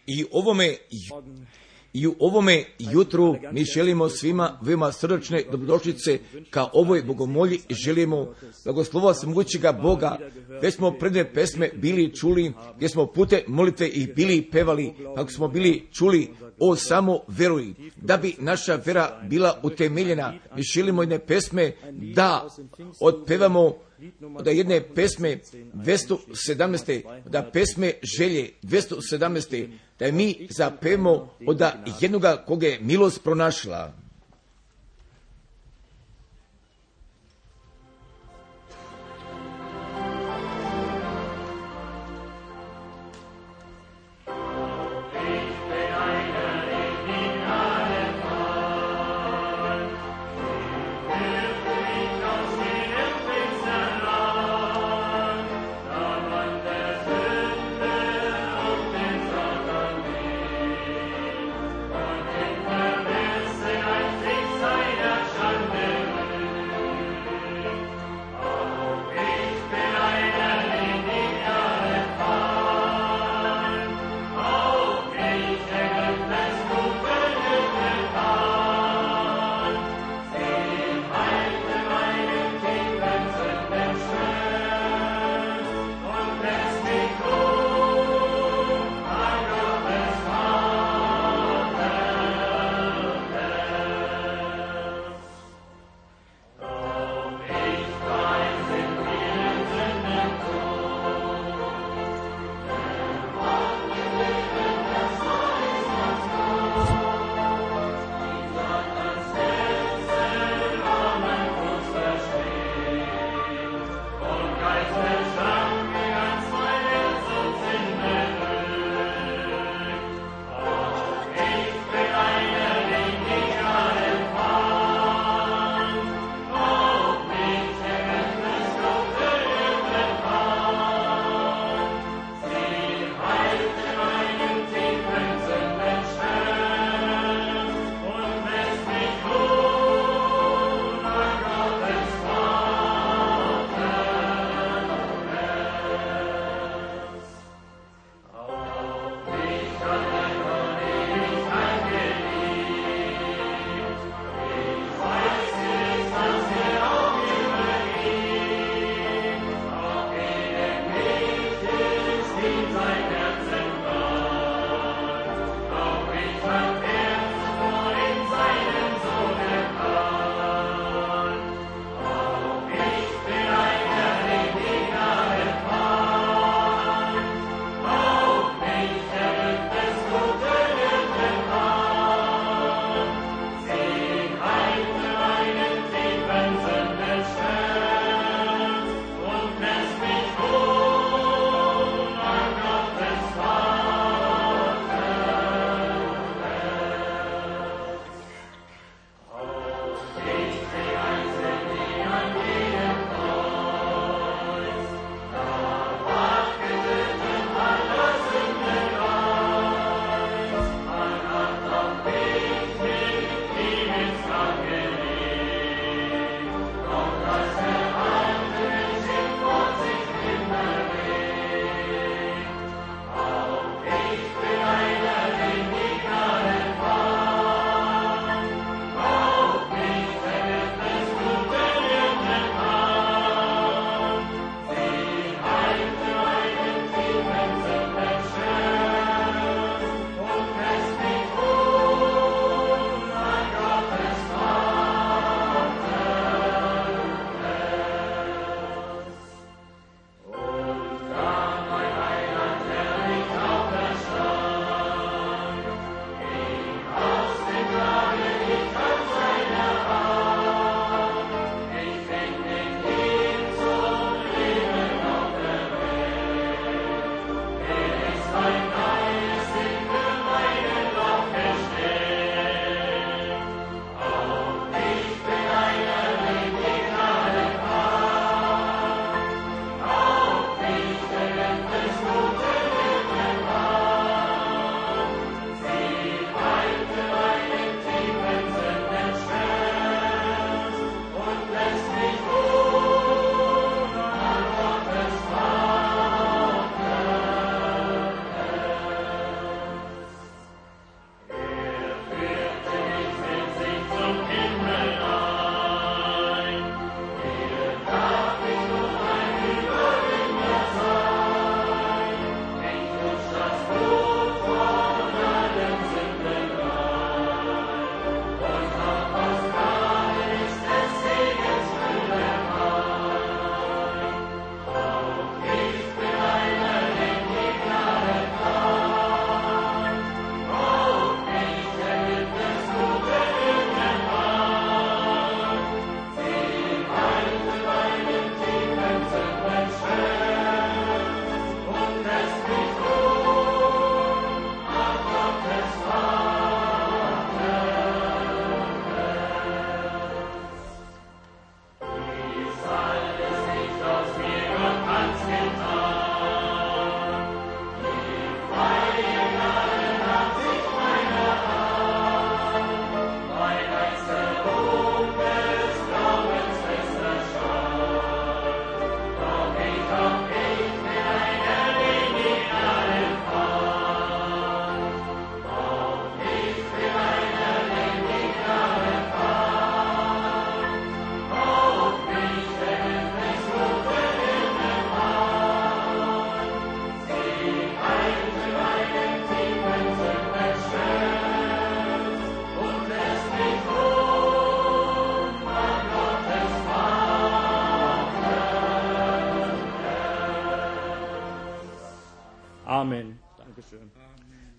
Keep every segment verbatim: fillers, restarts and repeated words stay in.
I ovome, i u ovome jutru mi želimo svima veoma srdačne dobrodošlice ka ovoj bogomolji i želimo blagoslova svemogućega Boga. Već smo predne pesme bili čuli, gdje smo pute molite i bili pevali, kako smo bili čuli o samo veruj. Da bi naša vera bila utemeljena, mi želimo jedne pesme da otpevamo, da jedne pesme dvjesto sedamnaest. da pesme želje dvjesto sedamnaest. da mi zapevamo od jednoga koga je milost pronašla. I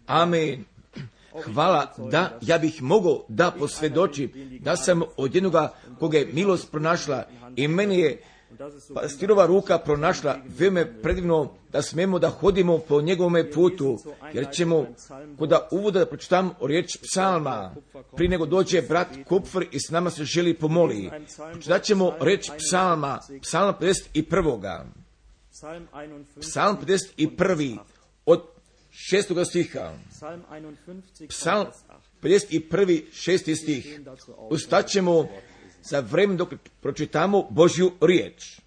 Amen. Hvala da ja bih mogao da posvjedočim da sam od jednoga koga je milost pronašla i meni je pastirova ruka pronašla veoma predivno da smemo da hodimo po njegovome putu, jer ćemo kod uvoda da pročitam riječ psalma, prije nego dođe brat Kupfer i s nama se želi pomoli. Pročitat ćemo riječ psalma, psalm pedeset jedan. Psalm pedeset jedan od šestoga stiha. Psalm pedeset jedan, šesti stih. Ustaćemo za vreme dok pročitamo Božju riječ.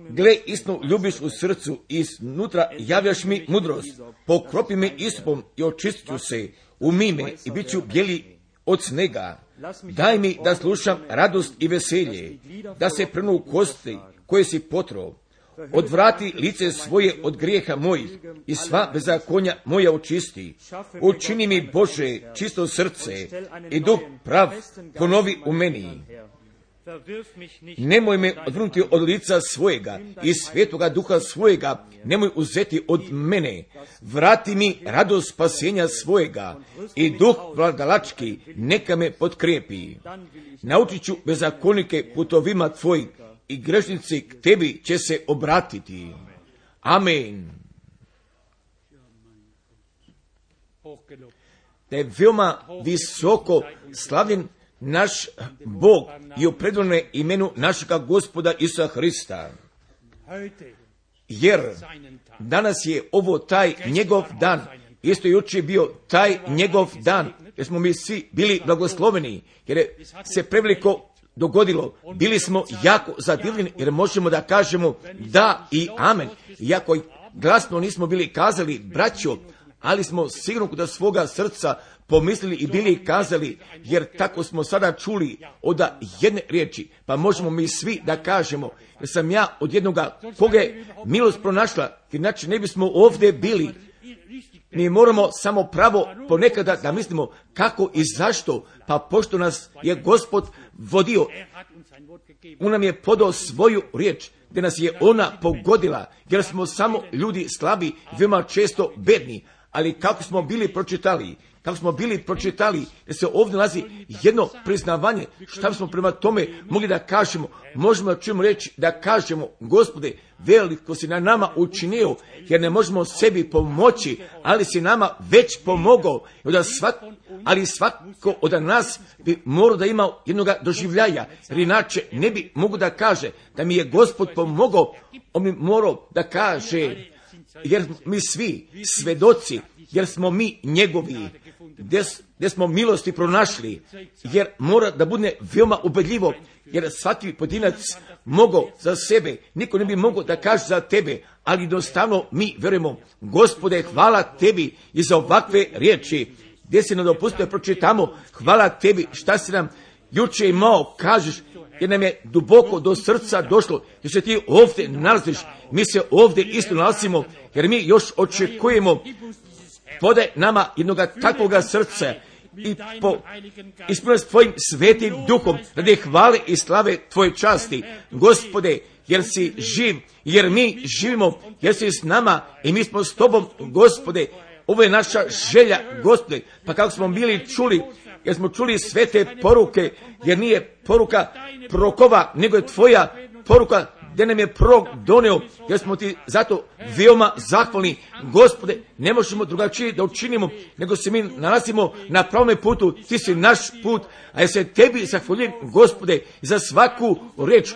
Gle, istinu ljubiš u srcu, iznutra javljaš mi mudrost, pokropi me istupom i očistit ću se, umij me i bit ću bijeli od snega. Daj mi da slušam radost i veselje, da se prenu kosti koje si potrao. Odvrati lice svoje od grijeha mojih i sva bezakonja moja očisti. Učini mi, Bože, čisto srce i duh prav ponovi u meni. Nemoj me odvrnuti od lica svojega i svetoga duha svojega nemoj uzeti od mene. Vrati mi radost spasenja svojega i duh vladalački neka me potkrijepi. Naučit ću bezakonike putovima tvojih i grešnici k tebi će se obratiti. Amen. Da je veoma visoko slavljen naš Bog i u predivnom imenu našega Gospoda Isusa Hrista. Jer danas je ovo taj njegov dan, isto jučer bio taj njegov dan, jer smo mi svi bili blagosloveni, jer je se preveliko dogodilo. Bili smo jako zadivljeni jer možemo da kažemo da i amen. Iako glasno nismo bili kazali braćo, ali smo sigurno kod svoga srca pomislili i bili kazali, jer tako smo sada čuli od jedne riječi, pa možemo mi svi da kažemo, jer sam ja od jednoga koga je milost pronašla, inače ne bismo ovdje bili. Mi moramo samo pravo ponekada da mislimo kako i zašto, pa pošto nas je Gospod vodio, on nam je podao svoju riječ, gdje nas je ona pogodila, jer smo samo ljudi slabi, veoma često bedni, ali kako smo bili pročitali, kako smo bili pročitali, da se ovdje nalazi jedno priznavanje, šta smo prema tome mogli da kažemo, možemo da čujemo reći da kažemo, Gospode, veliko si na nama učinio, jer ne možemo sebi pomoći, ali si nama već pomogao, svak, ali svako od nas bi morao da ima jednog doživljaja, jer inače ne bi mogu da kaže da mi je Gospod pomogao, on bi morao da kaže, jer mi svi svedoci, jer smo mi njegovi, gdje, gdje smo milosti pronašli, jer mora da bude veoma ubedljivo, jer svaki pojedinac mogao za sebe, niko ne bi mogao da kaže za tebe, ali jednostavno mi verujemo, Gospode, hvala tebi i za ovakve riječi, gdje si nam dopustio pročitamo, hvala tebi šta si nam juče imao, kažeš, jer nam je duboko do srca došlo, jer se ti ovdje nalaziš, mi se ovdje isto nalazimo, jer mi još očekujemo, podaj nama jednog takvoga srca i po ispunjenost tvojim svetim duhom, radi hvale i slave tvoje časti, Gospode, jer si živ, jer mi živimo, jer si s nama i mi smo s tobom, Gospode, ovo je naša želja, Gospode, pa kako smo bili čuli, jer smo čuli svete poruke, jer nije poruka prorokova, nego je tvoja poruka, gdje nam je prorok doneo, jer smo ti zato veoma zahvalni, Gospode, ne možemo drugačije da učinimo, nego se mi nalazimo na pravome putu, ti si naš put, a ja se tebi zahvaljujem, Gospode, za svaku reč,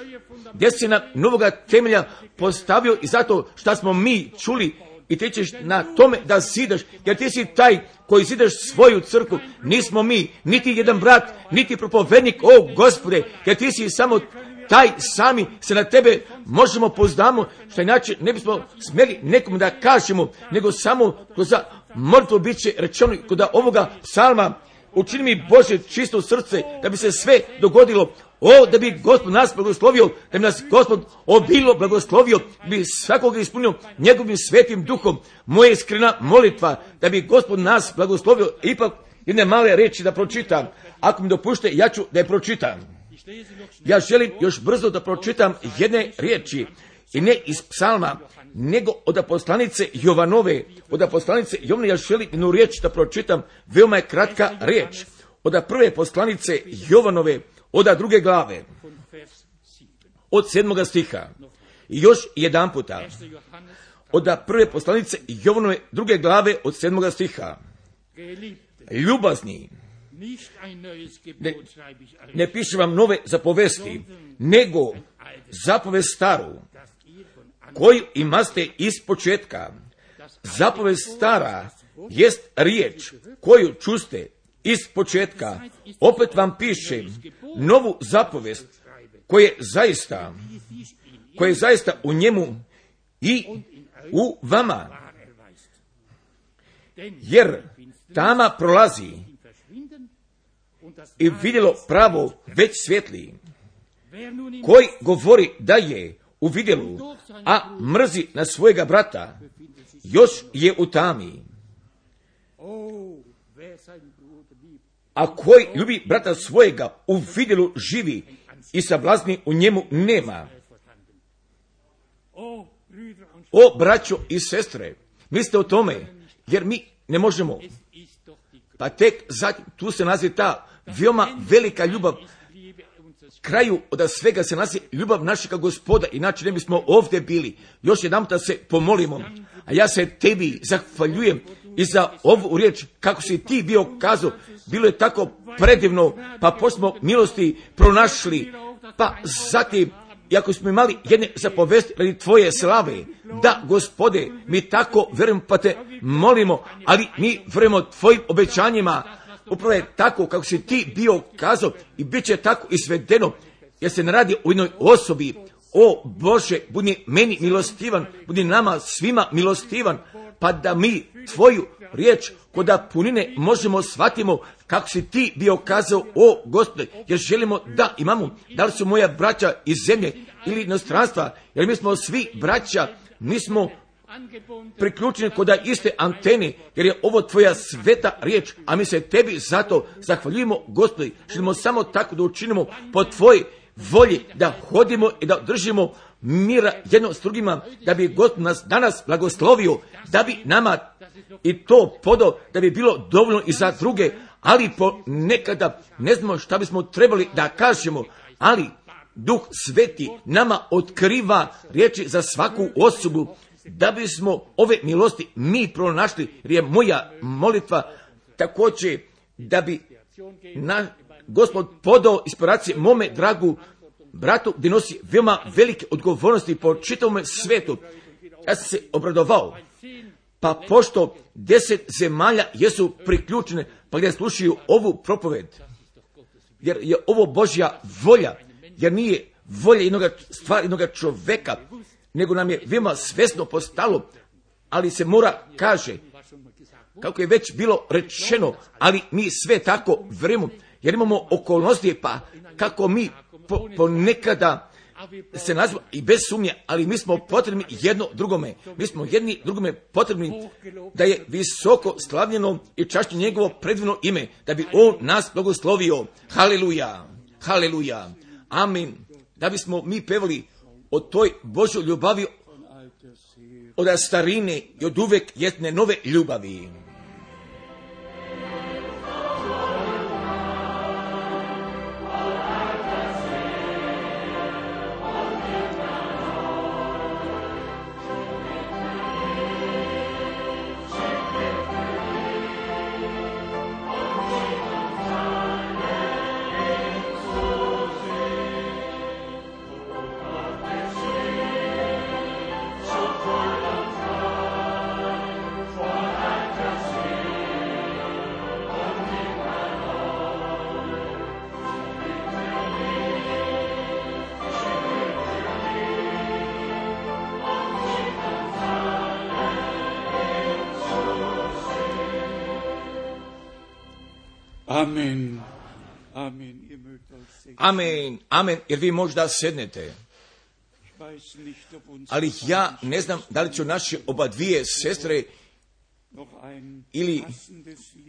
gdje si na novoga temelja postavio i zato što smo mi čuli, i ti ćeš na tome da zidaš, jer ti si taj koji zidaš svoju crkvu, nismo mi, niti jedan brat, niti propovednik, o Gospode, jer ti si samo taj sami se na tebe možemo pozdamo, što inače ne bismo smjeli nekom da kažemo, nego samo kroz molitvu bit će rečeno kod ovoga psalma, učini mi Bože čisto srce, da bi se sve dogodilo, o, da bi Gospod nas blagoslovio, da bi nas Gospod obilo blagoslovio, da bi svakoga ispunio njegovim svetim duhom, moja iskrena molitva, da bi Gospod nas blagoslovio, ipak jedne male reči da pročitam, ako mi dopušte, ja ću da je pročitam. Ja želim još brzo da pročitam jedne riječi i ne iz psalma, nego od poslanice Jovanove. Od poslanice Jovane ja želim jednu riječ da pročitam, veoma je kratka riječ. Od prve poslanice Jovanove, od druge glave, od sedmoga stiha. I još jedan puta. Od prve poslanice Jovanove, druge glave, od sedmoga stiha. Ljubazni, ne, ne pišem vam nove zapovesti, nego zapovest staru, koju imaste iz početka. Zapovest stara jest riječ koju čuste iz početka. Opet vam pišem novu zapovest koja je zaista, koja je zaista u njemu i u vama. Jer tama prolazi i vidjelo pravo već svjetli. Koji govori da je u vidjelu, a mrzi na svojega brata, još je u tami. A koji ljubi brata svojega, u vidjelu živi i sablazni u njemu nema. O, braćo i sestre, mislite o tome, jer mi ne možemo. Pa tek zatim, tu se nalazi ta veoma velika ljubav. Kraju od svega se nalazi ljubav našega Gospoda, inače ne bismo ovdje bili. Još jedan puta se pomolimo, a ja se tebi zahvaljujem i za ovu riječ, kako si ti bio kazao, bilo je tako predivno, pa pošto smo milosti pronašli, pa zatim, iako smo imali jedne zapovesti radi tvoje slave, da, Gospode, mi tako vjerujemo, pa te molimo, ali mi vjerujemo tvojim obećanjima. Upravo je tako kako si ti bio kazao i bit će tako izvedeno, jer se ne radi o jednoj osobi. O Bože, budi meni milostivan, budi nama svima milostivan, pa da mi tvoju riječ koda punine možemo shvatimo kako si ti bio kazao, o Gospode, jer želimo da imamo, da li su moja braća iz zemlje ili inostranstva, jer mi smo svi braća, mi smo priključeni kod iste antene, jer je ovo tvoja sveta riječ, a mi se tebi zato zahvaljujemo, Gospodi, želimo samo tako da učinimo po tvojoj volji, da hodimo i da držimo mira jedno s drugima, da bi Gospod nas danas blagoslovio, da bi nama i to podao, da bi bilo dovoljno i za druge, ali po nekada ne znamo šta bismo trebali da kažemo, ali Duh Sveti nama otkriva riječi za svaku osobu, da bismo ove milosti mi pronašli, jer je moja molitva također da bi na Gospod podao inspiracije mome dragu bratu, gdje nosi veoma velike odgovornosti po čitavom svetu. Ja sam se obradovao, pa pošto deset zemalja jesu priključene, pa gdje slušaju ovu propoved, jer je ovo Božja volja, jer nije volja jednoga stvari, jednoga čoveka, nego nam je veoma svjesno postalo, ali se mora kaže, kako je već bilo rečeno, ali mi sve tako vjerujemo, jer imamo okolnosti, pa kako mi po, ponekada se nazivamo i bez sumnje, ali mi smo potrebni jedno drugome, mi smo jedni drugome potrebni da je visoko slavljeno i čašće njegovo predivno ime, da bi on nas blagoslovio. Haleluja, haleluja, amin. Da bismo mi pevali o toj Božoj ljubavi od starine i od uvek jedne nove ljubavi. Amen. Amen. Amen. Amen. Jer vi možda sednete. Ali ja ne znam da li će naše oba dvije sestre ili,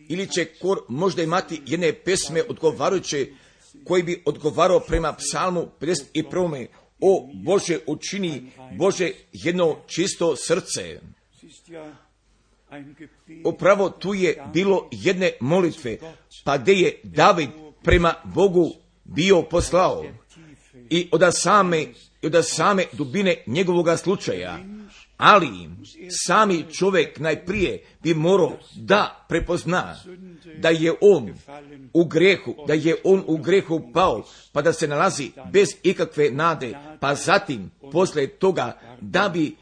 ili će kor možda imati jedne pesme odgovarajuće koji bi odgovarao prema psalmu pedeset prvom. o Bože, učini, Bože, jedno čisto srce. Upravo tu je bilo jedne molitve, pa gdje je David prema Bogu bio poslao i od same, od same dubine njegovoga slučaja. Ali sami čovjek najprije bi morao da prepozna da je on u grehu, da je on u grehu pao, pa da se nalazi bez ikakve nade, pa zatim poslije toga da bi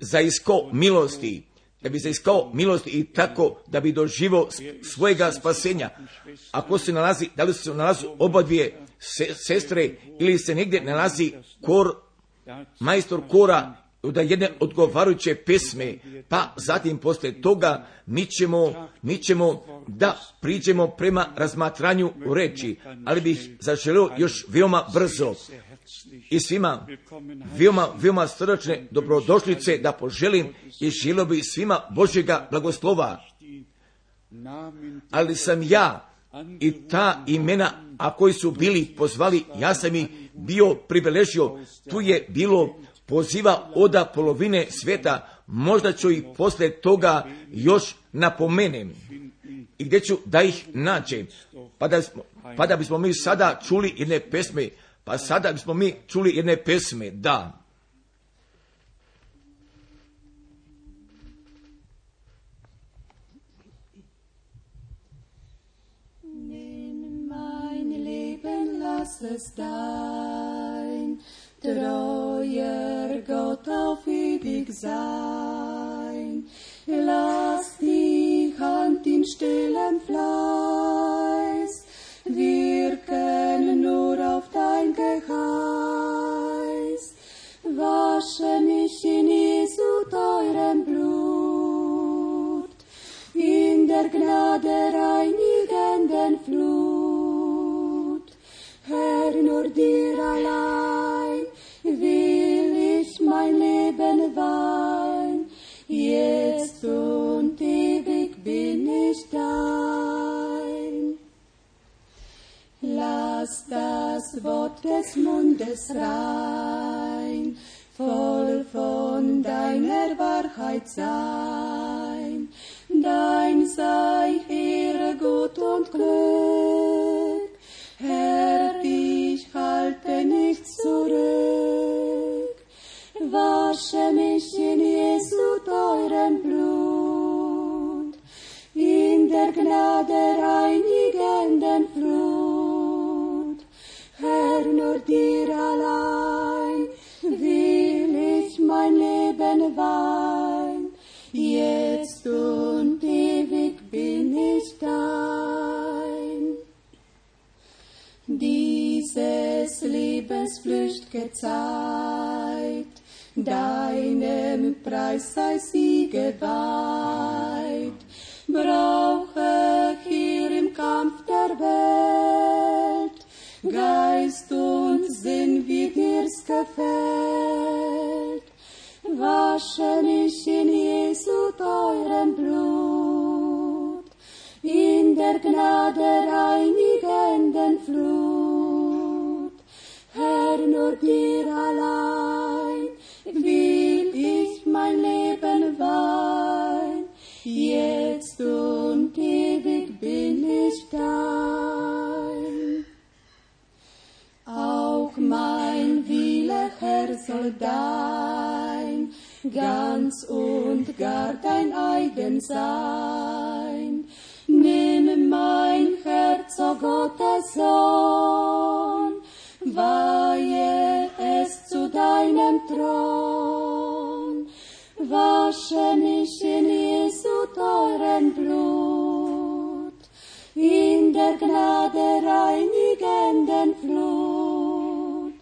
zaiskao milosti, da bi zaiskao milosti i tako da bi doživio svojega spasenja. Ako se nalazi, da li se nalazi oba dvije sestre ili se negdje nalazi kor, majstor kora, da jedne odgovarajuće pesme, pa zatim poslije toga mi ćemo, mi ćemo da priđemo prema razmatranju reči, ali bih zaželio još veoma brzo i svima veoma, veoma srdačne dobrodošlice da poželim i želio bih svima Božjega blagoslova. Ali sam ja i ta imena, a koji su bili pozvali, ja sam ih bio pribeležio, tu je bilo poziva oda polovine svijeta, možda ću ih poslije toga još napomenem i gdje ću da ih nađem, pa da, smo, pa da bismo mi sada čuli jedne pesme, pa sada bismo mi čuli jedne pesme, da. Nimm mein Leben, lass es dein treuer Gott auf ewig sein. Lass die Hand in stillem Fleiß wirken nur auf dein Geheiß. Wasche mich in Jesu teurem Blut, in der Gnade reinigenden Flut. Herr, nur dir allein will ich mein Leben weihen, jetzt und ewig bin ich dein. Lass das Wort des Mundes rein, voll von deiner Wahrheit sein. Dein sei Ehre, Gut und Glück, Herr, ich halte nichts zurück. Wasche mich in Jesu teurem Blut, in der Gnade reinigenden Flut. Herr, nur dir allein will ich mein Leben weihen, jetzt und ewig bin ich dein. Dieses lebensflücht'ge Zeit, deinem Preis sei sie geweiht. Brauche hier im Kampf der Welt Geist und Sinn, wie dir's gefällt. Wasche mich in Jesu teurem Blut, in der Gnade reinigenden Flut. Herr, nur dir allein will ich mein Leben weihen, jetzt und ewig bin ich dein. Auch mein Wille, Herr, soll dein, ganz und gar dein eigen sein. Nimm mein Herz, o Gottes Sohn, weihe es zu deinem Thron. Wasche mich in Jesu teuren Blut, in der Gnade reinigenden Flut.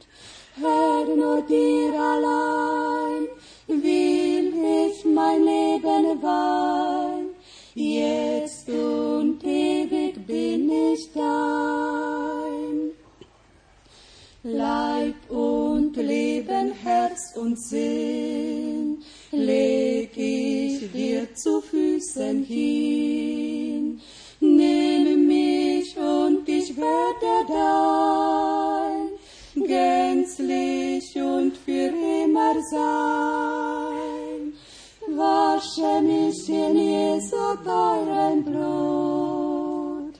Herr, nur dir allein will ich mein Leben weihen, jetzt und ewig bin ich dein. Leib und Leben, Herz und Sinn leg ich dir zu Füßen hin. Nimm mich und ich werde dein, gänzlich Wasche mich in Jesu teuren Blut,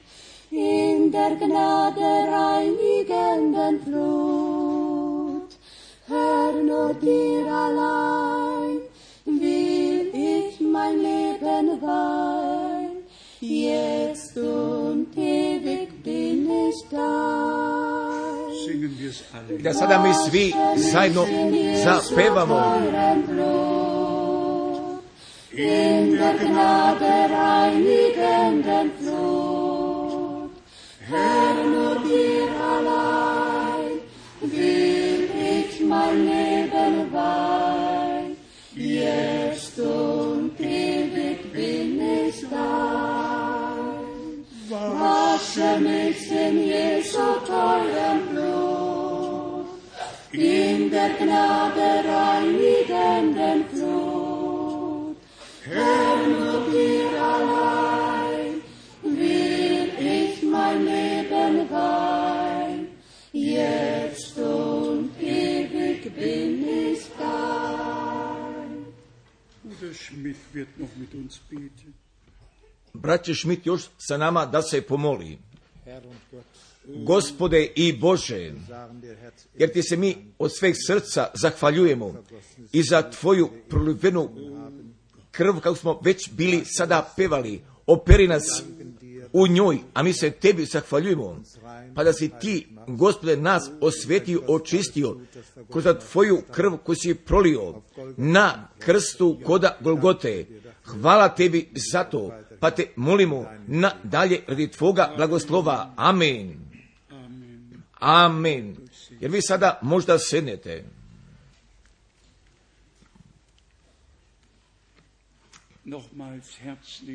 in der Gnade reinigenden Flut. Herr, nur dir allein will ich mein Leben weihen, jetzt und ewig bin ich dein. Singen wir es alle. Da sada mi svi zajedno zapevamo. In der Gnade reinigenden Flut, Herr, nur dir allein will ich mein Leben weihen, jetzt und ewig bin ich dein. Wasche mich in Jesu teuren Blut, in der Gnade reinigenden Flut, Herr, nur dir allein will ich mein Leben weihen, jetzt und ewig bin ich dein. Bruder Schmidt wird noch mit uns beten. Braće Schmidt još sa nama da se pomoli. Gospode i Bože, jer ti se mi od sveg srca zahvaljujemo i za tvoju prolivenu krv, kako smo već bili sada pevali, operi nas u njoj, a mi se tebi zahvaljujemo, pa da si ti, Gospode, nas osvetio, očistio kroz tvoju krv koju si prolio na krstu koda Golgote. Hvala tebi za to, pa te molimo na dalje radi tvoga blagoslova. Amen. Amen. Jer vi sada možda sednete.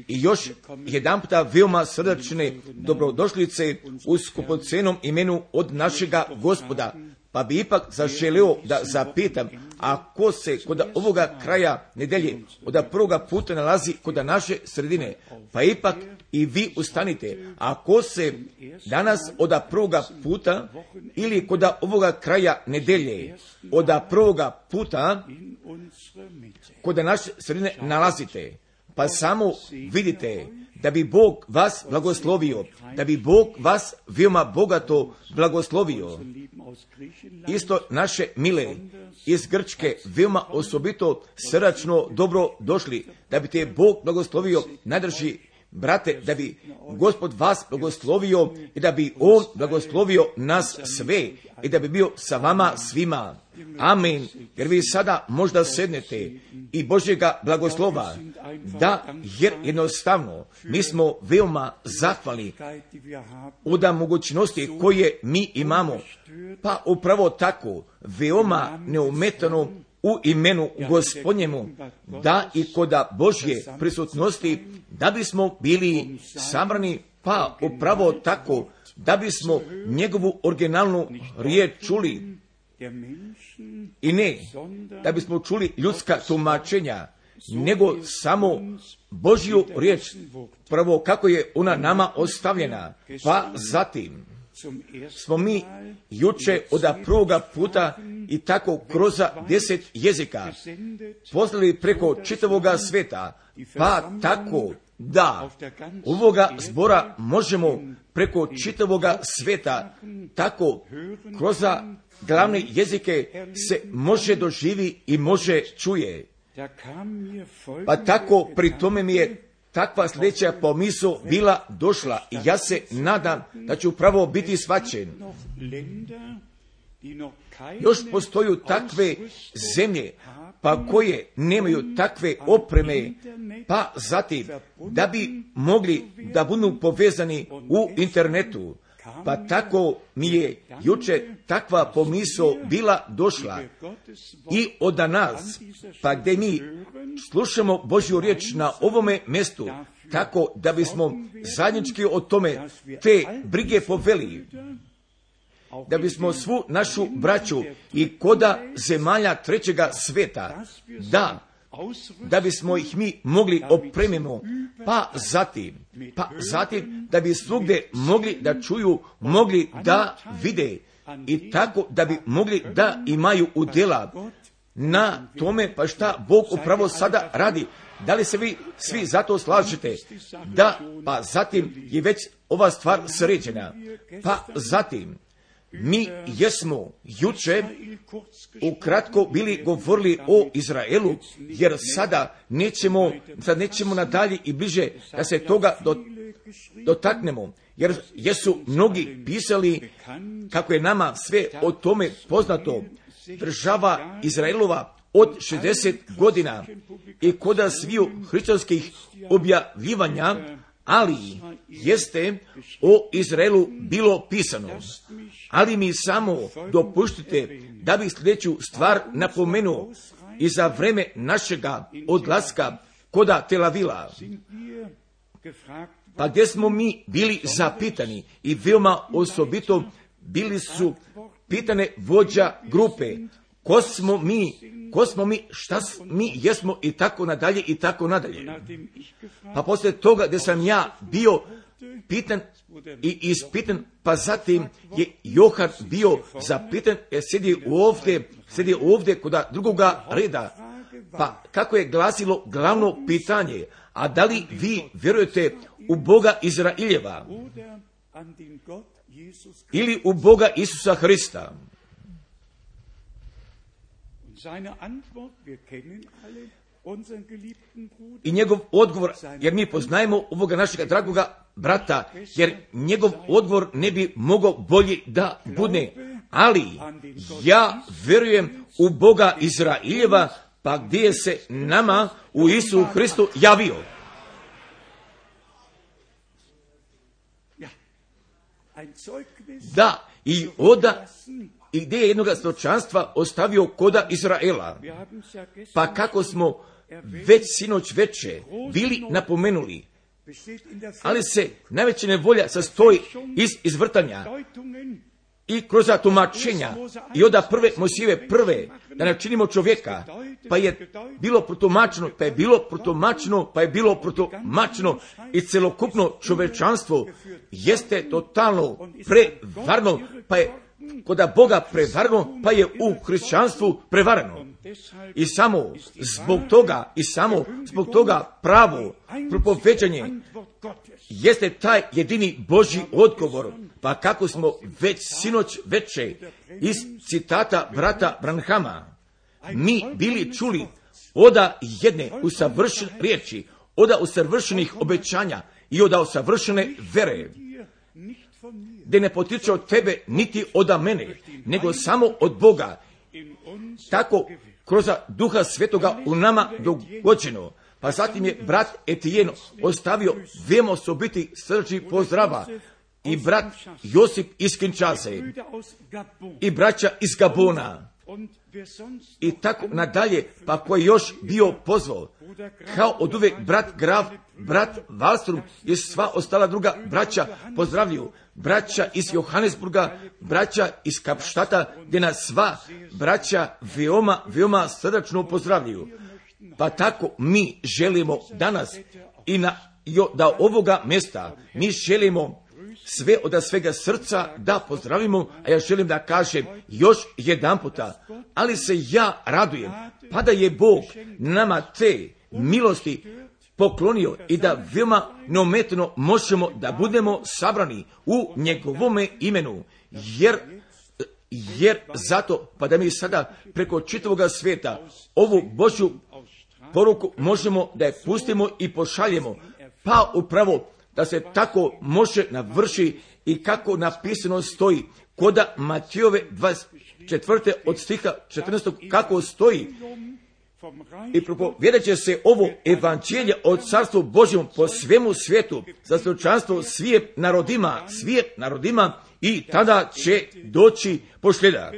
I još jedan puta veoma srdačne dobrodošlice u skupocenom imenu od našega Gospoda. Pa bi ipak zaželeo da zapitam, ako se kod ovoga kraja nedelje od prvoga puta nalazi kod naše sredine, pa ipak i vi ustanite. Ako se danas od prvoga puta ili kod ovoga kraja nedelje od prvoga puta kod naše sredine nalazite, pa samo vidite da bi Bog vas blagoslovio, da bi Bog vas veoma bogato blagoslovio. Isto naše mile iz Grčke veoma osobito srdačno dobro došli, da bi te Bog blagoslovio, najdrži brate, da bi Gospod vas blagoslovio i da bi On blagoslovio nas sve i da bi bio sa vama svima. Amen. Jer vi sada možda sednete i Božjega blagoslova, da, jer jednostavno mi smo veoma zahvalni od mogućnosti koje mi imamo, pa upravo tako veoma neometano u imenu Gospodnjemu, da i kod Božje prisutnosti, da bismo bili sabrani, pa upravo tako da bismo njegovu originalnu riječ čuli, i ne da bismo čuli ljudska tumačenja, nego samo Božju riječ, prvo kako je ona nama ostavljena, pa zatim smo mi juče od prvoga puta i tako kroz deset jezika poslali preko čitavoga sveta, pa tako da ovoga zbora možemo preko čitavoga sveta, tako kroz glavne jezike se može doživi i može čuje. Pa tako pri tome mi je takva sljedeća pomisao bila došla i ja se nadam da ću upravo biti shvaćen. Još postoju takve zemlje, pa koje nemaju takve opreme, pa zatim da bi mogli da budu povezani u internetu. Pa tako mi je juče takva pomisao bila došla i od nas, pa gdje mi slušamo Božju riječ na ovome mjestu, tako da bismo zajednički o tome te brige poveli, da bismo svu našu braću i koda zemalja trećega sveta, da, da bismo ih mi mogli opremimo, pa zatim, pa zatim da bi svugdje mogli da čuju, mogli da vide i tako da bi mogli da imaju udjela na tome, pa šta Bog upravo sada radi, Da li se vi svi zato slažete? Da, pa zatim je već ova stvar sređena. Pa zatim, mi jesmo juče ukratko bili govorili o Izraelu, jer sada nećemo, sad nećemo nadalje i bliže da se toga do, dotaknemo, jer jesu mnogi pisali kako je nama sve o tome poznato. Država Izraelova od šezdeset godina i koda sviju hrišćanskih objavljivanja, ali jeste o Izraelu bilo pisano. Ali mi samo dopuštite da bih sljedeću stvar napomenuo i za vreme našega odlaska koda Tel Avila, pa gdje smo mi bili zapitani i veoma osobito bili su pitane vođa grupe, ko smo mi, ko smo mi, šta mi jesmo i tako nadalje i tako nadalje. Pa poslije toga gdje sam ja bio pitan i ispitan, pa zatim je Johan bio zapitan, jer sjedi ovdje, sjedi ovdje kod drugoga reda. Pa kako je glasilo glavno pitanje, a da li vi vjerujete u Boga Izraeljeva ili u Boga Isusa Hrista? I njegov odgovor, jer mi poznajemo ovoga našega dragoga brata, jer njegov odgovor ne bi mogao bolji da bude. Ali ja vjerujem u Boga Izraeljeva, pa gdje je se nama u Isusu Hristu javio. Da, i oda i gdje je jednoga stočanstva ostavio koda Izraela. Pa kako smo već sinoć veče bili napomenuli, ali se najveća nevolja sastoji iz izvrtanja i kroz tumačenja i oda prve Mojsijeve prve, da načinimo čovjeka, pa je bilo protumačeno, pa je bilo protumačeno, pa je bilo protumačeno i celokupno čovečanstvo jeste totalno prevarno, pa je koda Boga prevarno, pa je u hrišćanstvu prevarano. I samo zbog toga, i samo zbog toga pravo propoveđanje jeste taj jedini Božji odgovor. Pa kako smo već sinoć veče iz citata brata Branhama mi bili čuli oda jedne usavršene riječi, oda usavršenih obećanja i oda usavršene vere, gdje ne potiče od tebe niti od mene, nego samo od Boga. Tako kroz Duha Svetoga u nama dogođeno. Pa zatim je brat Etijen ostavio veoma osobiti srčni pozdrava i brat Josip iz Kinshase i braća iz Gabona i tako nadalje, pa ko je još bio pozvao, kao od uvijek brat Graf, brat Wallström i sva ostala druga braća pozdravljuju, braća iz Johannesburga, braća iz Kapštata, gdje nas sva braća veoma, veoma srdačno pozdravljuju. Pa tako mi želimo danas i na, da ovoga mjesta mi želimo sve od svega srca da pozdravimo, a ja želim da kažem još jedan puta, ali se ja radujem, pa da je Bog nama te milosti poklonio i da veoma neometno možemo da budemo sabrani u njegovome imenu, jer jer zato, pa da mi sada preko čitavoga svijeta ovu Božju poruku možemo da je pustimo i pošaljemo, pa upravo da se tako može navrši i kako napisano stoji koda Matijove dvadeset četvrte od stiha četrnaestog kako stoji. I propovijedat će se ovo evanđelje o carstvu Božjem po svemu svijetu za stočanstvo svijet narodima, svijet narodima i tada će doći posljedak.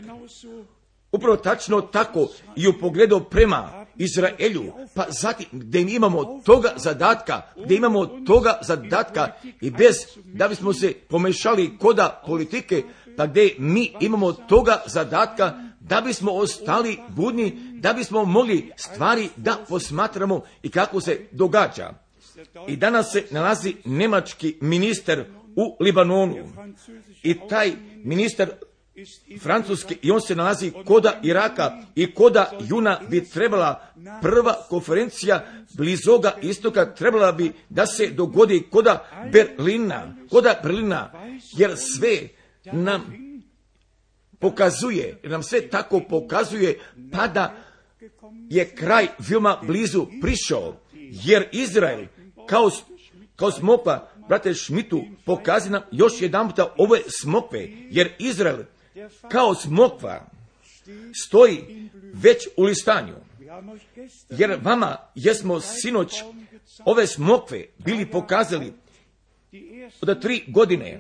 Upravo tačno tako i u pogledu prema Izraelju, pa zatim gdje imamo toga zadatka, gdje imamo toga zadatka i bez da bismo se pomešali koda politike, pa gdje mi imamo toga zadatka da bismo ostali budni, da bismo mogli stvari da posmatramo i kako se događa. I danas se nalazi njemački ministar u Libanonu i taj ministar Francuske i on se nalazi koda Iraka i koda juna bi trebala prva konferencija Blizoga istoka trebala bi da se dogodi koda Berlina, koda Berlina, jer sve nam pokazuje, jer nam sve tako pokazuje, pa da je kraj veoma blizu prišao, jer Izrael kao, kao smokva, brate Šmitu, pokazuje nam još jedan puta ove smokve, jer Izrael kao smokva stoji već u listanju. Jer vama jesmo sinoć ove smokve bili pokazali od tri godine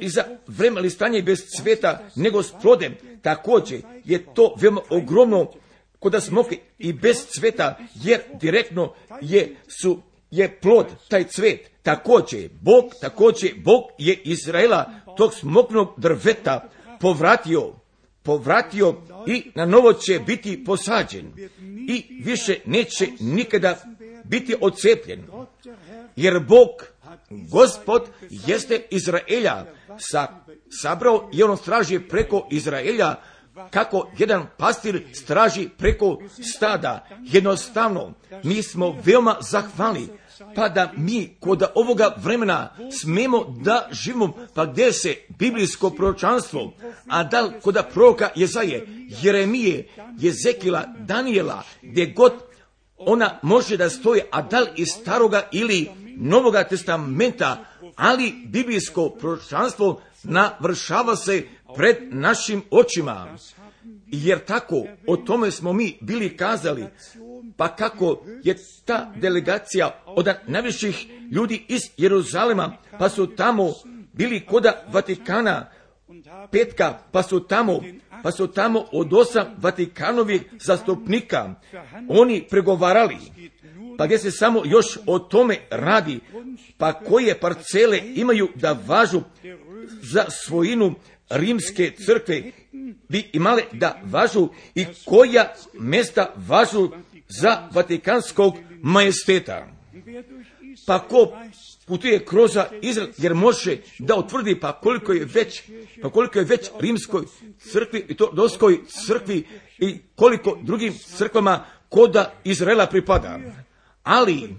i za vreme listanja bez cveta nego s plodem. Također je to veoma ogromno kod smokve i bez cveta, jer direktno je, su, je plod taj cvet. Također Bog, također Bog je Izraela tog smokvnog drveta povratio, povratio i na novo će biti posađen i više neće nikada biti odcepljen. Jer Bog, Gospod, jeste Izraelja sa, sabrao i on straži preko Izraelja kako jedan pastir straži preko stada. Jednostavno, mi smo veoma zahvalni, pa da mi kod ovoga vremena smemo da živimo, pa gdje se biblijsko proročanstvo, a da li kod proroka Jezaje, Jeremije, Jezekila, Danijela, gdje god ona može da stoji, a da li iz staroga ili Novoga testamenta, ali biblijsko proročanstvo navršava se pred našim očima. Jer tako, o tome smo mi bili kazali, pa kako je ta delegacija od najviših ljudi iz Jeruzalema, pa su tamo bili koda Vatikana, petka, pa su tamo, pa su tamo od osam Vatikanovih zastupnika, oni pregovarali, pa gdje se samo još o tome radi, pa koje parcele imaju da važu za svojinu rimske crkve bi imale da važu i koja mjesta važu za vatikanskog majesteta. Pa ko putuje kroz Izrael, jer može da utvrdi pa koliko je već, pa koliko je već rimskoj crkvi i to doskoj crkvi i koliko drugim crkvama koda Izraela pripada. Ali,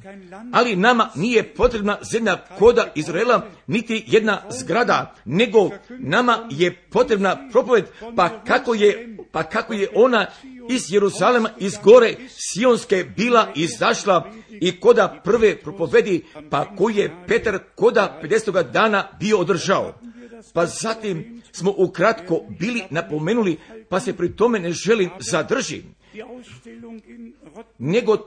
ali nama nije potrebna zemlja koda Izraela, niti jedna zgrada, nego nama je potrebna propoved, pa kako je, pa kako je ona iz Jeruzalema, iz gore Sionske bila izašla i koda prve propovedi, pa koji je Petar koda pedesetoga dana bio održao. Pa zatim smo ukratko bili napomenuli, pa se pri tome ne želim zadržiti, nego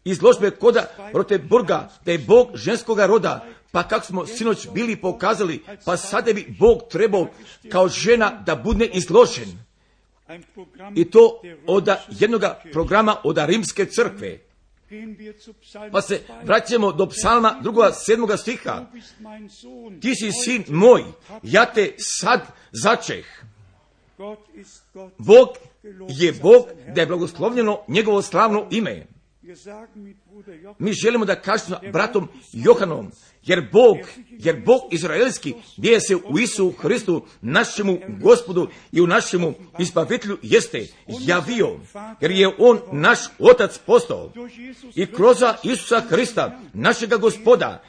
izložbe koda Roteburga, da je Bog ženskoga roda, pa kako smo sinoć bili pokazali, pa sada bi Bog trebao kao žena da bude izložen. I to od jednog programa od rimske crkve. Pa se vraćamo do psalma drugoga sedmoga stiha. Ti si sin moj, ja te sad začeh. Bog je Bog, da je blagoslovljeno njegovo slavno ime. Mi želimo da kažemo bratom Johanom, jer Bog, jer Bog izraelski, gdje se u Isu Hristu, našemu Gospodu i u našemu Izbavitelju jeste javio, jer je on naš Otac postao i kroz Isusa Hrista, našega Gospoda,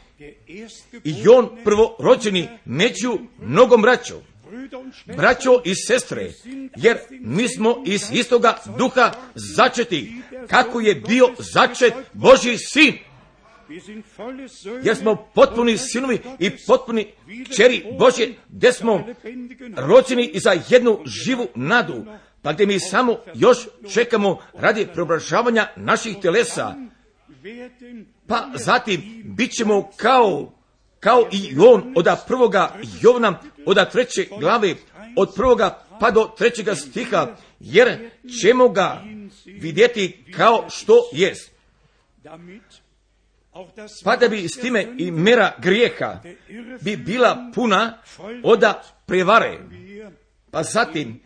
i on prvorođeni među mnogom braćom. Braćo i sestre, jer mi smo iz istoga duha začeti, kako je bio začet Božji sin. Jer smo potpuni sinovi i potpuni kćeri Božje, gdje smo rođeni i za jednu živu nadu, pa gdje mi samo još čekamo radi preobražavanja naših telesa. Pa zatim bit ćemo kao kao i on od prvoga Jovana, od treće glave, od prvoga pa do trećega stiha, jer ćemo ga vidjeti kao što jest. Pa da bi s time i mera grijeha bi bila puna od prevare. Pa zatim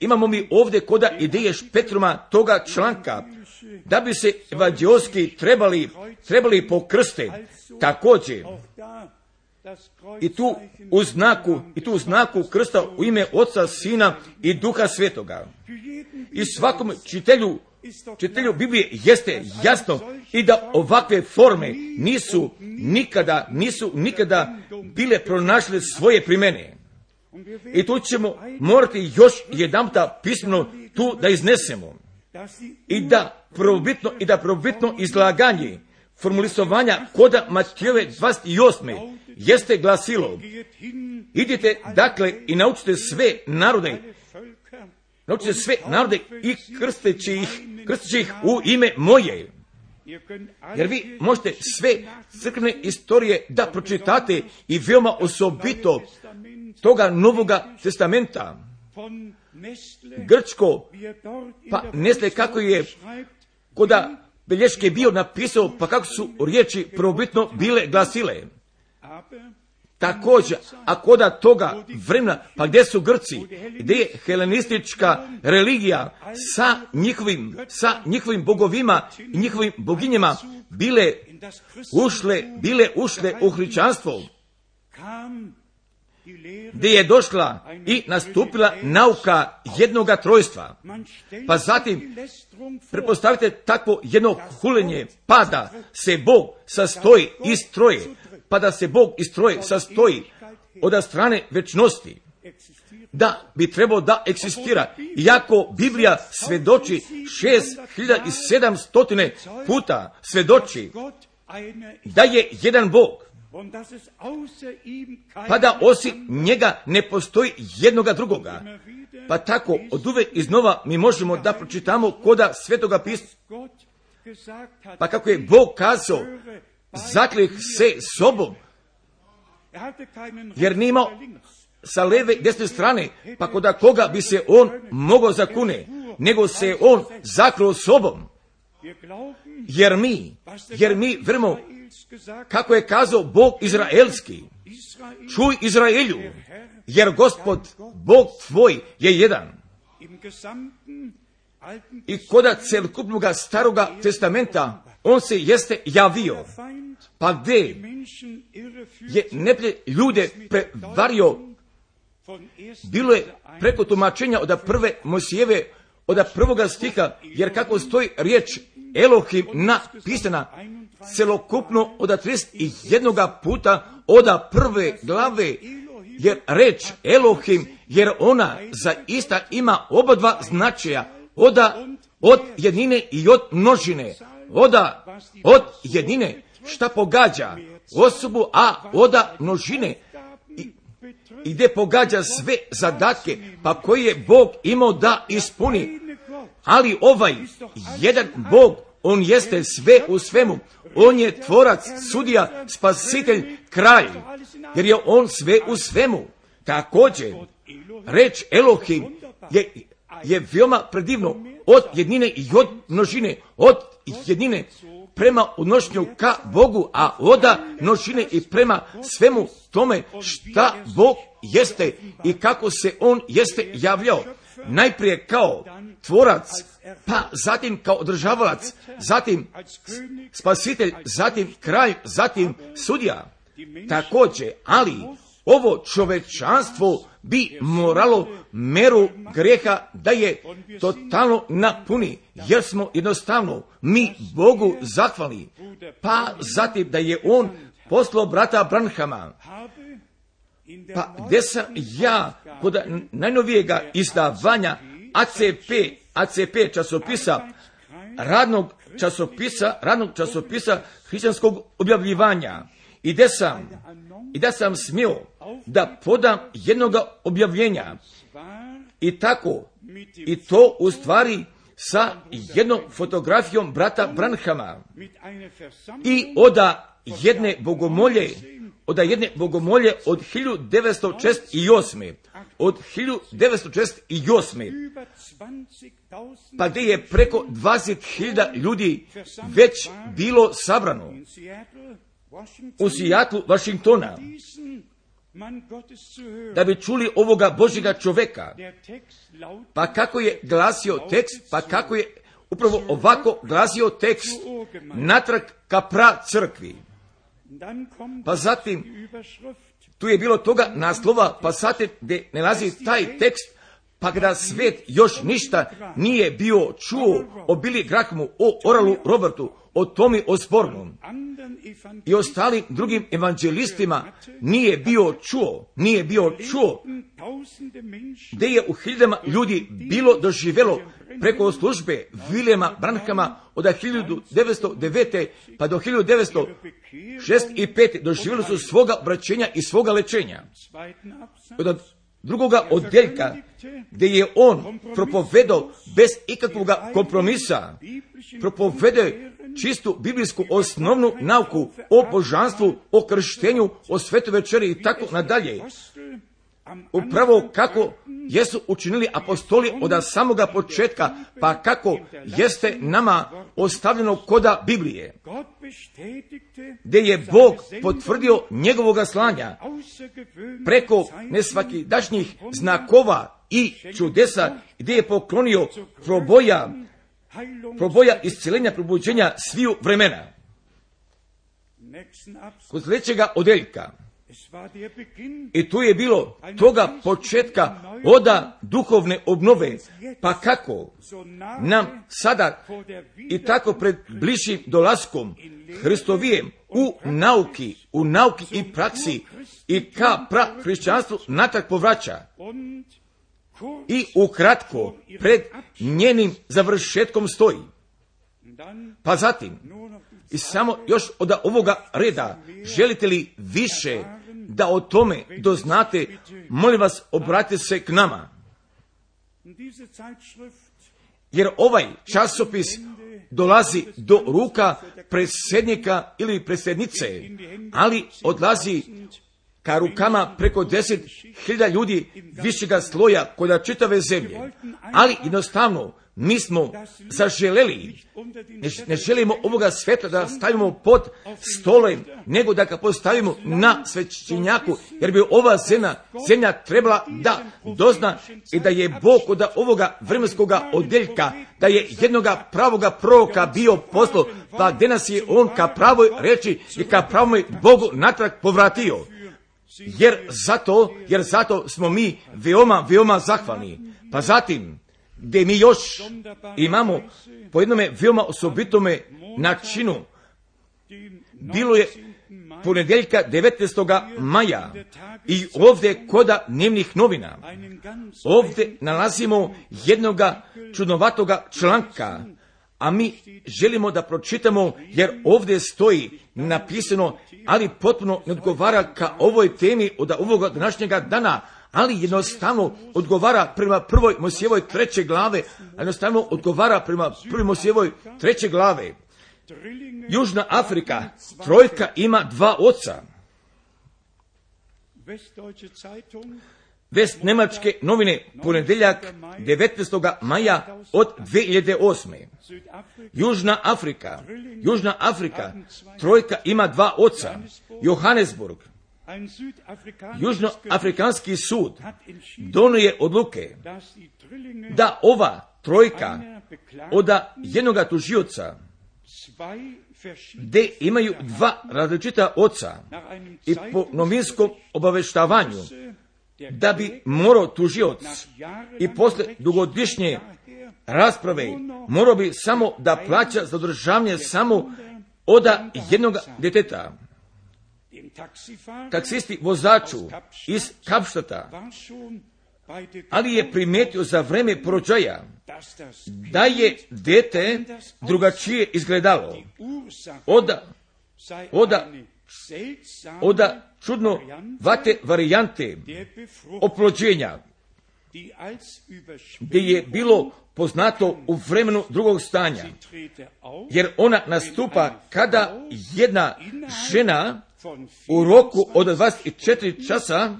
imamo mi ovdje koda ideje Špetruma toga članka, da bi se evanđeoski trebali, trebali pokrste. Također, i tu u znaku, i tu u znaku krsta u ime Oca, Sina i Duha Svetoga. I svakom čitelju, čitelju Biblije jeste jasno i da ovakve forme nisu nikada, nisu nikada bile pronašle svoje primjene. I tu ćemo morati još jedanputa pismeno tu da iznesemo. I da prvobitno, i da prvobitno izlaganje formulisovanja koda Matijeve dvadeset osme jeste glasilo: idite dakle i naučite sve narode, naučite sve narode i krsteći ih, krsteći ih u ime moje. Jer vi možete sve crkvene istorije da pročitate i veoma osobito toga Novoga testamenta. Grčko, pa Nestle kako je koda bilješke bio napisao, pa kako su riječi prvobitno bile glasile. Također, a koda toga vremena, pa gdje su Grci, gdje je helenistička religija sa njihovim, sa njihovim bogovima i njihovim boginjama bile ušle, bile ušle u hrišćanstvo, gdje je došla i nastupila nauka jednoga trojstva. Pa zatim, pretpostavite takvo jedno hulenje, pa da se Bog sastoji iz troje, pa da se Bog iz troje sastoji od strane večnosti, da bi trebao da eksistira. Iako Biblija svedoči šest hiljada sedamsto puta svedoči da je jedan Bog, pa da osim njega ne postoji jednoga drugoga. Pa tako od uvek iznova mi možemo da pročitamo koda Svetoga pisma. Pa kako je Bog kazao, zaklih se sobom, jer nije imao sa leve i desne strane, pa koda koga bi se on mogao zakune, nego se on zakrio sobom. Jer mi, jer mi vremo, kako je kazao Bog izraelski: čuj Izraelju, jer Gospod, Bog tvoj je jedan. I koda celokupnog staroga testamenta on se jeste javio. Pa gdje je neprijatelj ljude prevario, bilo je preko tumačenja od prve Mojsijeve, od prvoga stiha, jer kako stoji riječ Elohim napisana celokupno od trideset jednoga puta od prve glave, jer reč Elohim, jer ona zaista ima oba dva značaja, od, od jednine i od množine, od, od jednine šta pogađa osobu, a od množine i, i gdje pogađa sve zadatke, pa koji je Bog imao da ispuni. Ali ovaj jedan Bog, on jeste sve u svemu. On je tvorac, sudija, spasitelj, kralj, jer je on sve u svemu. Također, reč Elohim je, je veoma predivno, od jednine i od množine, od jednine prema odnošenju ka Bogu, a od množine i prema svemu tome šta Bog jeste i kako se on jeste javljao. Najprije kao tvorac, pa zatim kao održavalac, zatim spasitelj, zatim kralj, zatim sudija. Također, ali ovo čovečanstvo bi moralo meru grijeha da je totalno napuni, jer smo jednostavno mi Bogu zahvalni. Pa zatim da je on poslao brata Branhama. Pa gdje sam ja kod najnovijega izdavanja A C P, A C P časopisa, radnog časopisa, radnog časopisa hrišćanskog objavljivanja, i gdje sam, i da sam smio da podam jednoga objavljenja, i tako, i to u stvari sa jednom fotografijom brata Branhama, i oda jedne bogomolje, od jedne bogomolje od hiljadu devetsto šezdeset osme. Od hiljadu devetsto šezdeset osme. Pa gdje je preko dvadeset hiljada ljudi već bilo sabrano u Seattlu, Washingtona, da bi čuli ovoga Božjega čoveka. Pa kako je glasio tekst, pa kako je upravo ovako glasio tekst: natrag ka pra crkvi. Pa zatim, tu je bilo toga naslova, pa zatim gdje nalazi taj tekst, pa kada svijet još ništa nije bio čuo o Billy Grahamu, o Oralu Robertu, o Tomi Osbornom i ostalim drugim evanđelistima nije bio čuo, nije bio čuo, gdje je u hiljadama ljudi bilo doživjelo preko službe Williama Branhama od hiljadu devetsto devete. pa do hiljadu devetsto šezdeset pete. doživjeli su svoga obraćenja i svoga lečenja. Od drugoga odjeljka, gdje je on propovedao bez ikakvog kompromisa, propovedao čistu biblijsku osnovnu nauku o božanstvu, o krštenju, o svetoj večeri i tako nadalje. Upravo kako jesu učinili apostoli od samoga početka, pa kako jeste nama ostavljeno koda Biblije, gdje je Bog potvrdio njegovoga slanja preko nesvakidašnjih znakova i čudesa, gdje je poklonio proboja, proboja iscijelenja, probuđenja sviju vremena. Kod sljedećega odjeljka, i tu je bilo toga početka oda duhovne obnove, pa kako nam sada i tako pred bližim dolaskom Hristovijem u nauki, u nauki i praksi i ka pra hrišćanstvu natrag povraća i ukratko pred njenim završetkom stoji. Pa zatim, i samo još od ovoga reda, želite li više da o tome doznate, molim vas, obratite se k nama. Jer ovaj časopis dolazi do ruka predsjednika ili predsjednice, ali odlazi ka rukama preko deset hiljada ljudi višega sloja kod čitave zemlje. Ali jednostavno, mi smo zaželeli, ne, ne želimo ovoga svjetla da stavimo pod stolem, nego da ga postavimo na svećenjaku, jer bi ova zemlja, zemlja trebala da dozna i da je Bog od ovoga vremenskoga odjeljka, da je jednoga pravoga proroka bio poslo, pa danas je on ka pravoj reči i ka pravoj Bogu natrag povratio. Jer zato, jer zato smo mi veoma, veoma zahvalni. Pa zatim, gdje mi još imamo po jednome veoma osobitome načinu, bilo je ponedjeljka devetnaestog maja i ovdje koda dnevnih novina, ovdje nalazimo jednoga čudnovatoga članka, a mi želimo da pročitamo, jer ovdje stoji napisano, ali potpuno ne odgovara ka ovoj temi od ovoga današnjega dana, ali jednostavno odgovara prema prvoj Mojsijevoj treće glave, a jednostavno odgovara prema prvoj Mojsijevoj treće glave. Južna Afrika, trojka ima dva oca. Vest Njemačke novine, ponedjeljak devetnaestog maja od dve hiljade osme. Južna Afrika, Južna Afrika, trojka ima dva oca. Johannesburg. Južnoafrikanski sud donio je odluke da ova trojka od jednoga tužioca, gdje imaju dva različita oca, i po novinskom obaveštavanju da bi morao tužioc i posle dugogodišnje rasprave morao bi samo da plaća za održavanje samo od jednog djeteta. Taksisti vozaču iz Kapštata, ali je primijetio za vreme porođaja da je dete drugačije izgledalo od, od, od čudno vate varijante oplođenja, gdje je bilo poznato u vremenu drugog stanja, jer ona nastupa kada jedna žena u roku od dvadeset četiri časa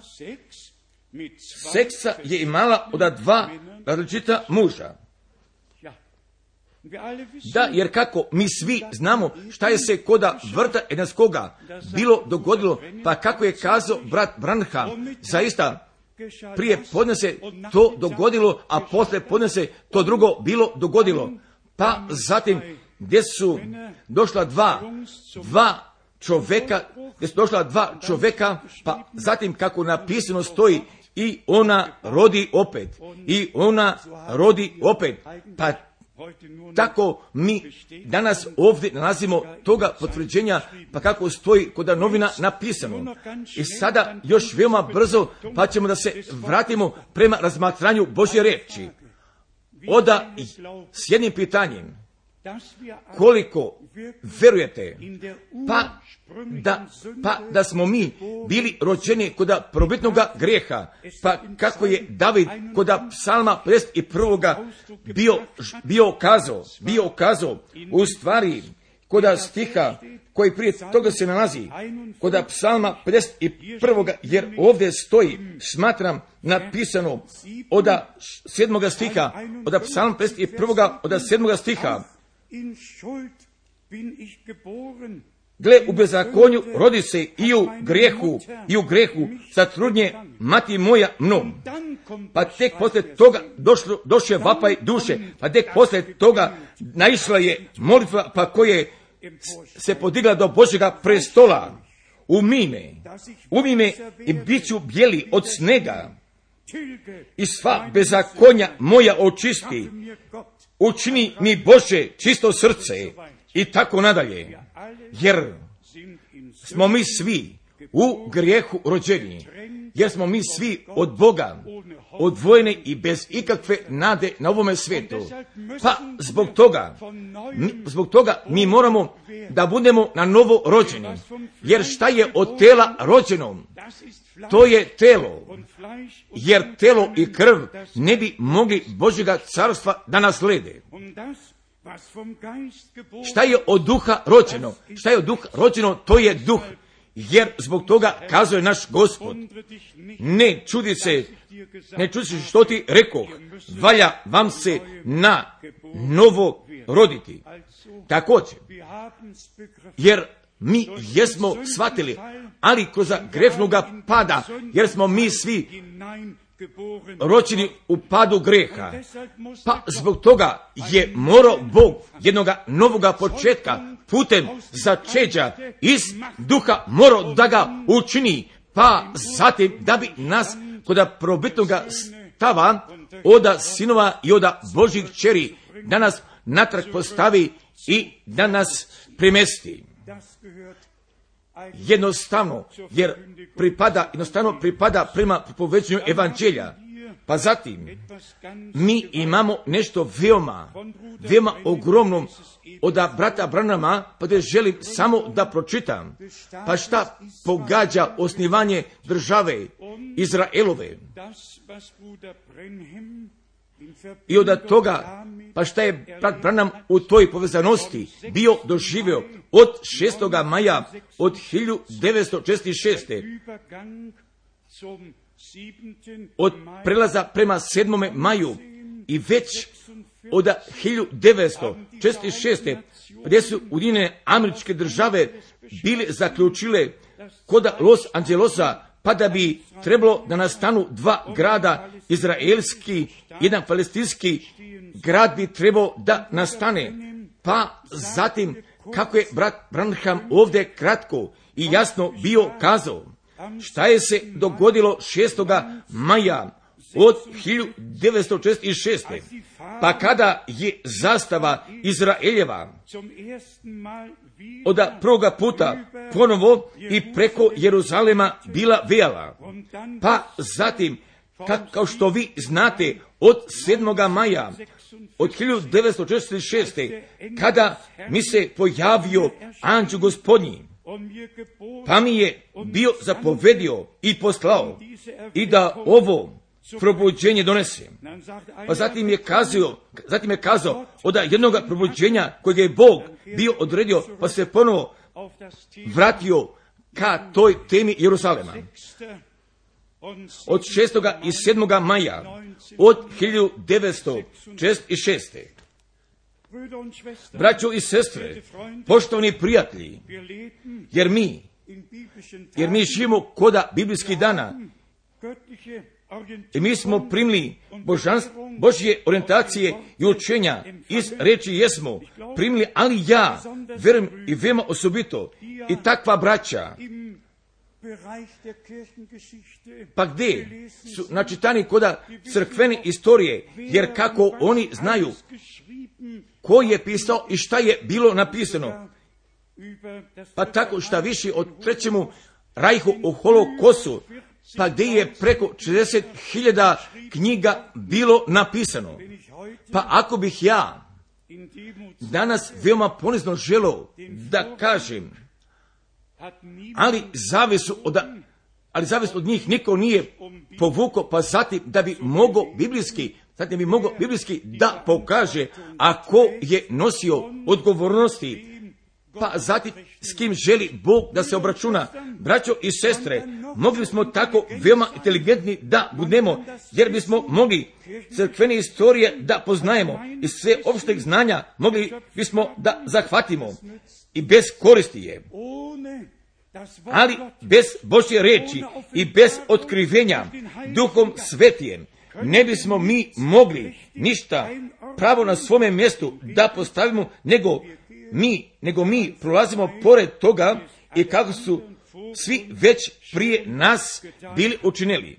seksa je imala od dva različita muža. Da, jer kako mi svi znamo šta je se koda vrta Edenskoga bilo dogodilo, pa kako je kazao brat Branham, zaista prije podne se to dogodilo, a posle podne se to drugo bilo dogodilo. Pa zatim gdje su došla dva, dva čovjeka, gdje su došla dva čovjeka, pa zatim kako napisano stoji, i ona rodi opet, i ona rodi opet, pa tako mi danas ovdje nalazimo toga potvrđenja, pa kako stoji kod novina napisano. I sada još veoma brzo, pa ćemo da se vratimo prema razmatranju Božje riječi. Oda s jednim pitanjem. Koliko verujete, pa da, pa da smo mi bili rođeni kod prvobitnoga grijeha, pa kako je David kod psalma pedeset prvog bio, bio kazao, bio kazao, u stvari kod stiha koji prije toga se nalazi, kod psalma pedeset prvog, jer ovdje stoji, smatram, napisano od sedmoga stiha, od psalma pedeset prvog, od sedmoga stiha. Gle, u bezakonju rodi se i u grijehu, i u grijehu zatrudnje mati moja mnom. Pa tek poslije toga došlo, došao vapaj duše, pa tek poslije toga naišla je molitva, pa koje se podigla do Božjega prestola. Umi me, umi me i bit ću bijeli od snega, i sva bezakonja moja očisti. Učini mi Bože čisto srce, i tako nadalje. Jer smo mi svi u grijehu rođeni, jer smo mi svi od Boga odvojeni i bez ikakve nade na ovome svijetu. Pa zbog toga, mi, zbog toga mi moramo da budemo na novo rođeni. Jer šta je od tela rođeno? To je telo. Jer telo i krv ne bi mogli Božjega carstva da naslede. Šta je od duha rođeno? Šta je od duha rođeno? To je duh. Jer zbog toga kazuje naš Gospod, ne čudi se, ne čudi se što ti rekoh, valja vam se na novo roditi. Također, jer mi jesmo shvatili, ali kroz grešnoga pada, jer smo mi svi rođeni u padu greha. Pa zbog toga je morao Bog jednoga novoga početka putem začeđa iz duha morao da ga učini, pa zatim da bi nas kod probitnoga stava oda sinova i oda Božjih kćeri da nas natrag postavi i da nas primesti. Jednostavno, jer pripada, jednostavno pripada prema propoveđenju evanđelja. Pa zatim, mi imamo nešto veoma, veoma ogromno od brata Branhama, pa da želim samo da pročitam. Pa šta pogađa osnivanje države Izraelove? I od toga, pa šta je brat Branham u toj povezanosti bio doživio od šestoga maja od hiljadu devetsto četrdeset šeste. Od prelaza prema sedmome maju i već od hiljadu devetsto četrdeset šeste. gdje su Ujedinjene Američke Države bile zaključile kod Los Angelesa, pa da bi trebalo da nastanu dva grada, izraelski, jedan palestinski grad bi trebao da nastane. Pa zatim, kako je brat Branham ovdje kratko i jasno bio kazao, šta je se dogodilo šestoga maja od hiljadu devetsto četrdeset šeste. Pa kada je zastava Izraeljeva od prvoga puta ponovo i preko Jeruzalema bila vijala. Pa zatim, kao što vi znate, od sedmoga maja od hiljadu devetsto četrdeset šeste. kada mi se pojavio anđeo Gospodnji, pa mi je bio zapovedio i poslao i da ovo probuđenje donese. Pa zatim je kazao, zatim je kazao od jednog probuđenja kojeg je Bog bio odredio, pa se ponovo vratio ka toj temi Jeruzalema. Od šestoga i sedmoga maja od hiljadu devetsto četrdeset šeste. Braćo i sestre, poštovani prijatelji, jer mi, jer mi živimo koda biblijskih dana i mi smo primili božanstvo, Božje orijentacije i učenja iz reči jesmo primili, ali ja vjerujem i veoma osobito i takva braća, pa gdje su načitani koda crkvene istorije, jer kako oni znaju ko je pisao i šta je bilo napisano, pa tako šta više o trećemu rajhu o holokostu, pa gdje je preko četrdeset hiljada knjiga bilo napisano. Pa ako bih ja danas veoma ponizno želio da kažem, ali zavisu od, ali zavis od njih niko nije povukao, pa zatim da bi mogao biblijski, zatim bi mogao biblijski da pokaže, a ko je nosio odgovornosti, pa zatim s kim želi Bog da se obračuna. Braćo i sestre, mogli smo tako veoma inteligentni da budemo, jer bismo mogli crkvene istorije da poznajemo i sve opšteg znanja mogli bismo da zahvatimo i bez koristi je. Ali bez Božje reči i bez otkrivenja Duhom Svetijem ne bismo mi mogli ništa pravo na svome mjestu da postavimo, nego mi, nego mi prolazimo pored toga i kako su svi već prije nas bili učinili.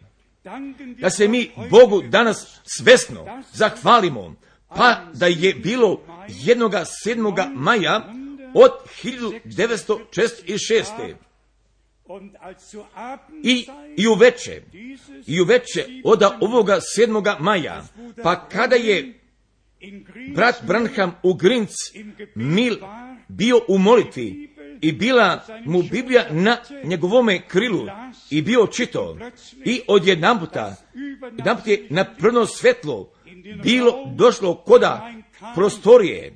Da se mi Bogu danas svesno zahvalimo, pa da je bilo jednoga sedmoga maja od hiljadu devetsto četrdeset šeste. I, i uveče, i uveče od ovoga sedmoga maja, pa kada je brat Branham u Grinc Mil bio u molitvi i bila mu Biblija na njegovome krilu i bio čitao i odjedanputa, jedanput je na prvo svetlo bilo došlo koda prostorije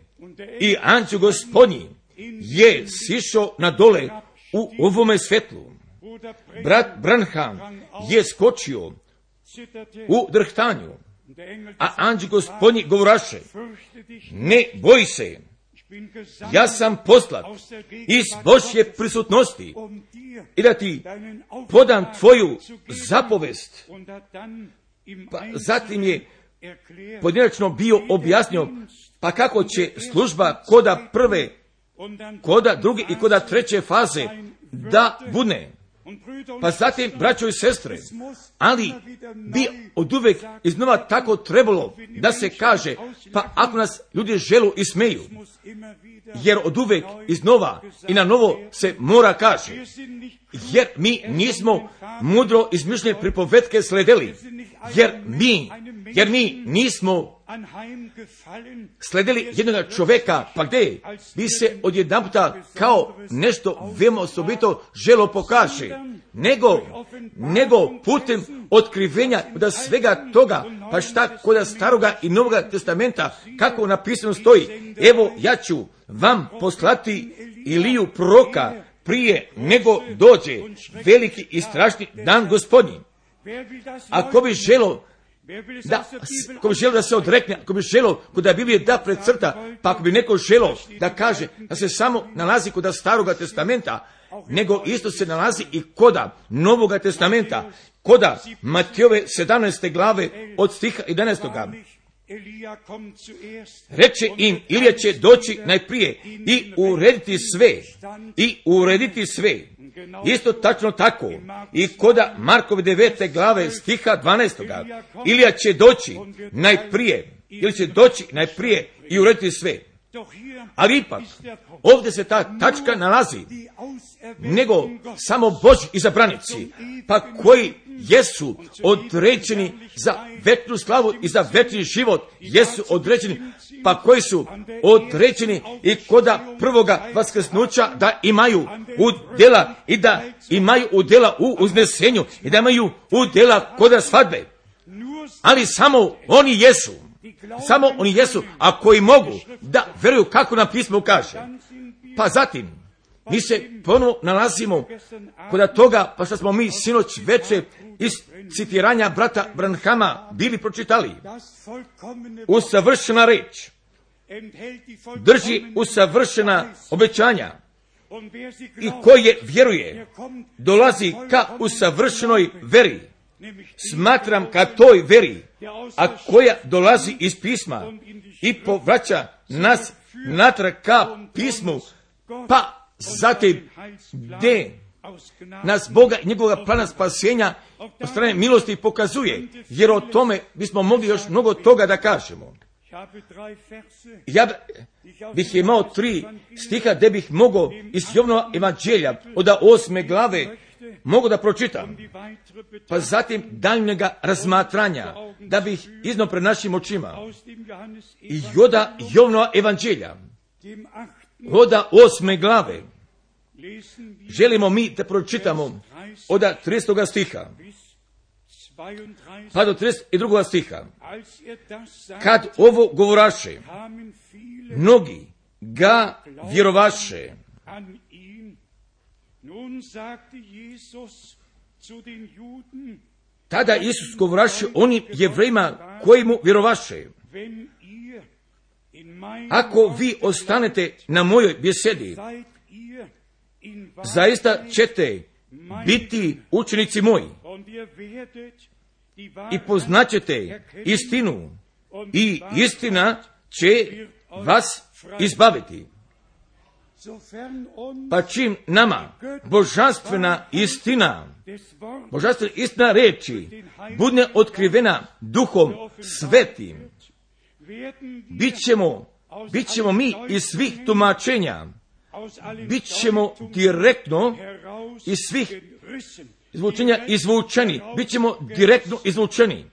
i anđeo Gospodnji je sišao na dole u ovome svetlu. Brat Branham je skočio u drhtanju, a anđeo Gospodnji govoraše: ne boj se, ja sam poslat iz Božje prisutnosti i da ti podam tvoju zapovest. Pa zatim je pojedinačno bio objasnio pa kako će služba koda prve, koda druge i koda treće faze da bude. Pa zatim, braćo i sestre, ali bi od uvek iznova tako trebalo da se kaže, pa ako nas ljudi želu i smeju, jer od uvek iznova i na novo se mora kaže, jer mi nismo mudro izmišljene pripovetke sledeli, jer mi, jer mi nismo sledili jednog čovjeka, pa gdje bi se odjedanputa kao nešto veoma osobito želo pokaže, nego, nego putem otkrivenja da svega toga, pa šta kod staroga i novoga testamenta, kako napisano stoji, evo ja ću vam poslati Iliju proroka prije nego dođe veliki i strašni dan Gospodnji. Ako bi želo da, ako bi želo da se odrekne, ako bi želo kod Biblije da precrta, pa ako bi neko želo da kaže da se samo nalazi kod staroga testamenta, nego isto se nalazi i koda Novoga testamenta, koda Matejove sedamnaeste glave od stiha jedanaestog. Reče im, Ilija će doći najprije i urediti sve, i urediti sve. Isto tačno tako i koda Markove devete glave stiha dvanaestog. Ilija će doći najprije, ili će doći najprije i urediti sve. Ali ipak, ovdje se ta tačka nalazi, nego samo Božji izabranici, pa koji jesu određeni za večnu slavu i za večni život, jesu određeni, pa koji su određeni i koda prvoga vaskrsnuća da imaju udjela i da imaju udjela u uznesenju i da imaju udjela koda svadbe. Ali samo oni jesu. Samo oni jesu, a koji mogu da veruju kako nam pismo kaže. Pa zatim, mi se ponovo nalazimo kod toga, pa što smo mi sinoć veče iz citiranja brata Branhama bili pročitali. Usavršena reč drži usavršena obećanja i ko je vjeruje dolazi ka usavršenoj veri. smatram ka toj veri, a koja dolazi iz pisma i povraća nas natrag ka pismu, pa zatim gdje nas Boga i njegovog plana spasenja od strane milosti pokazuje, jer o tome bismo mogli još mnogo toga da kažemo. Ja bih imao tri stiha gdje bih mogao iz Jovanova evanđelja od osme glave mogu da pročitam, pa zatim daljnjega razmatranja da bih iznao pred našim očima i joda Jovanova evanđelja od osme glave. Želimo mi da pročitamo od tridesetog stiha pa do trideset drugog stiha. Kad ovo govoraše, mnogi ga vjerovaše. Tada Isus govoraše onim Jevrejima koji mu vjerovaše: ako vi ostanete na mojoj besedi, zaista ćete biti učenici moji i poznaćete istinu i istina će vas izbaviti. Pa čim nama božanstvena istina, božanstvena istina reči bude otkrivena Duhom Svetim, bit ćemo, bit ćemo mi iz svih tumačenja, bit ćemo direktno iz svih izvučenja izvučeni, bit ćemo direktno izvučeni.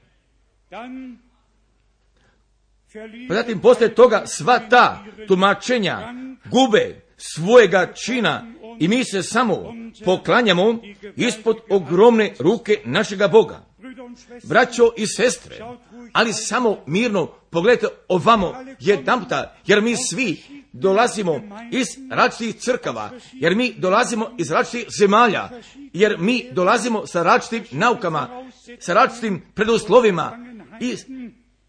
Pa zatim poslije toga sva ta tumačenja gube svojega čina i mi se samo poklanjamo ispod ogromne ruke našega Boga. Braćo i sestre, ali samo mirno pogledajte ovamo jedanputa, jer mi svi dolazimo iz različitih crkava, jer mi dolazimo iz različitih zemalja, jer mi dolazimo sa različitim naukama, sa različitim preduslovima i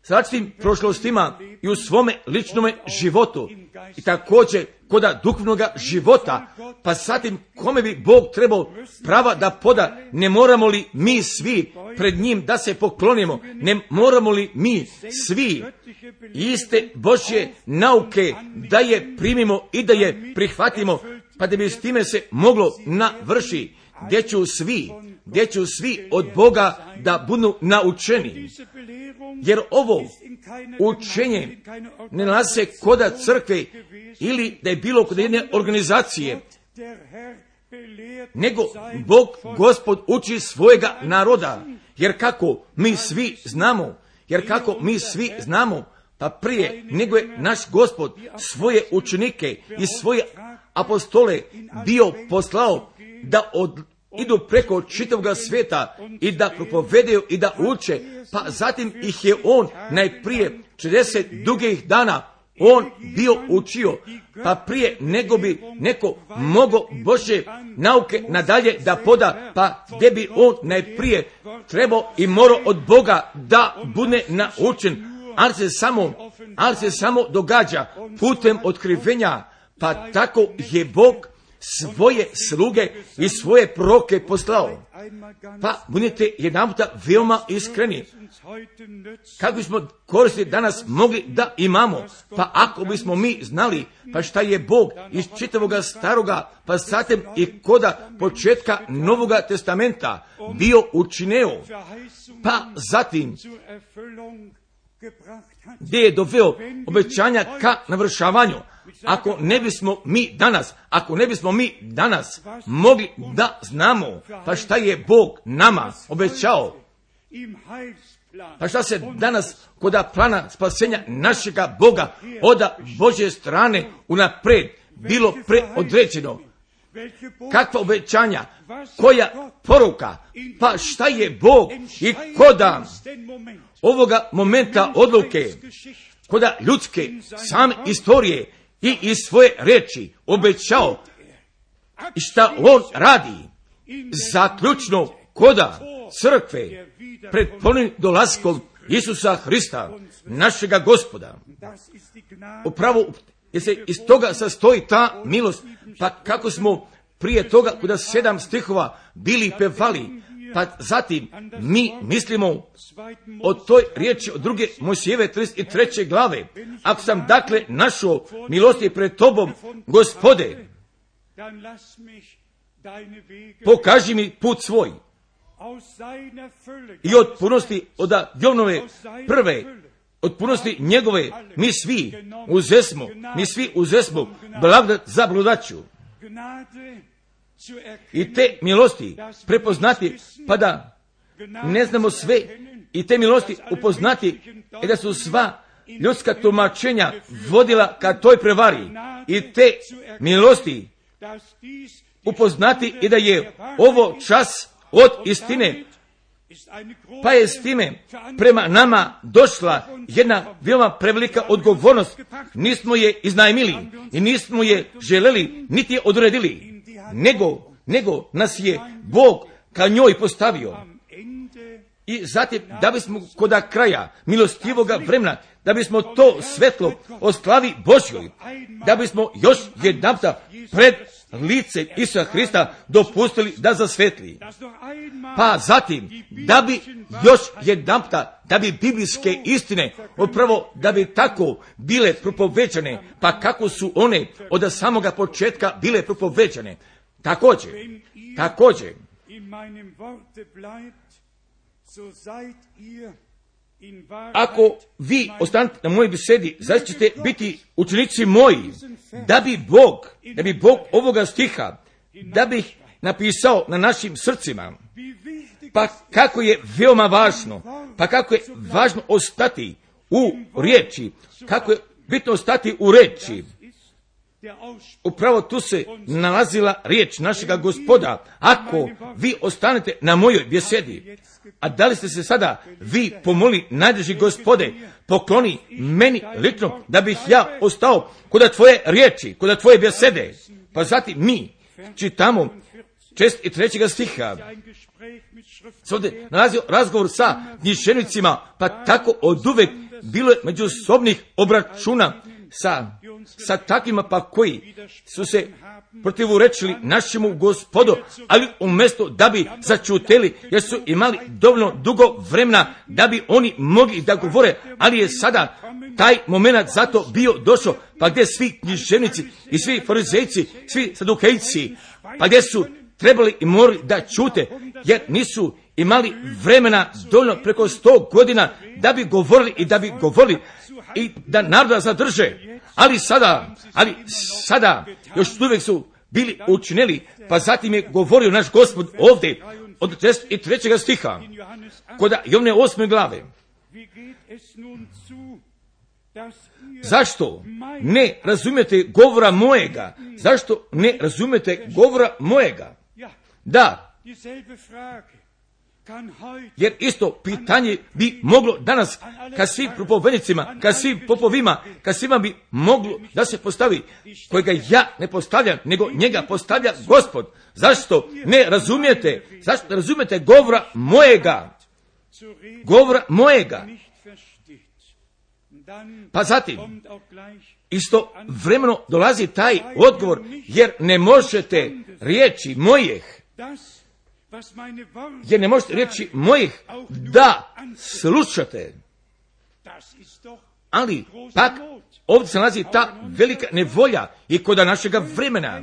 sa različitim prošlostima i u svome ličnome životu i također koda duhovnog života. Pa zatim kome bi Bog trebao prava da poda? Ne moramo li mi svi pred njim da se poklonimo? Ne moramo li mi svi iste Božje nauke da je primimo i da je prihvatimo, pa da bi s time se moglo navrši, gdje ću svi, gdje ću svi od Boga da budu naučeni. Jer ovo učenje ne nalazi se koda crkve ili da je bilo kod jedne organizacije, nego Bog, Gospod, uči svojega naroda. Jer kako mi svi znamo, jer kako mi svi znamo, pa prije nego je naš Gospod svoje učenike i svoje apostole bio poslao da od idu preko čitavog svijeta i da propovedaju i da uče, pa zatim ih je on najprije četrdeset dugih dana on bio učio, pa prije nego bi neko mogao Božje nauke nadalje da poda, pa gdje bi on najprije trebao i morao od Boga da bude naučen, ali se samo, ali se samo događa putem otkrivenja, pa tako je Bog svoje sluge i svoje proroke poslao. Pa budite jedanputa veoma iskreni. Kako bismo koristi danas mogli da imamo? Pa ako bismo mi znali pa šta je Bog iz čitavoga staroga, pa zatim i koda početka Novoga testamenta bio učineo, pa zatim gdje je doveo obećanja ka navršavanju. Ako ne bismo mi danas, ako ne bismo mi danas mogli da znamo pa šta je Bog nama obećao, pa šta se danas koda plana spasenja našega Boga od Božje strane unapred bilo preodređeno, kakva obećanja, koja poruka, pa šta je Bog i koda ovoga momenta odluke, koda ljudske same istorije i iz svoje reči obećao i šta on radi zaključno koda crkve pred ponovnim dolaskom Isusa Hrista, našega Gospoda. Upravo jer se iz toga sastoji ta milost, pa kako smo prije toga kuda sedam stihova bili pevali, Pa zatim mi mislimo o toj riječi od druge Mojsijeve trideset treće glave. Ako sam dakle našao milosti pred tobom, Gospode, pokaži mi put svoj. I od punosti od Jovnove prve, od punosti njegove, mi svi uzesmo, mi svi uzesmo blagodat za blagodaću. I te milosti prepoznati, pa da ne znamo sve, i te milosti upoznati, i da su sva ljudska tumačenja vodila ka toj prevari. I te milosti upoznati i da je ovo čas od istine, pa je s time prema nama došla jedna veoma prevelika odgovornost. Nismo je iznajmili i nismo je želeli, niti je odredili, nego, nego nas je Bog ka njoj postavio. I zatim, da bismo kod kraja milostivoga vremena, da bismo to svetlo o slavi Božjoj, da bismo još jedanputa pred lice Isusa Hrista dopustili da zasvetli. Pa zatim, da bi još jedanputa, da bi biblijske istine, upravo da bi tako bile propovećane, pa kako su one od samoga početka bile propovećane. Također, također, ako vi ostanete na mojoj besedi, zaista ćete biti učenici moji, da bi Bog, da bi Bog ovoga stiha, da bih napisao na našim srcima, pa kako je veoma važno, pa kako je važno ostati u riječi, kako je bitno ostati u riječi. Upravo tu se nalazila riječ našega Gospoda. Ako vi ostanete na mojoj besedi, a da li ste se sada vi pomoli, najdraži Gospode, pokloni meni lično da bih ja ostao kod tvoje riječi, kod tvoje besede. Pa zatim mi čitamo šest i trećega stiha. Ovdje nalazio razgovor sa književnicima, pa tako oduvek bilo je međusobnih obračuna sa, sa takvima pa koji su se protivurečili našemu Gospodu, ali umjesto da bi začuteli, jer su imali dovoljno dugo vremena da bi oni mogli da govore, ali je sada taj moment zato bio došao, pa gdje svi književnici i svi farizejci, svi sadukejci, pa gdje su trebali i morali da čute, jer nisu imali vremena dovoljno preko sto godina da bi govorili i da bi govorili i da naroda zadrže. Ali sada, ali sada još uvijek su bili učinili, pa zatim je govorio naš Gospod ovdje od trideset trećega stiha kod Jovne osme glave. Zašto ne razumijete govora mojega? Zašto ne razumijete govora mojega? Da, jer isto pitanje bi moglo danas ka svim propovednicima, ka svim popovima, ka svima bi moglo da se postavi, kojega ja ne postavljam, nego njega postavlja Gospod. Zašto ne razumijete? Zašto ne razumijete govora mojega? Govora mojega. Pa zatim, isto vremeno dolazi taj odgovor, jer ne možete riječi mojih, jer ne možete riječi mojih da slušate. Ali pak ovdje se nalazi ta velika nevolja i kod našega vremena.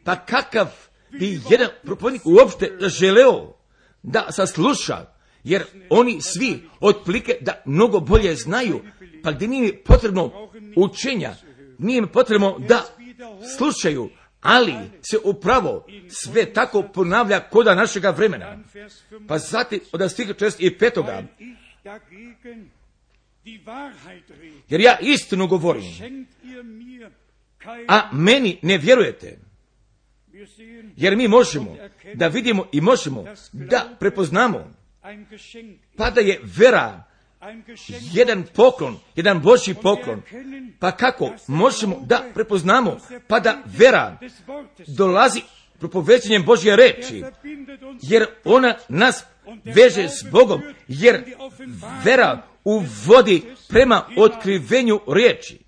Pa kakav bi jedan propovednik uopšte želeo da sasluša, jer oni svi otprilike da mnogo bolje znaju, pa gdje nije potrebno učenja, nije im potrebno da slušaju, ali se upravo sve tako ponavlja koda našega vremena. Pa zatim od stiha četrdeset petoga. Jer ja istinu govorim, a meni ne vjerujete. Jer mi možemo da vidimo i možemo da prepoznamo, pa da je vera jedan poklon, jedan Božji poklon. Pa kako možemo da prepoznamo, pa da vera dolazi propovećenjem Božje reči, jer ona nas veže s Bogom, jer vera uvodi prema otkrivenju riječi.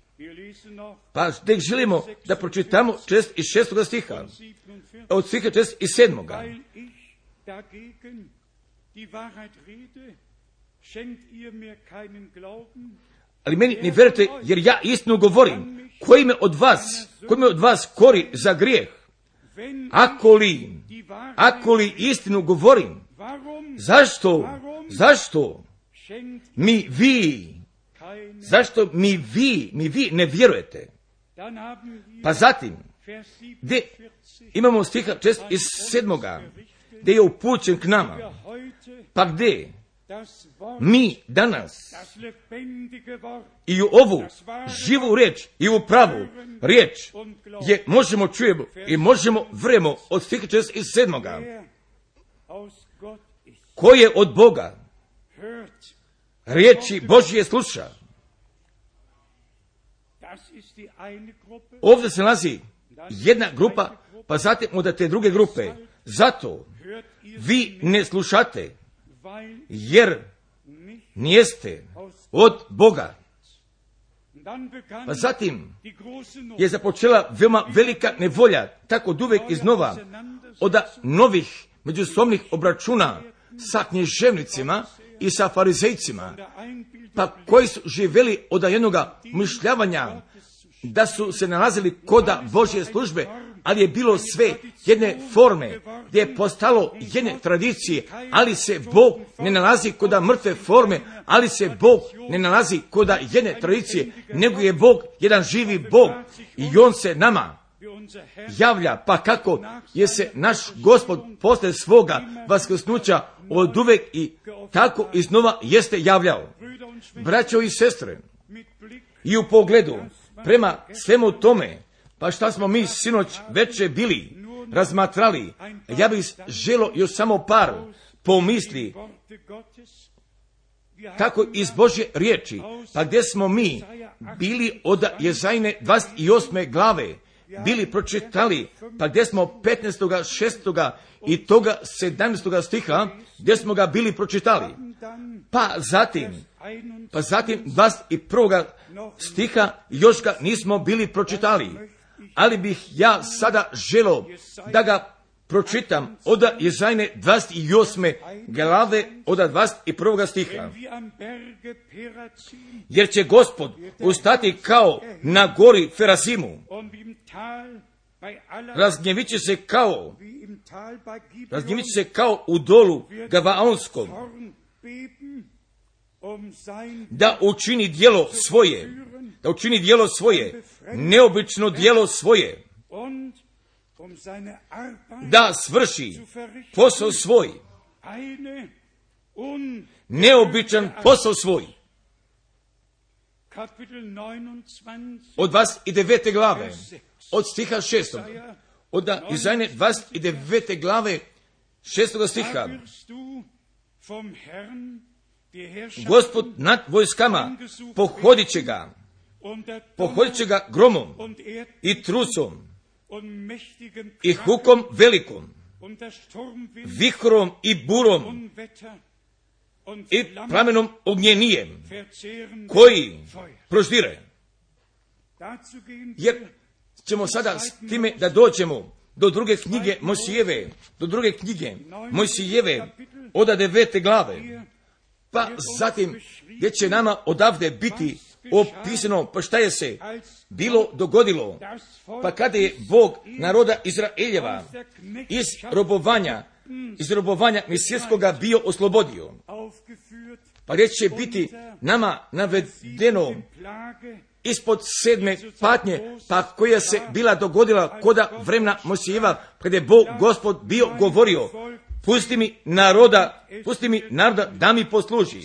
Pa tek želimo da pročitamo četrdeset šestog stiha, od stiha četrdeset sedmog. Ali meni ne vjerujete, jer ja istinu govorim. Koji me od vas, koji me od vas kori za grijeh? Ako li, ako li istinu govorim, zašto, zašto mi vi, zašto mi vi, mi vi ne vjerujete? Pa zatim, gdje imamo stiha čest iz sedmoga, gdje je upućen k nama, pa gdje mi danas i u ovu živu riječ i u pravu riječ je možemo čujemo i možemo vremo od stiha čest iz sedmoga, ko je od Boga riječi Božje sluša. Ovdje se nalazi jedna grupa, pa zatim od te druge grupe. Zato vi ne slušate, jer nijeste od Boga. Pa zatim je započela veoma velika nevolja, tako od uvek iznova, od novih međusobnih obračuna sa književnicima i sa farizejcima, pa koji su živjeli od jednoga mišljavanja da su se nalazili koda Božje službe, ali je bilo sve jedne forme, gdje je postalo jedne tradicije, ali se Bog ne nalazi koda mrtve forme, ali se Bog ne nalazi koda jedne tradicije, nego je Bog jedan živi Bog i On se nama javlja, pa kako je se naš Gospod posle svoga vaskrsnuća od uvek i tako iznova jeste javljao. Braćo i sestre, i u pogledu prema svemu tome, pa šta smo mi sinoć veče bili razmatrali, ja bih želio još samo par pomisli, tako iz Božje riječi, pa gdje smo mi bili od Jezajine dvadeset osme glave, bili pročitali, pa gdje smo petnaestoga šestoga i toga sedamnaestoga stiha, gdje smo ga bili pročitali. Pa zatim, pa zatim dvadeset prvoga stiha još ga nismo bili pročitali, ali bih ja sada želio da ga pročitam od Jezajine dvadeset osme glave od dvadeset prvoga stiha. Jer će Gospod ustati kao na gori Ferazimu, razgnjevit će se kao, razgnjevit će se kao u dolu Gavaonskom, da učini djelo svoje, da učini djelo svoje, neobično djelo svoje, da svrši posao svoj, neobičan posao svoj. Od dvadeset devete glave, od stiha šestog, od Jezajine dvadeset devete glave, šestoga stiha. Gospod nad vojskama pohodit će ga, pohodit će ga gromom i trusom i hukom velikom, vihrom i burom i plamenom ognjenijem koji proždire. Jer ćemo sada s time da dođemo do druge knjige Mojsijeve, do druge knjige Mojsijeve od devete glave, pa zatim gdje će nama odavde biti opisano pa šta je se bilo dogodilo, pa kada je Bog naroda Izraeljeva iz robovanja, iz robovanja misijskoga bio oslobodio, pa gdje će biti nama navedeno ispod sedme patnje, pa koja se bila dogodila koda vremena Mojsijeva, kada je Bog Gospod bio govorio, pusti mi naroda, pusti mi naroda da mi posluži.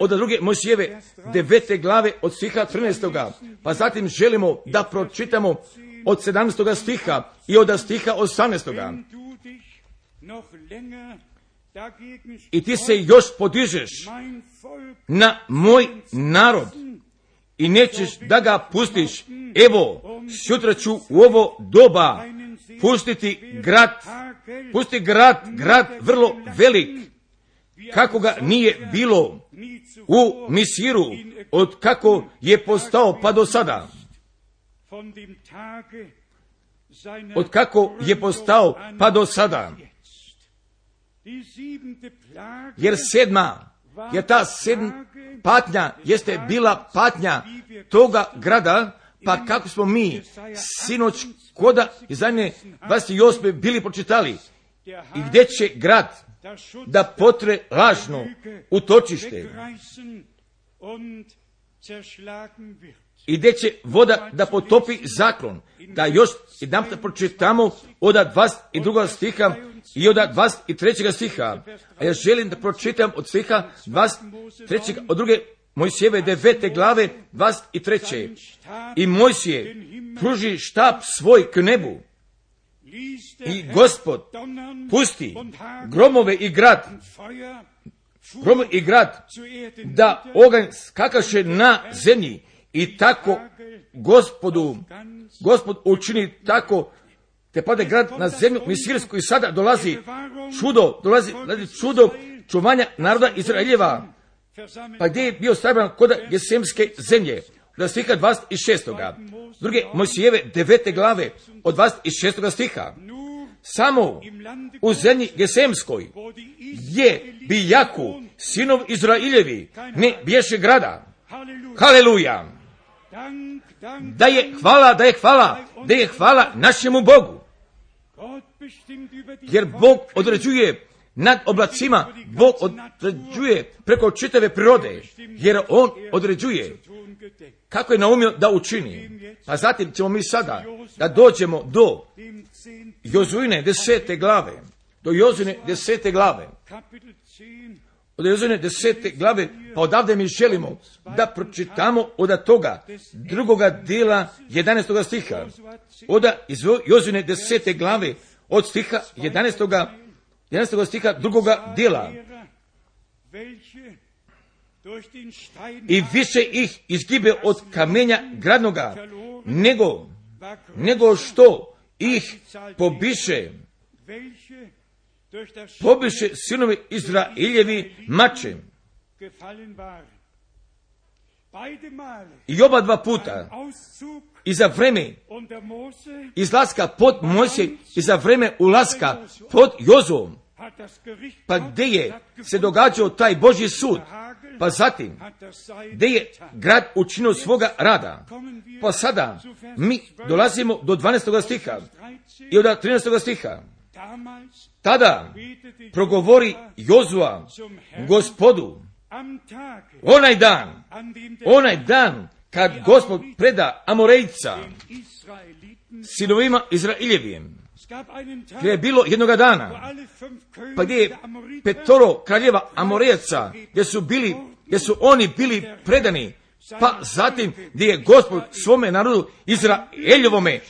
Od druge Mojsijeve devete glave od stiha trinaestoga, pa zatim želimo da pročitamo od sedamnaestoga stiha i od stiha osamnaestoga. I ti se još podižeš na moj narod i nećeš da ga pustiš. Evo, sutra ću u ovo doba pustiti grad, pusti grad, grad vrlo velik, kako ga nije bilo u Misiru, od kako je postao pa do sada. Od kako je postao pa do sada. Jer sedma, jer ta sedma patnja jeste bila patnja toga grada, pa kako smo mi sinoć koda iz zadnje dvadeset osme bili pročitali, i gdje će grad da potre lažno utočište i gdje će voda da potopi zaklon. Da još jedan da pročitamo od dvadeset drugog stiha i od dvadeset trećeg stiha. A ja želim da pročitam od stiha dvadeset trećeg od druge Mojsijeve devete glave dvadeset treće. I Mojsije pruži štap svoj k nebu i Gospod pusti gromove i grad, gromove i grad da oganj skakaše na zemlji i tako Gospodu, Gospod učini tako te pade grad na zemlju Misirsku i sada dolazi čudo, dolazi, dolazi čudo čuvanja naroda Izraeljeva. Pa gdje je bio sabran kod Gesemske zemlje? Od stiha dvadeset šestog. Druge Mojsijeve devete glave od dvadeset šestog stiha. Samo u zemlji Gesemskoj je bijaku sinov Izraeljevi ne bješe grada. Haleluja! Da je hvala, da je hvala, da je hvala našemu Bogu. Jer Bog određuje nad oblacima, Bog određuje preko čitave prirode, jer On određuje kako je naumio da učini. Pa zatim ćemo mi sada da dođemo do Jozuine desete glave, do Jozuine desete glave, od Jozuine desete glave, pa odavde mi želimo da pročitamo od toga drugoga dijela jedanaestog stiha, od Jozuine desete glave, od stiha jedanaestog jedanaestog stiha drugoga dijela. I više ih izgibe od kamenja gradnoga, nego, nego što ih pobiše, pobiše sinovi Izraeljevi mačem. I oba dva puta, i za vreme izlaska pod Mojsije i za vreme ulaska pod Jozuom, pa gdje je se događao taj Božji sud, pa zatim gdje je grad učinio svoga rada. Pa sada mi dolazimo do dvanaestog stiha i od trinaestog stiha. Tada progovori Jozua Gospodu, onaj dan, onaj dan kad Gospod preda Amorejca sinovima Izraeljevim. Gdje je bilo jednoga dana, pa gdje je petoro kraljeva Amorejaca, gdje su bili, gdje su oni bili predani, pa zatim gdje je Gospod svome narodu Izraeljevome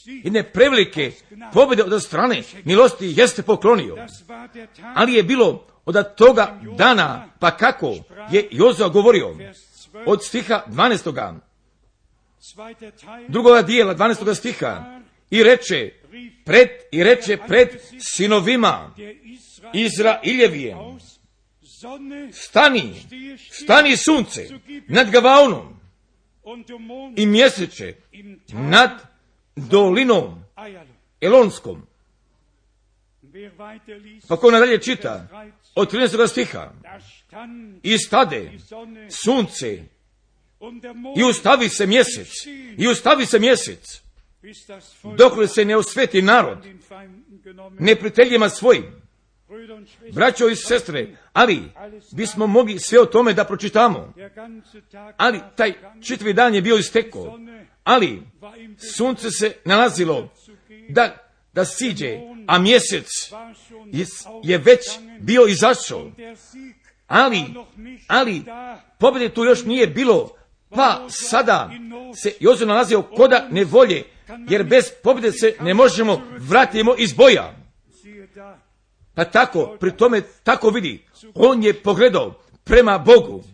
jedne prevelike pobjede od strane milosti jeste poklonio. Ali je bilo od toga dana, pa kako je Jozua govorio, od stiha dvanaestog drugoga dijela dvanaestog stiha, i reče pred, i reče pred sinovima Izraeljevim, stani, stani sunce nad Gavaonom i mjeseče nad dolinom Elonskom. Pa ko nadalje čita od trinaestog stiha, i stade sunce i ustavi se mjesec, i ustavi se mjesec, dok se ne osveti narod neprijateljima svojim. Braćo i sestre, ali bismo mogli sve o tome da pročitamo, ali taj čitavi dan je bio istekao, ali sunce se nalazilo da, da siđe, a mjesec je, je već bio izašao, ali, ali pobjede tu još nije bilo, pa sada se Jozua nalazio koda nevolje, jer bez pobjede se ne možemo vratimo iz boja. Pa tako, pri tome tako vidi, on je pogledao prema Bogu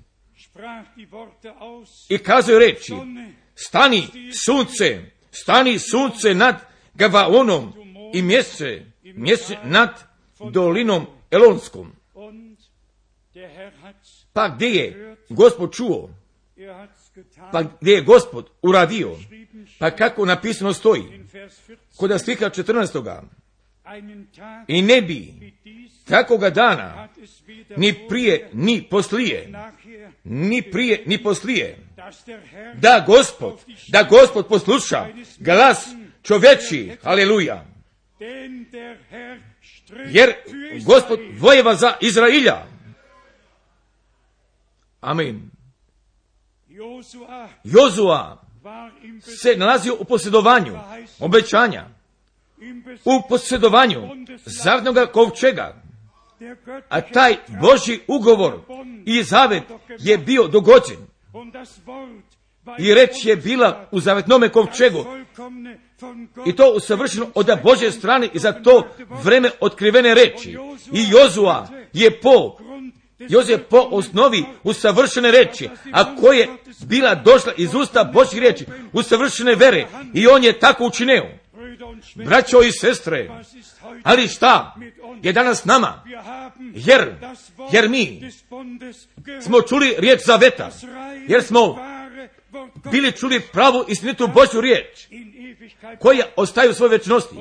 i kazao reči, stani sunce, stani sunce nad Gavaonom i mjesece, mjesece nad dolinom Elonskom. Pa gdje je Gospod čuo? Pa gdje je Gospod uradio? Pa kako napisano stoji? Kod stiha četrnaestog. I ne bi takoga dana ni prije, ni poslije, ni prije, ni poslije, da Gospod, da Gospod posluša glas čovječi, aleluja. Jer Gospod vojeva za Izrailja. Amin. Jozua se nalazio u posjedovanju obećanja, u posjedovanju zavetnoga kovčega, a taj Božji ugovor i zavet je bio dogođen. I reč je bila u zavetnome kovčegu, i to usavršeno od Božje strane i za to vreme otkrivene reči. I Jozua je po Jozue po osnovi usavršene reči, a koja je bila došla iz usta Božjih riječi, usavršene vere, i on je tako učinio. Braćo i sestre, ali šta je danas nama? Jer, jer mi smo čuli riječ zaveta, jer smo bili čuli pravu istinitu Božju riječ, koja ostaje u svojoj večnosti.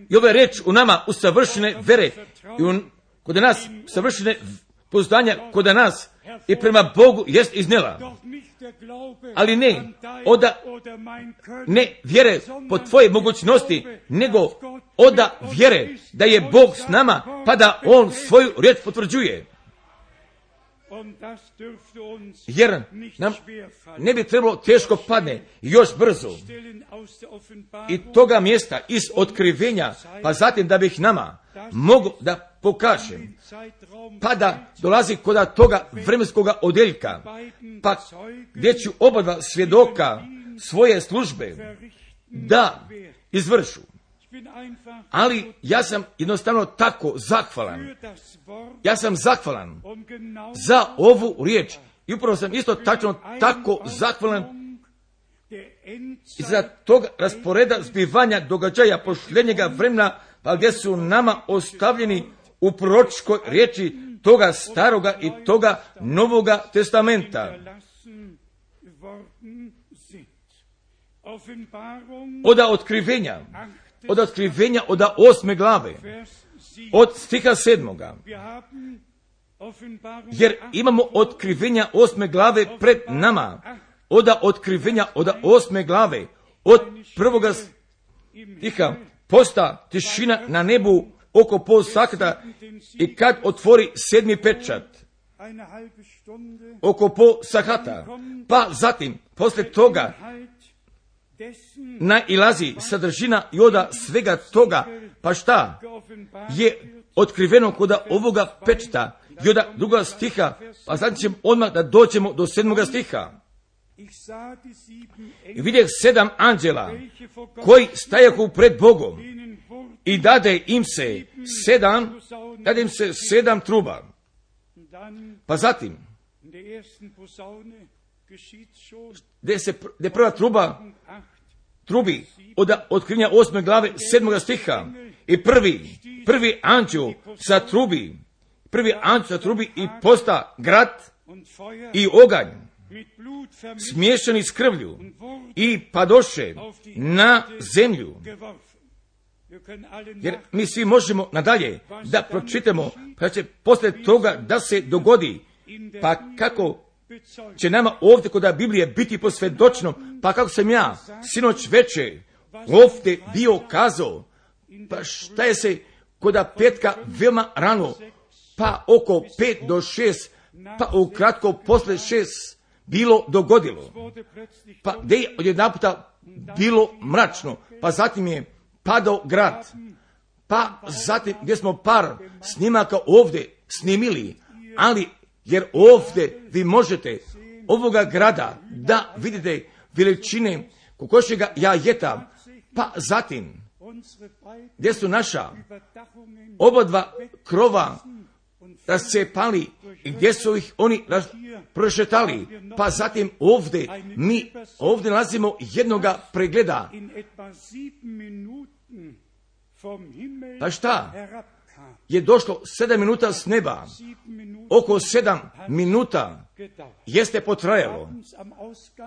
I ova riječ u nama usavršene vere i u, kod nas savršene pouzdanja kod nas i prema Bogu jest iznijela. Ali ne oda ne vjere po tvoje mogućnosti, nego oda vjere da je Bog s nama, pa da On svoju riječ potvrđuje. Jer nam ne bi trebalo teško padne još brzo i toga mjesta iz otkrivenja, pa zatim da bih nama mogu da pokažem, pa da dolazi kod toga vremenskog odjeljka, pa gdje ću oba dva svjedoka svoje službe da izvršu. Ali ja sam jednostavno tako zahvalan. Ja sam zahvalan za ovu riječ. I upravo sam isto tačno tako zahvalan i za tog rasporeda zbivanja događaja posljednjega vremena, pa gdje su nama ostavljeni u proročkoj riječi toga staroga i toga novoga testamenta. Od otkrivenja, od otkrivenja od osme glave, od stiha sedmoga. Jer imamo otkrivenja osme glave pred nama. Od otkrivenja od osme glave, od prvoga stiha, posta tišina na nebu oko pol sakata i kad otvori sedmi pečat, oko pol sakata, pa zatim, poslije toga, nailazi sadržina i oda svega toga, pa šta je otkriveno kod ovoga pečata i oda druga stiha, pa zatim ćemo odmah da dođemo do sedmoga stiha. I vidjeh sedam anđela koji stajahu pred Bogom i dade im se sedam, dade im se sedam truba. Pa zatim, gdje se gdje prva truba trubi od otkrivenja osme glave sedmoga stiha i prvi, prvi anđel sa trubi, prvi anđel sa trubi i posta grad i oganj smiješani s krvlju i padoše na zemlju. Jer mi svi možemo nadalje da pročitamo, pa će poslije toga da se dogodi, pa kako će nama ovdje kod Biblije biti posvjedočeno, pa kako sam ja sinoć večer ovdje bio kazao, pa šta je se kod petka veoma rano, pa oko pet do šest, pa ukratko posle šest bilo dogodilo. Pa gdje je odjedanputa bilo mračno, pa zatim je padao grad, pa zatim gdje smo par snimaka ovdje snimili, ali jer ovdje vi možete ovoga grada da vidite veličine kokošjega jajeta, pa zatim gdje su naša oba dva krova rascepali i gdje su ih oni prošetali, pa zatim ovdje mi ovdje nalazimo jednoga pregleda. Pa šta? Je došlo sedam minuta s neba, oko sedam minuta jeste potrajalo,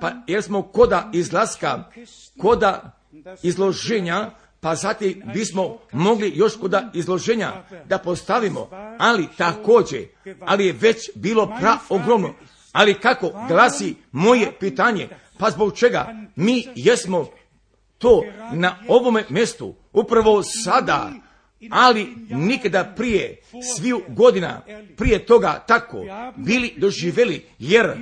pa jer smo koda izlaska, koda izloženja, pa zatim bismo mogli još kod izloženja da postavimo, ali također, ali je već bilo pra ogromno. Ali kako glasi moje pitanje, pa zbog čega mi jesmo to na ovome mjestu, upravo sada, ali nikada prije, sviju godina prije toga tako bili doživjeli, jer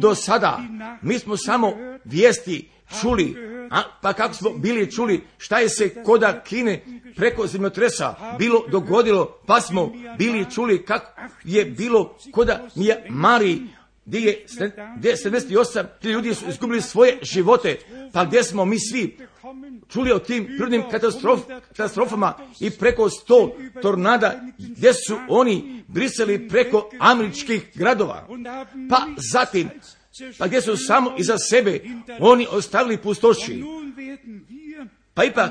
do sada mi smo samo vijesti čuli, a, pa kako smo bili čuli šta je se koda Kine preko zemljotresa bilo dogodilo, pa smo bili čuli kako je bilo koda Myanmari, gdje je gdje sedamdeset osam ljudi su izgubili svoje živote, pa gdje smo mi svi čuli o tim prirodnim katastrof, katastrofama i preko sto tornada gdje su oni brisali preko američkih gradova, pa zatim pa gdje su samo iza sebe oni ostavili pustoši. Pa ipak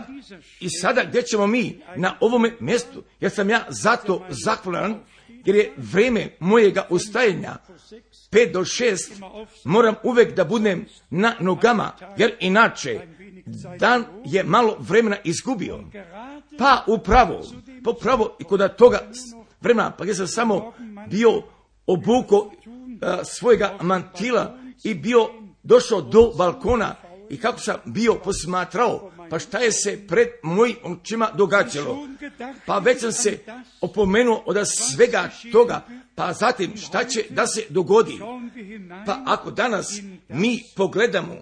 i sada gdje ćemo mi na ovome mjestu, jer sam ja zato zahvalan, jer je vrijeme mojega ustajanja pet do šest, moram uvijek da budem na nogama, jer inače dan je malo vremena izgubio. Pa upravo, pa upravo i kod toga vremena, pa gdje sam samo bio obuko uh, svojega mantila i bio došao do balkona i kako sam bio posmatrao, pa šta je se pred mojim očima događalo. Pa već sam se opomenuo od svega toga, pa zatim šta će da se dogodi. Pa ako danas mi pogledamo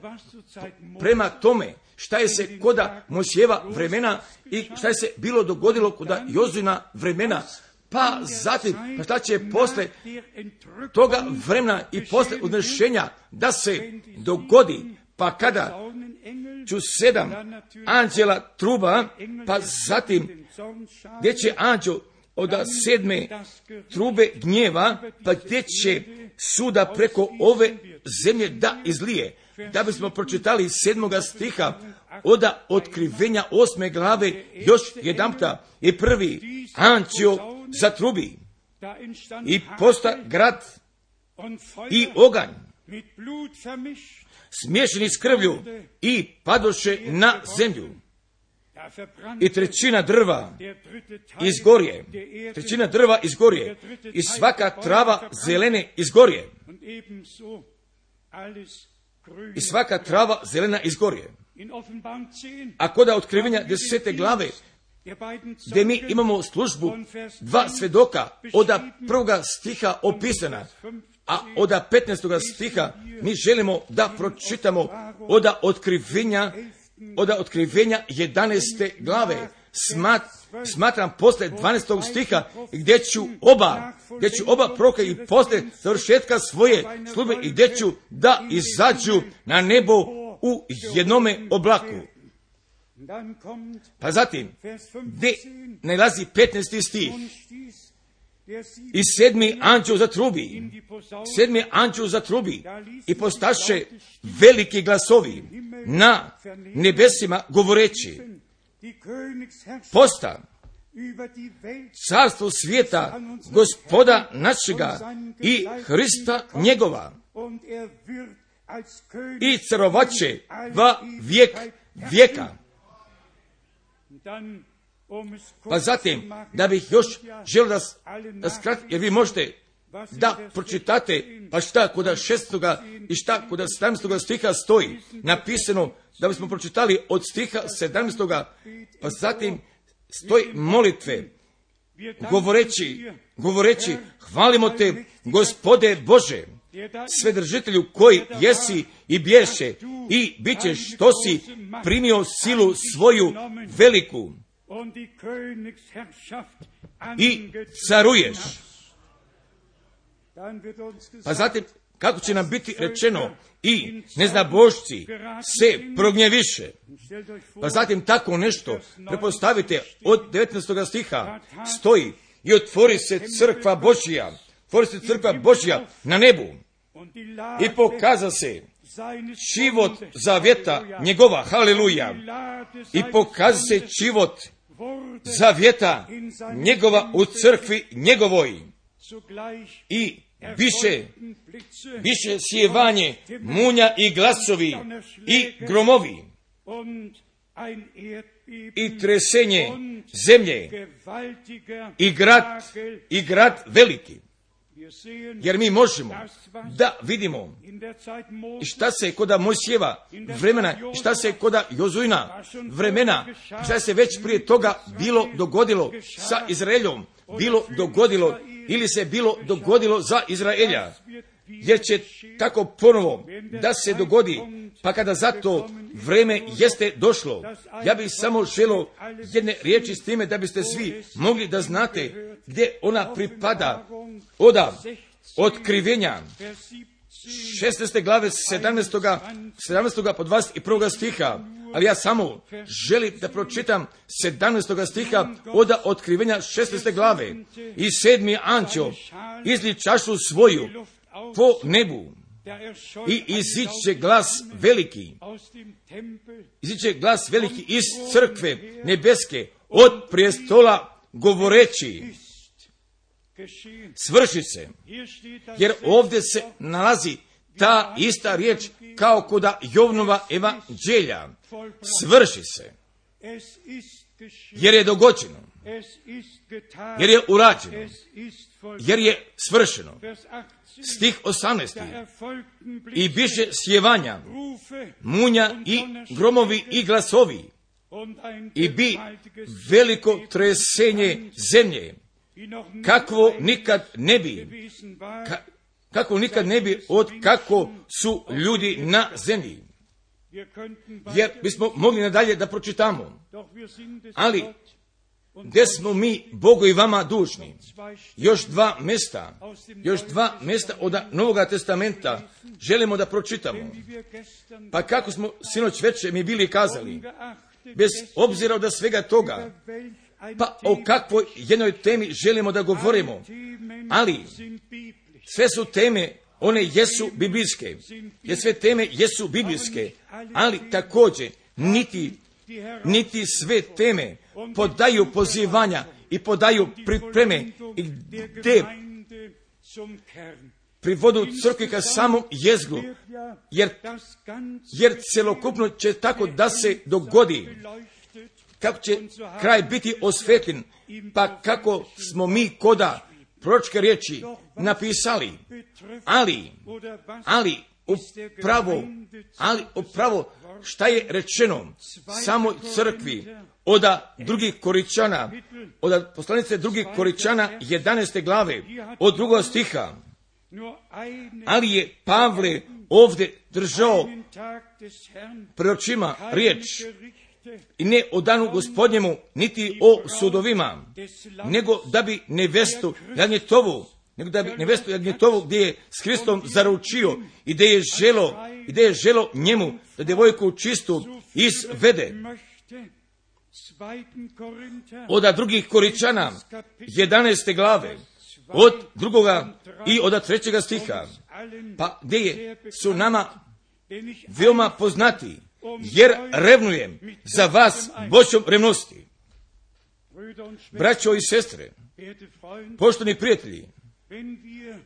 prema tome šta je se koda Mojsijeva vremena i šta je se bilo dogodilo koda Jozina vremena, pa zatim pa šta će posle toga vremena i posle odnešenja da se dogodi, pa kada ću sedam anđela truba, pa zatim gdje će anđel od sedme trube gnjeva, pa gdje će suda preko ove zemlje da izlije. Da bismo pročitali sedmoga stiha od otkrivenja osme glave još jedanputa, i prvi anđeo zatrubi i posta grad i oganj smiješani s krvlju i padoše na zemlju. I trećina drva izgorje, trećina drva izgorje i svaka trava zelene izgorje. I svaka trava zelena izgorje. A kod otkrivenja desete glave, gdje mi imamo službu dva svedoka od prvoga stiha opisana, a od petnaestoga stiha mi želimo da pročitamo od otkrivenja, od otkrivenja jedanaeste glave. Smat, smatram posle dvanaestog stiha gdje ću oba, gdje ću oba proroka i posle završetka svoje službe i gdje ću da izađu na nebo u jednome oblaku. Pa zatim, gdje nalazi petnaesti stih, i sedmi anđeo zatrubi, sedmi anđeo zatrubi i postaše veliki glasovi na nebesima govoreći, posta carstvo svijeta Gospoda našega i Hrista njegova i carovaće va vijek vijeka. Pa zatim, da bih još želio da, da skratim, jer vi možete da pročitate, pa šta kod šestoga i šta kod sedamnaestoga stiha stoji napisano, da bismo pročitali od stiha sedamnaestoga, pa zatim stoji molitve, govoreći, govoreći, hvalimo te, Gospode Bože, svedržitelju koji jesi i bješe i bit ćeš što si primio silu svoju veliku i caruješ. Pa zatim, kako će nam biti rečeno, i neznabošci se prognjeviše. Pa zatim tako nešto, prepostavite, od devetnaestoga stiha stoji, i otvori se crkva Božja, otvori se crkva Božja na nebu i pokaza se život zavjeta njegova, haleluja, i pokaza se život zavjeta njegova u crkvi njegovoj i biše, biše sjevanje munja i glasovi i gromovi i tresenje zemlje i grad, i grad veliki. Jer mi možemo da vidimo šta se koda Mojsijeva vremena, šta se koda Jozuina vremena, šta se već prije toga bilo dogodilo sa Izraeljom, bilo dogodilo ili se bilo dogodilo za Izraelja. Jer će tako ponovo da se dogodi, pa kada za to vreme jeste došlo. Ja bih samo želio jedne riječi s time da biste svi mogli da znate gdje ona pripada. Oda otkrivenja šesnaeste glave sedamnaestog po dvadeset prvi stiha, ali ja samo želim da pročitam sedamnaestog stiha oda otkrivenja šesnaeste glave. I sedmi anđeo izli čašu svoju po nebu i iziće glas veliki, iziće glas veliki iz crkve nebeske od prijestola govoreći, svrši se. Jer ovdje se nalazi ta ista riječ kao koda Jovnova evanđelja. Svrši se. Jer je dogođeno. Jer je urađeno. Jer je svršeno. Stih osamnaesti. I biše sjevanja, munja i gromovi i glasovi. I bi veliko tresenje zemlje. Kakvo nikad ne bi, ka, kako nikad ne bi od kako su ljudi na zemlji. Jer bismo mogli nadalje da pročitamo. Ali, gdje smo mi Bogu i vama dužni? Još dva mjesta, još dva mjesta od Novoga testamenta želimo da pročitamo. Pa kako smo sinoć večer mi bili kazali, bez obzira od svega toga, pa o kakvoj jednoj temi želimo da govorimo, ali sve su teme, one jesu biblijske, jer sve teme jesu biblijske, ali također niti, niti sve teme podaju pozivanja i podaju pripreme i gdje privodu crkvi ka samom jezgru, jer, jer celokupno će tako da se dogodi. Kako će kraj biti osvetljen, pa kako smo mi koda proročke riječi napisali, ali, ali upravo, ali upravo šta je rečeno samoj crkvi od drugih Koričana, od poslanice drugih Koričana jedanaeste glave, od drugog stiha, ali je Pavle ovdje držao pred očima riječ, i ne o danu Gospodnjemu, niti o sudovima, nego da bi nevestu Jagnjetovu, nego da bi nevestu Jagnjetovu gdje je s Hristom zaručio i gdje je želo, i gdje je želo njemu da djevojku čistu izvede. Od drugih Koričana, jedanaeste glave, od drugoga i od trećega stiha, pa gdje je, su nama veoma poznati, jer revnujem za vas Božjom revnosti. Braćo i sestre, poštovani prijatelji,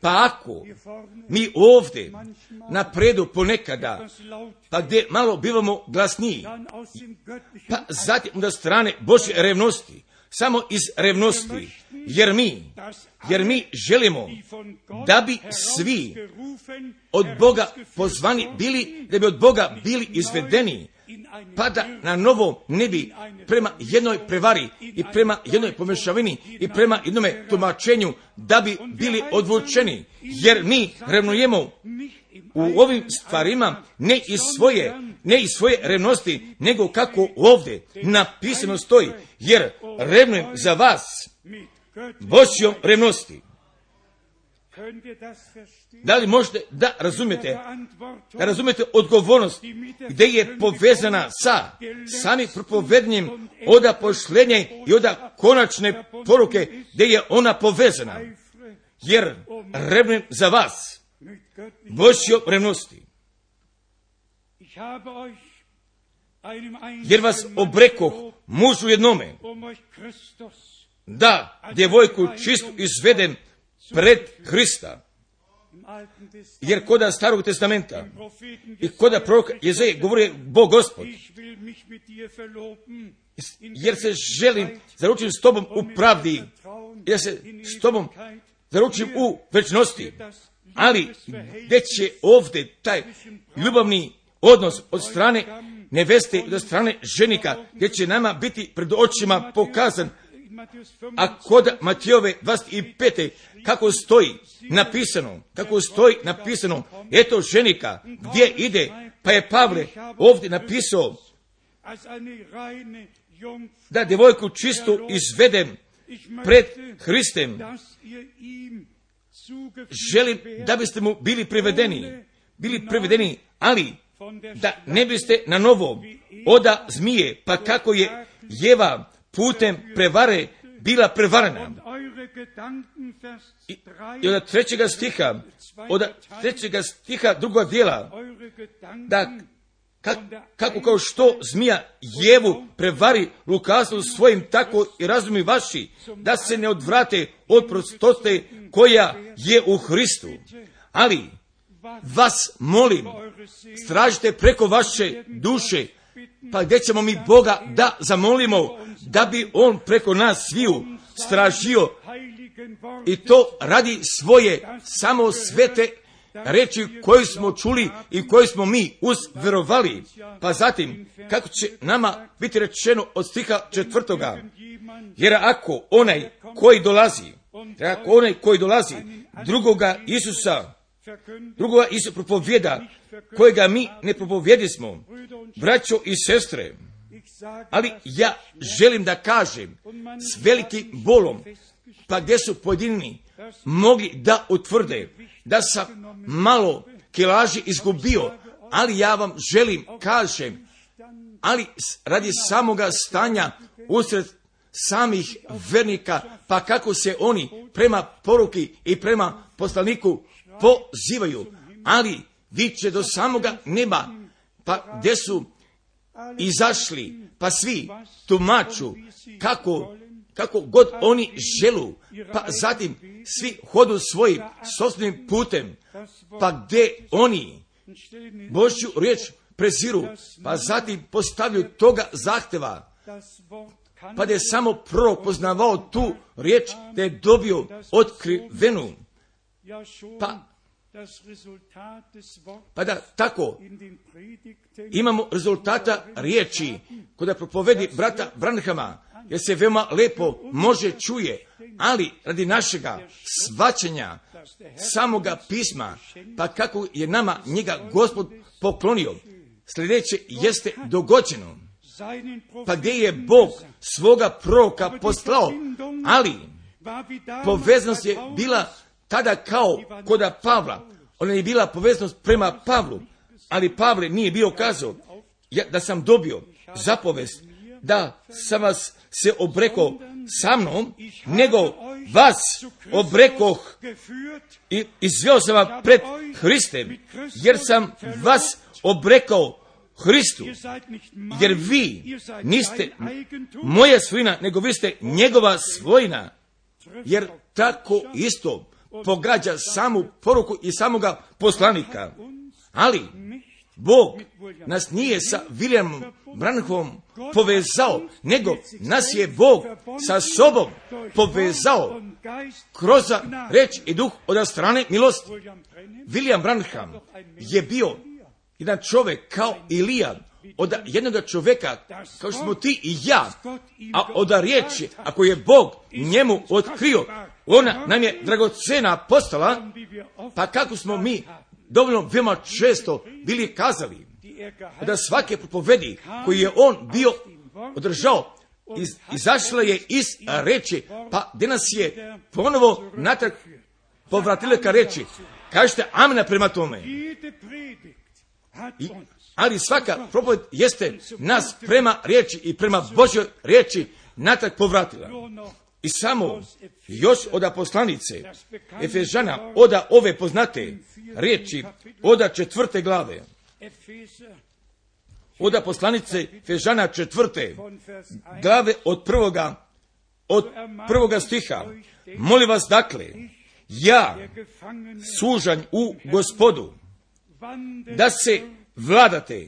pa ako mi ovdje napredu ponekada, pa gdje malo bivamo glasniji, pa zatim onda strane Božje revnosti, samo iz revnosti, jer mi, jer mi želimo da bi svi od Boga pozvani bili, da bi od Boga bili izvedeni, pa da na novo ne bi prema jednoj prevari i prema jednoj pomešavini i prema jednome tumačenju da bi bili odvučeni, jer mi revnujemo u ovim stvarima ne iz svoje, ne iz svoje revnosti, nego kako ovdje napisano stoji, jer revnujem za vas Božjom revnosti. Da li možete da razumijete, da razumijete odgovornost gdje je povezana sa samim propovednjem oda pošlenja i oda konačne poruke gdje je ona povezana, jer revnujem za vas Božjom revnosti. Jer vas obrekoh mužu jednome, da djevojku čistu izvedem pred Hrista. jer koda Starog testamenta i koda proroka Jezeje govori Bog Gospod, jer se želim zaručiti s tobom u pravdi, jer se s tobom zaručim u večnosti, ali gdje će ovdje taj ljubavni odnos od strane neveste i od strane ženika, gdje će nama biti pred očima pokazan, a kod Matijove dvadeset pete kako stoji napisano, kako stoji napisano, eto ženika, gdje ide, pa je Pavle ovdje napisao da djevojku čistu izvedem pred Hristem. Želim da biste mu bili privedeni, bili privedeni, ali da ne biste na novo oda zmije, pa kako je Jeva putem prevare bila prevarena. I, i od trećega stiha, od trećega stiha drugog dijela, da kak, kako kao što zmija Jevu prevari lukavstvom svojim, tako i razumi vaši, da se ne odvrate od prostote koja je u Hristu. Ali vas molim, stražite preko vaše duše, pa gdje ćemo mi Boga da zamolimo, da bi On preko nas sviju stražio, i to radi svoje samo svete reči koje smo čuli i koje smo mi uzverovali. Pa zatim, kako će nama biti rečeno od stiha četvrtoga, jer ako onaj koji dolazi, jer ako onaj koji dolazi drugoga Isusa, drugoga Isusa propovjeda, kojega mi ne propovjedismo, braćo i sestre, ali ja želim da kažem s velikim bolom, pa gdje su pojedini mogli da utvrde da sam malo kilaži izgubio, ali ja vam želim kažem, ali radi samoga stanja usred samih vernika, pa kako se oni prema poruki i prema poslaniku pozivaju, ali viče do samoga neba, pa gdje su izašli, pa svi tumaču kako, kako god oni želu, pa zatim svi hodu svojim sopstvenim putem, pa gdje oni Božju riječ preziru, pa zatim postavljaju toga zahtjeva, pa da je samo prorok poznavao tu riječ, da je dobio otkrivenu, pa Pa da tako imamo rezultata riječi kada propovedi brata Branhama, jer se veoma lepo može čuje, ali radi našega svaćanja samoga pisma, pa kako je nama njega Gospod poklonio, sljedeće jeste dogođeno. Pa gdje je Bog svoga proroka poslao, ali poveznost je bila tada kao koda Pavla. Ona je bila poveznost prema Pavlu, ali Pavle nije bio kazao ja, da sam dobio zapovest da sam vas se obrekao sa mnom, nego vas obrekoh i izveo sam vam pred Hristem, jer sam vas obrekao Hristu, jer vi niste moja svojina, nego vi ste njegova svojina, jer tako isto pogađa samu poruku i samoga poslanika. Ali Bog nas nije sa Williamom Branhamom povezao, nego nas je Bog sa sobom povezao kroz reč i duh od strane milosti. William Branham je bio jedan čovjek kao Ilija, od jednog čovjeka kao što smo ti i ja, a od riječi, ako je Bog njemu otkrio, ona nam je dragocena postala, pa kako smo mi dovoljno veoma često bili kazali, da svake propovedi koji je on bio održao, iz, izašla je iz reči, pa gdje nas je ponovo natrag povratila ka reči. Kažete amena prema tome. I, ali svaka propoved jeste nas prema riječi i prema Božjoj riječi natrag povratila. I samo još od poslanice Efežana, oda ove poznate riječi, oda četvrte glave, oda poslanice Efežana četvrte glave od prvoga, od prvoga stiha. Molim vas dakle, ja, sužanj u Gospodu, da se vladate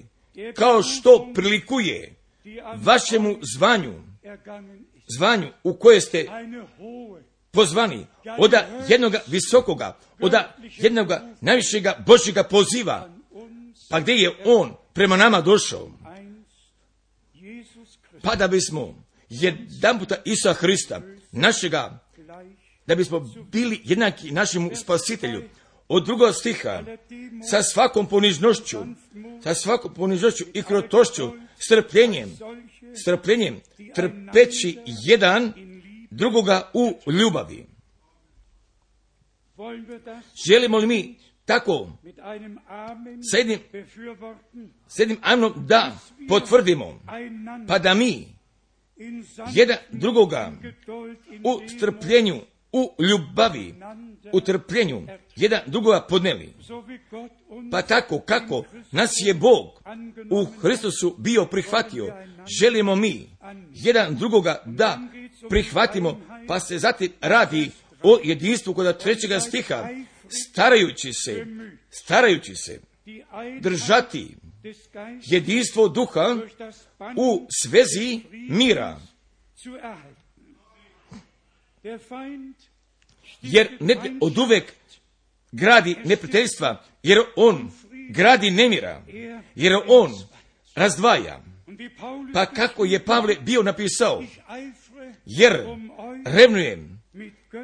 kao što prilikuje vašemu zvanju, zvanju u koje ste pozvani, od jednoga visokoga, od jednoga najvišega Božjega poziva, pa gdje je On prema nama došao, pa da bismo jedan puta Isusa Hrista, našega, da bismo bili jednaki našemu Spasitelju. Od drugog stiha, sa svakom ponižnošću, sa svakom ponižnošću i krotošću, strpljenjem, strpljenjem, trpeći jedan drugoga u ljubavi. Želimo li mi tako s jednim, s jednim amenom da potvrdimo, pa da mi jedan drugoga u strpljenju, u ljubavi, u trpljenju, jedan drugoga podneli. Pa tako kako nas je Bog u Hristusu bio prihvatio, želimo mi jedan drugoga da prihvatimo, pa se zatim radi o jedinstvu kod trećega stiha, starajući se, starajući se držati jedinstvo duha u svezi mira. Jer ne od uvek gradi neprijateljstva, jer on gradi nemira, jer on razdvaja. Pa kako je Pavle bio napisao, jer revnujem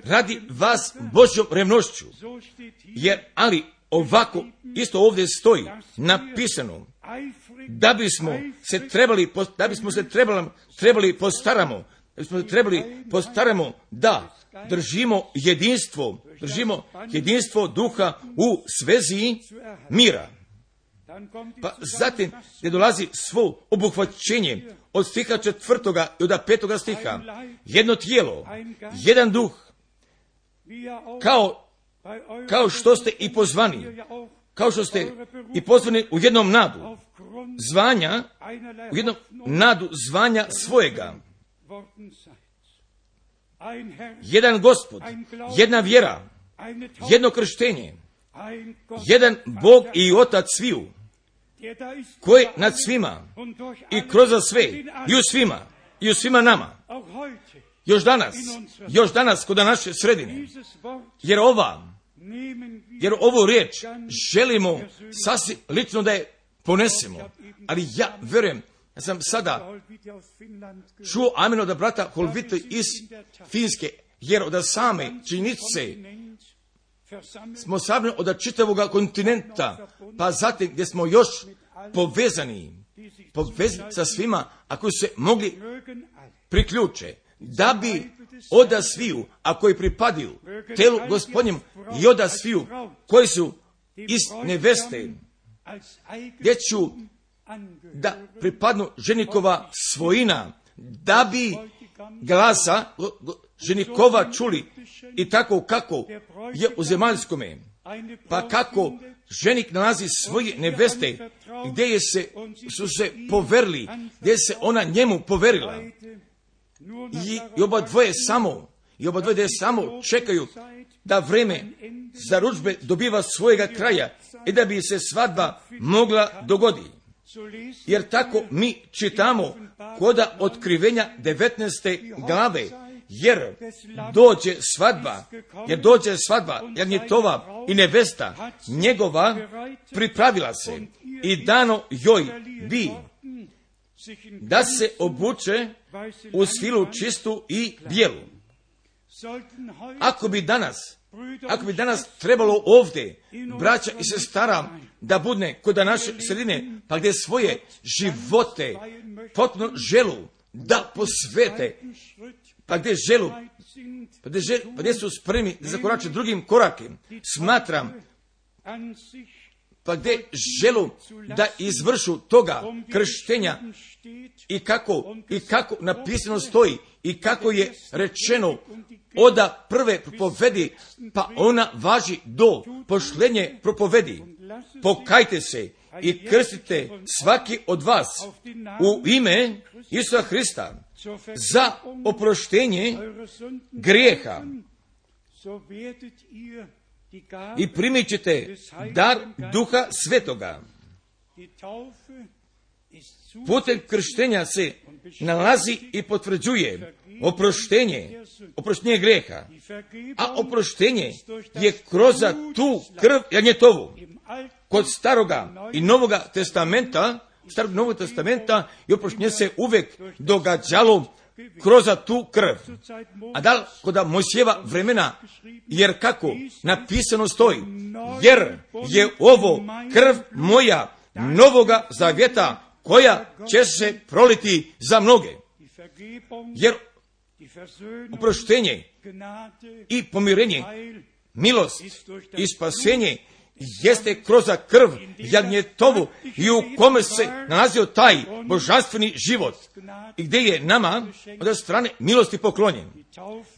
radi vas Božjom revnošću, jer ali ovako isto ovdje stoji napisano, da bismo se trebali, da bismo se trebali, trebali postaramo, da bismo se trebali postaramo da držimo jedinstvo, držimo jedinstvo duha u svezi mira. Pa zatim ne dolazi svo obuhvaćenje od stiha četvrtoga i od petoga stiha. Jedno tijelo, jedan duh, kao, kao što ste i pozvani, kao što ste i pozvani u jednom nadu zvanja, u jednom nadu zvanja svojega. Jedan Gospod, jedna vjera, jedno krštenje, jedan Bog i Otac sviju, koji nad svima i kroz sve i u svima i u svima nama. Još danas, još danas kod naše sredine, jer ova, jer ovu riječ želimo sasvim lično da je ponesemo, ali ja vjerujem, ja sam sada čuo amen od brata Holvita iz Finske, jer od same činjenice smo sabrani od čitavoga kontinenta, pa zatim gdje smo još povezani, povezani sa svima, ako se mogli priključe, da bi od sviju, a koji pripadaju telu Gospodnjem, i od sviju koji su iz neveste, gdje ću da pripadnu ženikova svojina, da bi glasa ženikova čuli i tako kako je u zemaljskome. Pa kako ženik nalazi svoje neveste, gdje je se, su se poverili, gdje se ona njemu poverila. I, i oba dvoje samo, i oba dvoje samo čekaju da vreme zarudžbe dobiva svojega kraja i da bi se svadba mogla dogoditi. Jer tako mi čitamo koda otkrivenja devetnaeste glave, jer dođe svadba, jer dođe svadba, jer njetova i nevesta njegova pripravila se i dano joj bi da se obuče u svilu čistu i bijelu. Ako bi danas, ako bi danas trebalo ovdje, braća i sestara, da budne kod naše sredine, pa gdje svoje živote potpuno želu da posvete, pa gdje želu, pa gdje, želu, pa gdje su spremni da zakorače drugim korakem, smatram, pa gdje želu da izvršu toga krštenja i kako, i kako napisano stoji i kako je rečeno oda prve propovedi, pa ona važi do pošlenje propovedi. Pokajte se i krstite svaki od vas u ime Isusa Hrista za oproštenje grijeha i primit ćete dar Duha Svetoga. Putem krštenja se nalazi i potvrđuje oproštenje, oproštenje greha, a oproštenje je kroz tu krv janjetovu. Kod staroga i novoga testamenta, starog i novog testamenta, i oproštenje se uvek događalo kroz tu krv. A da li kod Mojsijeva vremena, jer kako napisano stoji, jer je ovo krv moja novoga zavjeta, koja će se proliti za mnoge. Jer oproštenje i pomirenje, milost i spasenje jeste kroz krv jagnjetovu i u kome se nalazio taj božanstveni život i gdje je nama od strane milosti poklonjen.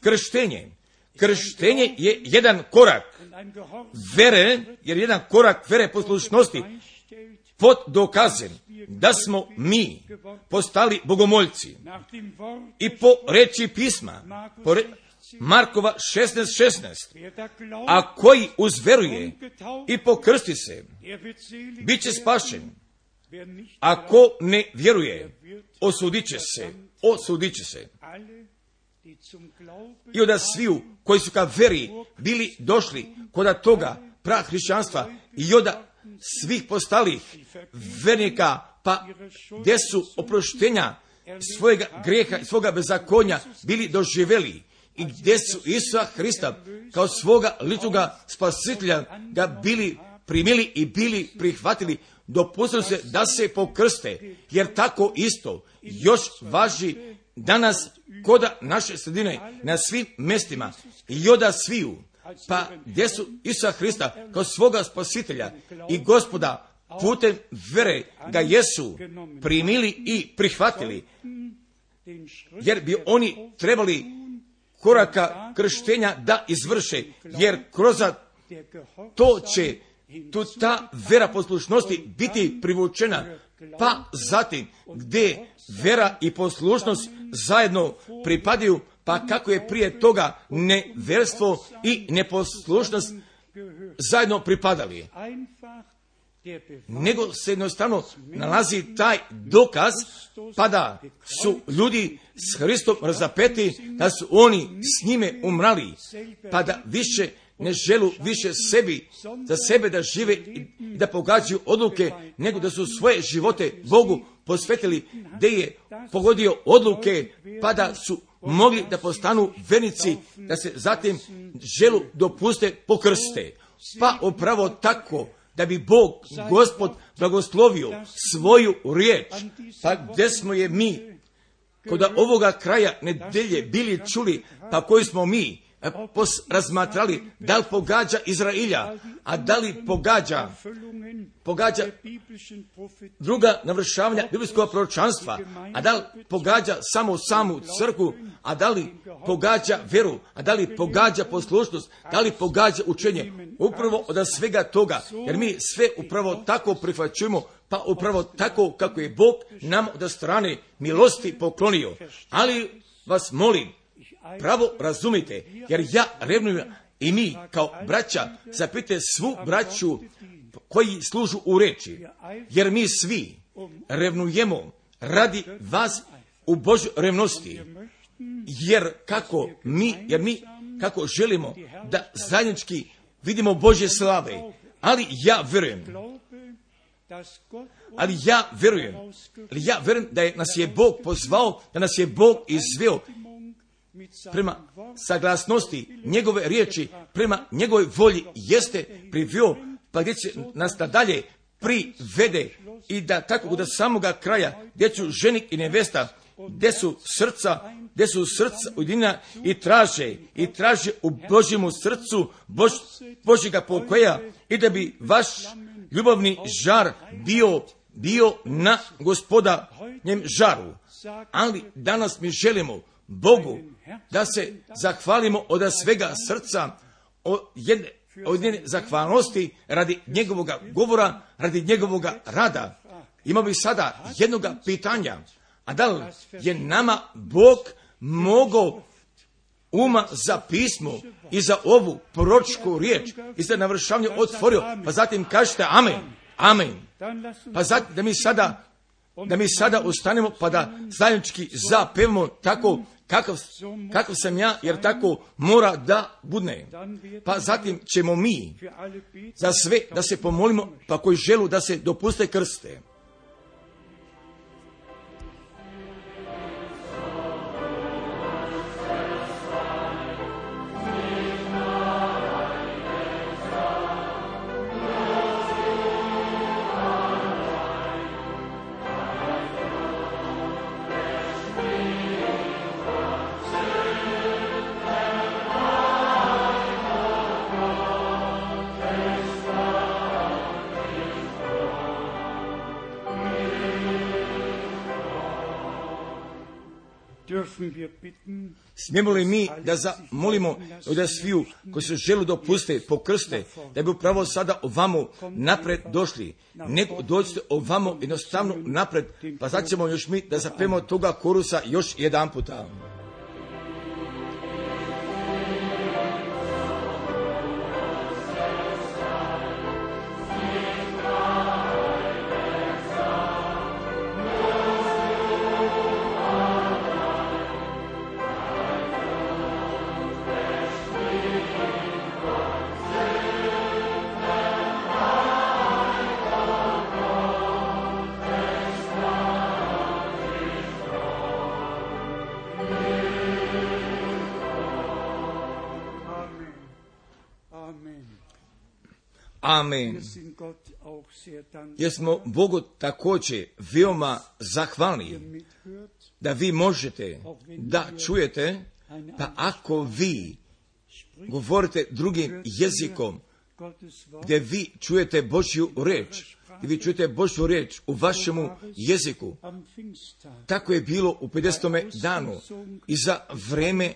Krštenje. Krštenje je jedan korak vere, jer jedan korak vere poslušnosti pod dokazem da smo mi postali bogomoljci. I po reči pisma, po re, Markova šesnaest šesnaest, a koji uzveruje i pokrsti se, bit će spašen. Ako ne vjeruje, osudit će se, osudit će se. I od sviju koji su ka veri bili došli kod toga prahrišćanstva i od svih postalih vernika, pa gdje su oproštenja svojega greha i svoga bezakonja bili doživjeli i gdje su Isusa Hrista kao svoga ličnoga spasitelja ga bili primili i bili prihvatili, dopustili se da se pokrste, jer tako isto još važi danas kod naše sredine na svim mjestima i od sviju. Pa gdje su Isusa Hrista kao svoga spasitelja i Gospoda putem vere ga jesu primili i prihvatili, jer bi oni trebali koraka krštenja da izvrše, jer kroz to će tu ta vera poslušnosti biti privučena, pa zatim gdje vera i poslušnost zajedno pripadaju, pa kako je prije toga neverstvo i neposlušnost zajedno pripadali. Nego se jednostavno nalazi taj dokaz, pa da su ljudi s Hristom razapeti, da su oni s njime umrali, pa da više ne želu više sebi, za sebe da žive i da pogađaju odluke, nego da su svoje živote Bogu posvetili, gdje je pogodio odluke, pa da su mogli da postanu vernici, da se zatim želu dopuste pokrste. Pa upravo tako, da bi Bog, Gospod, blagoslovio svoju riječ, pa gdje smo je mi, kod ovoga kraja nedelje bili čuli, pa koji smo mi pos razmatrali, da li pogađa Izrailja, a da li pogađa, pogađa druga navršavanja biblijskog proročanstva, a da li pogađa samo samu crkvu, a da li pogađa veru, a da li pogađa poslušnost, da li pogađa učenje. Upravo od svega toga, jer mi sve upravo tako prihvaćujemo, pa upravo tako kako je Bog nam od strane milosti poklonio. Ali vas molim, pravo razumite, jer ja revnujem i mi kao braća, zapite svu braću koji služu u reči, jer mi svi revnujemo radi vas u Božoj revnosti, jer kako mi, jer mi kako želimo da zajednički vidimo Božje slave, ali ja vjerujem, ali ja vjerujem, ali ja vjerujem da je nas je Bog pozvao, da nas je Bog izveo prema saglasnosti njegove riječi, prema njegovoj volji jeste privio, pa gdje će nas nadalje privede i da tako do samoga kraja, gdje su ženik i nevesta, gdje su srca, gdje su srca ujedinjena i traže, i traže u Božjemu srcu Bož, Božjega pokoja i da bi vaš ljubavni žar bio, bio na Gospodanjem žaru. Ali danas mi želimo Bogu da se zahvalimo od svega srca, od jedne, od jedne zahvalnosti radi njegovoga govora, radi njegovoga rada. Imao bi sada jednoga pitanja, a da li je nama Bog mogao uma za pismo i za ovu proročku riječ i za navršavanje otvorio, pa zatim kažete amen, amen. Pa zatim da mi sada, da mi sada ustanemo pa da zajednički zapevamo tako kakav, kakav sam ja, jer tako mora da budne. Pa zatim ćemo mi za sve da se pomolimo, pa koji želu da se dopuste krste. Smijemo li mi da zamolimo da sviju koji se žele dopuste pokrste, da bi upravo sada ovamo napred došli, nego dođite ovamo jednostavno napred, pa sad ćemo još mi da zapevamo toga korusa još jedan puta. Amen. Jer smo Bogu također veoma zahvalni da vi možete da čujete, pa ako vi govorite drugim jezikom, gdje vi čujete Božju riječ, gdje vi čujete Božju riječ u vašemu jeziku, tako je bilo u pedesetom danu i za vreme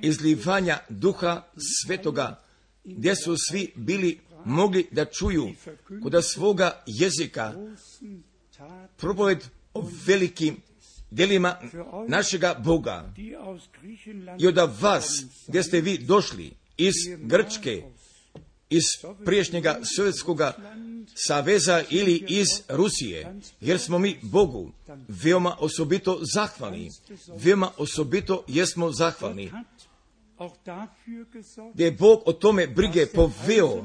izlivanja Duha Svetoga, gdje su svi bili mogli da čuju kod svoga jezika propoved o velikim djelima našega Boga. I od vas, gdje ste vi došli iz Grčke, iz priješnjega Sovjetskoga saveza ili iz Rusije, jer smo mi Bogu veoma osobito zahvalni. Veoma osobito jesmo zahvalni. Gdje je Bog o tome brige poveo,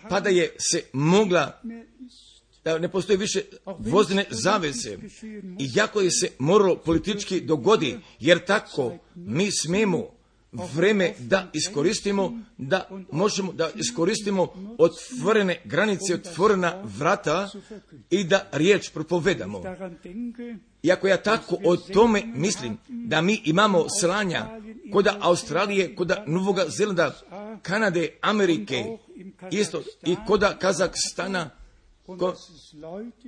pa da je se mogla, da ne postoji više vozdene zavese, i jako je se moralo politički dogodi, jer tako mi smemo vreme da iskoristimo, da možemo da iskoristimo otvorene granice, otvorena vrata i da riječ propovedamo. Iako ja tako o tome mislim, da mi imamo slanja kod Australije, kod Novog Zelanda, Kanade, Amerike, isto i kod Kazahstana, ko,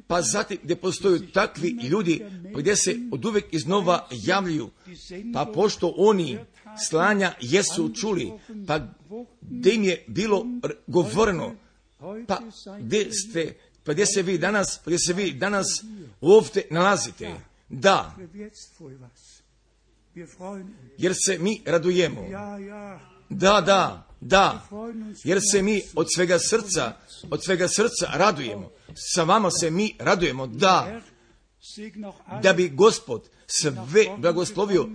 pa zatim gdje postoje takvi ljudi gdje se od uvijek iznova javljaju, pa pošto oni slanja jesu čuli, pa gdje im je bilo govoreno, pa gdje ste, pa gdje se vi danas, pa gdje se vi danas ovdje nalazite, da, jer se mi radujemo, da, da, da, jer se mi od svega srca, od svega srca radujemo, sa vama se mi radujemo, da, da bi Gospod sve blagoslovio,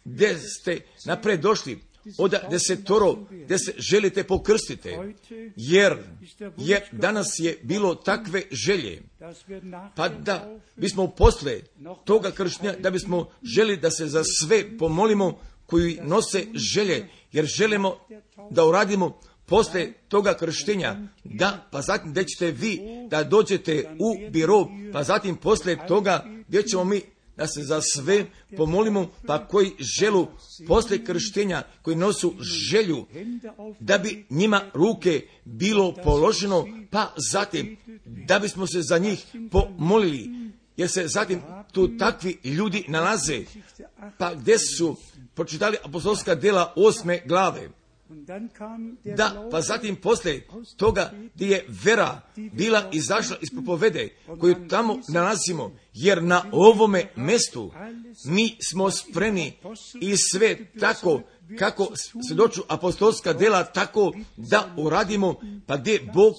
gdje ste napred došli, od desetoro, gdje se želite pokrstite, jer, jer danas je bilo takve želje, pa da bismo posle toga krštenja, da bismo želi da se za sve pomolimo koji nose želje, jer želimo da uradimo posle toga krštenja, da, pa zatim gdje ćete vi da dođete u biro, pa zatim posle toga gdje ćemo mi da se za sve pomolimo, pa koji želu posle krštenja, koji nosu želju, da bi njima ruke bilo položeno, pa zatim da bismo se za njih pomolili, jer se zatim tu takvi ljudi nalaze, pa gdje su pročitali apostolska djela osme glave. Da, pa zatim poslije toga gdje je vera bila izašla iz propovede koju tamo nalazimo, jer na ovome mjestu mi smo spremni i sve tako kako svjedoču apostolska dela, tako da uradimo, pa gdje Bog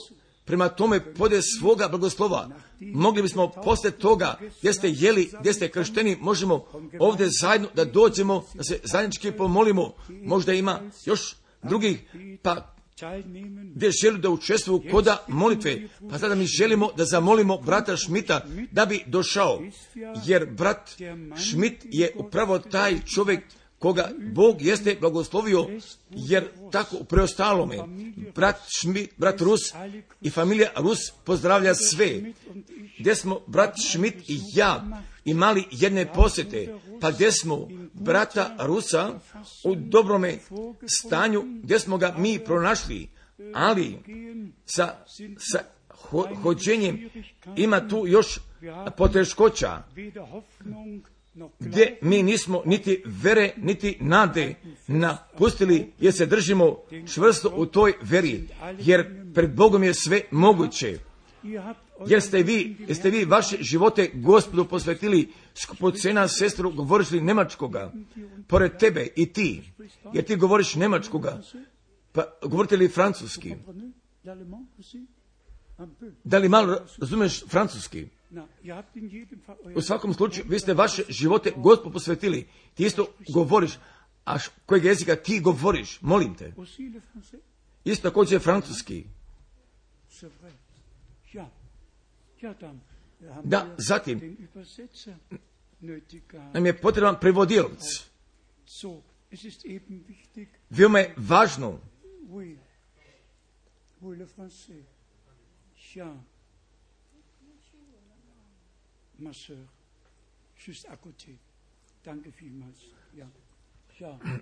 prema tome pode svoga blagoslova. Mogli bismo poslije toga, gdje ste jeli, gdje ste kršteni, možemo ovdje zajedno da dođemo, da se zajednički pomolimo. Možda ima još drugih, pa gdje želi da učestvuju koda molitve. Pa sada mi želimo da zamolimo brata Šmita da bi došao, jer brat Šmit je upravo taj čovjek koga Bog jeste blagoslovio, jer tako u preostalome brat Šmit, brat Rus i familija Rus pozdravlja sve. Gdje smo brat Šmit i ja imali jedne posjete, pa gdje smo brata Rusa u dobrome stanju, gdje smo ga mi pronašli, ali sa, sa ho, hođenjem ima tu još poteškoća, gdje mi nismo niti vere, niti nade napustili, jer se držimo čvrsto u toj veri, jer pred Bogom je sve moguće. Jer ste vi, jeste vi vaše živote Gospodu posvetili, skupocena sestru, govoriš li njemačkoga, pored tebe i ti, jer ti govoriš njemačkoga, pa govorite li francuski? Da li malo razumiješ francuski? U svakom slučaju, vi ste vaše živote Gospodu posvetili, ti isto govoriš, a kojeg jezika ti govoriš, molim te. Isto također francuski. Da, zatim, nam je potreban prevodilac. Veoma je važno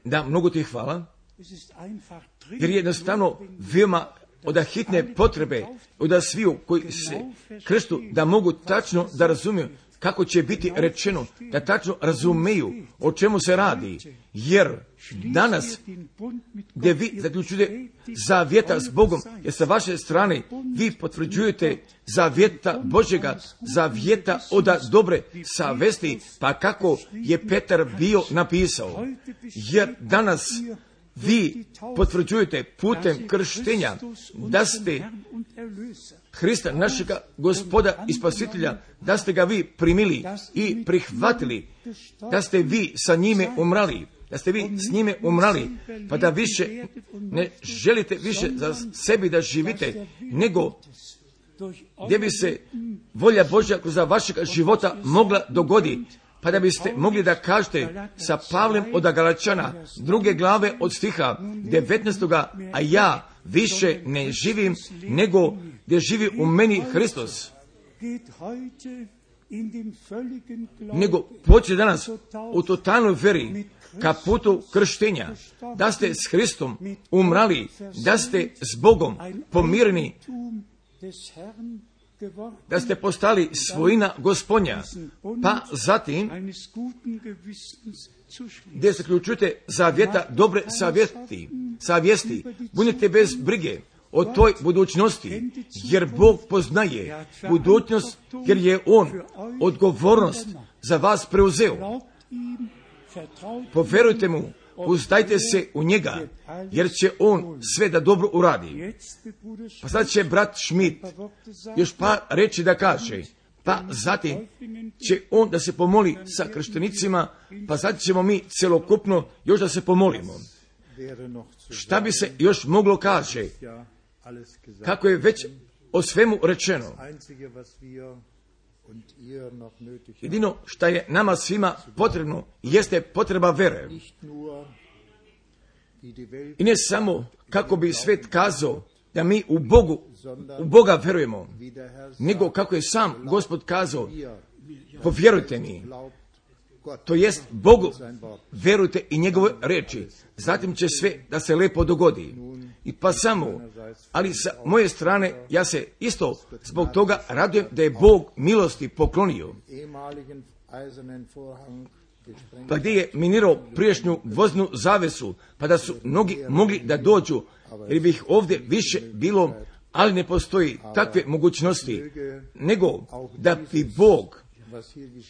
da, mnogo ti hvala, jer je jednostavno veoma od hitne potrebe od sviju koji se krstu da mogu tačno da razumiju kako će biti rečeno, da tačno razumeju o čemu se radi, jer danas gdje vi zaključujete zavjeta s Bogom, jer sa vaše strane vi potvrđujete zavjeta Božjega, zavjeta od dobre savesti, pa kako je Petar bio napisao, jer danas vi potvrđujete putem krštenja da ste Hrista, našega Gospoda i Spasitelja, da ste ga vi primili i prihvatili, da ste vi sa njime umrali, da ste vi s njime umrali, pa da više ne želite više za sebi da živite, nego gdje bi se volja Božja kroz vašeg života mogla dogoditi, pa da biste mogli da kažete sa Pavlem od Galačana, druge glave od stiha devetnaestoga, a ja više ne živim, nego gdje živi u meni Hristos. Nego počne danas u totalnoj veri, ka putu krštenja, da ste s Hristom umrali, da ste s Bogom pomireni, da ste postali svojina Gospodnja, pa zatim gdje se ključujete zavjeta dobre savjesti, savjesti, budite bez brige o toj budućnosti, jer Bog poznaje budućnost, jer je On odgovornost za vas preuzeo. Poverujte mu, uzdajte se u njega, jer će on sve da dobro uradi. Pa sad će brat Šmit još par reći da kaže, pa zatim će on da se pomoli sa krštenicima, pa sad ćemo mi celokupno još da se pomolimo. Šta bi se još moglo kaže, kako je već o svemu rečeno. Jedino što je nama svima potrebno jeste potreba vere. I ne samo kako bi svet kazao da mi u Bogu, u Boga verujemo, nego kako je sam Gospod kazao, povjerujte mi, to jest Bogu, verujte i njegove reči, zatim će sve da se lepo dogodi. I pa samo, ali sa moje strane ja se isto zbog toga radujem da je Bog milosti poklonio. Pa gdje je minirao prijašnju voznu zavesu, pa da su mnogi mogli da dođu, jer bi ih ovdje više bilo, ali ne postoji takve mogućnosti, nego da bi Bog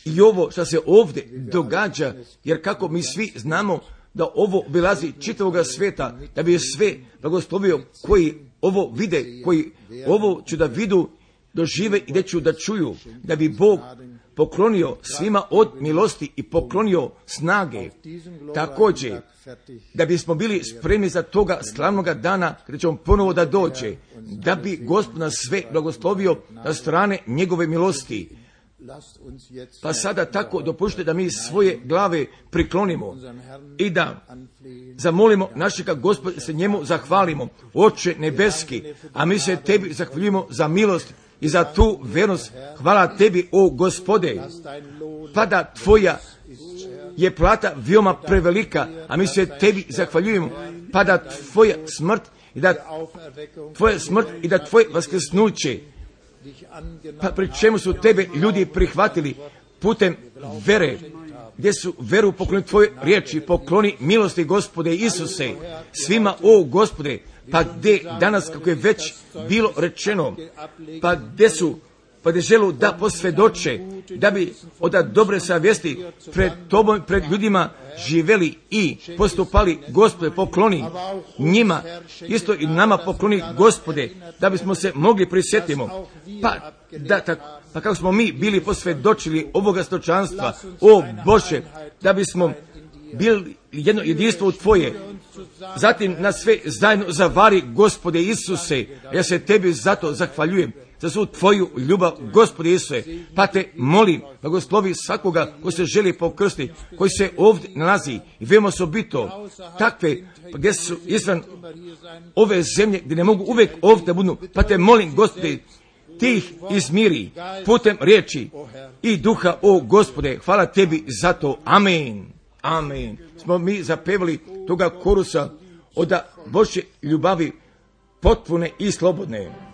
i ovo što se ovdje događa, jer kako mi svi znamo, da ovo obilazi čitavoga sveta, da bi sve blagoslovio koji ovo vide, koji ovo ću da vidu, dožive i da ću da čuju, da bi Bog poklonio svima od milosti i poklonio snage. Također, da bismo bili spremni za toga slavnoga dana kada ćemo ponovo da dođe, da bi Gospod nas sve blagoslovio na strane njegove milosti. Pa sada tako dopušte da mi svoje glave priklonimo i da zamolimo našega Gospoda, se njemu zahvalimo. Oče nebeski, a mi se tebi zahvaljujemo za milost i za tu vernost. Hvala tebi, o Gospode, pa da tvoja je plata veoma prevelika, a mi se tebi zahvaljujemo, pa da tvoja smrt i da tvoja smrt i da tvoje vaskrsnuće, pa pri čemu su tebe ljudi prihvatili putem vere, gdje su veru poklonili tvoje riječi, pokloni milosti Gospode Isuse svima, o Gospode, pa gdje danas, kako je već bilo rečeno, pa gdje su pa gdje želu da posvjedoče, da bi od dobre savjesti pred tobom, pred ljudima živeli i postupali. Gospode, pokloni njima, isto i nama pokloni, Gospode, da bismo se mogli prisjetimo, pa, da, tak, pa kako smo mi bili posvjedočili ovoga stočanstva, o Bože, da bismo bili jedno jedinstvo u Tvoje, zatim na sve zajedno zavari, Gospode Isuse, ja se tebi zato zahvaljujem, za svu tvoju ljubav, Gospode Isuse, pa te molim, blagoslovi svakoga ko se želi pokrstiti, koji se ovdje nalazi i veoma osobito takve, gdje su izvan ove zemlje, gdje ne mogu uvijek ovdje budu, pa te molim, Gospode, ti ih izmiri putem riječi i duha, o Gospode, hvala tebi za to, amen, amen. Smo mi zapevali toga korusa od Božje ljubavi potpune i slobodne.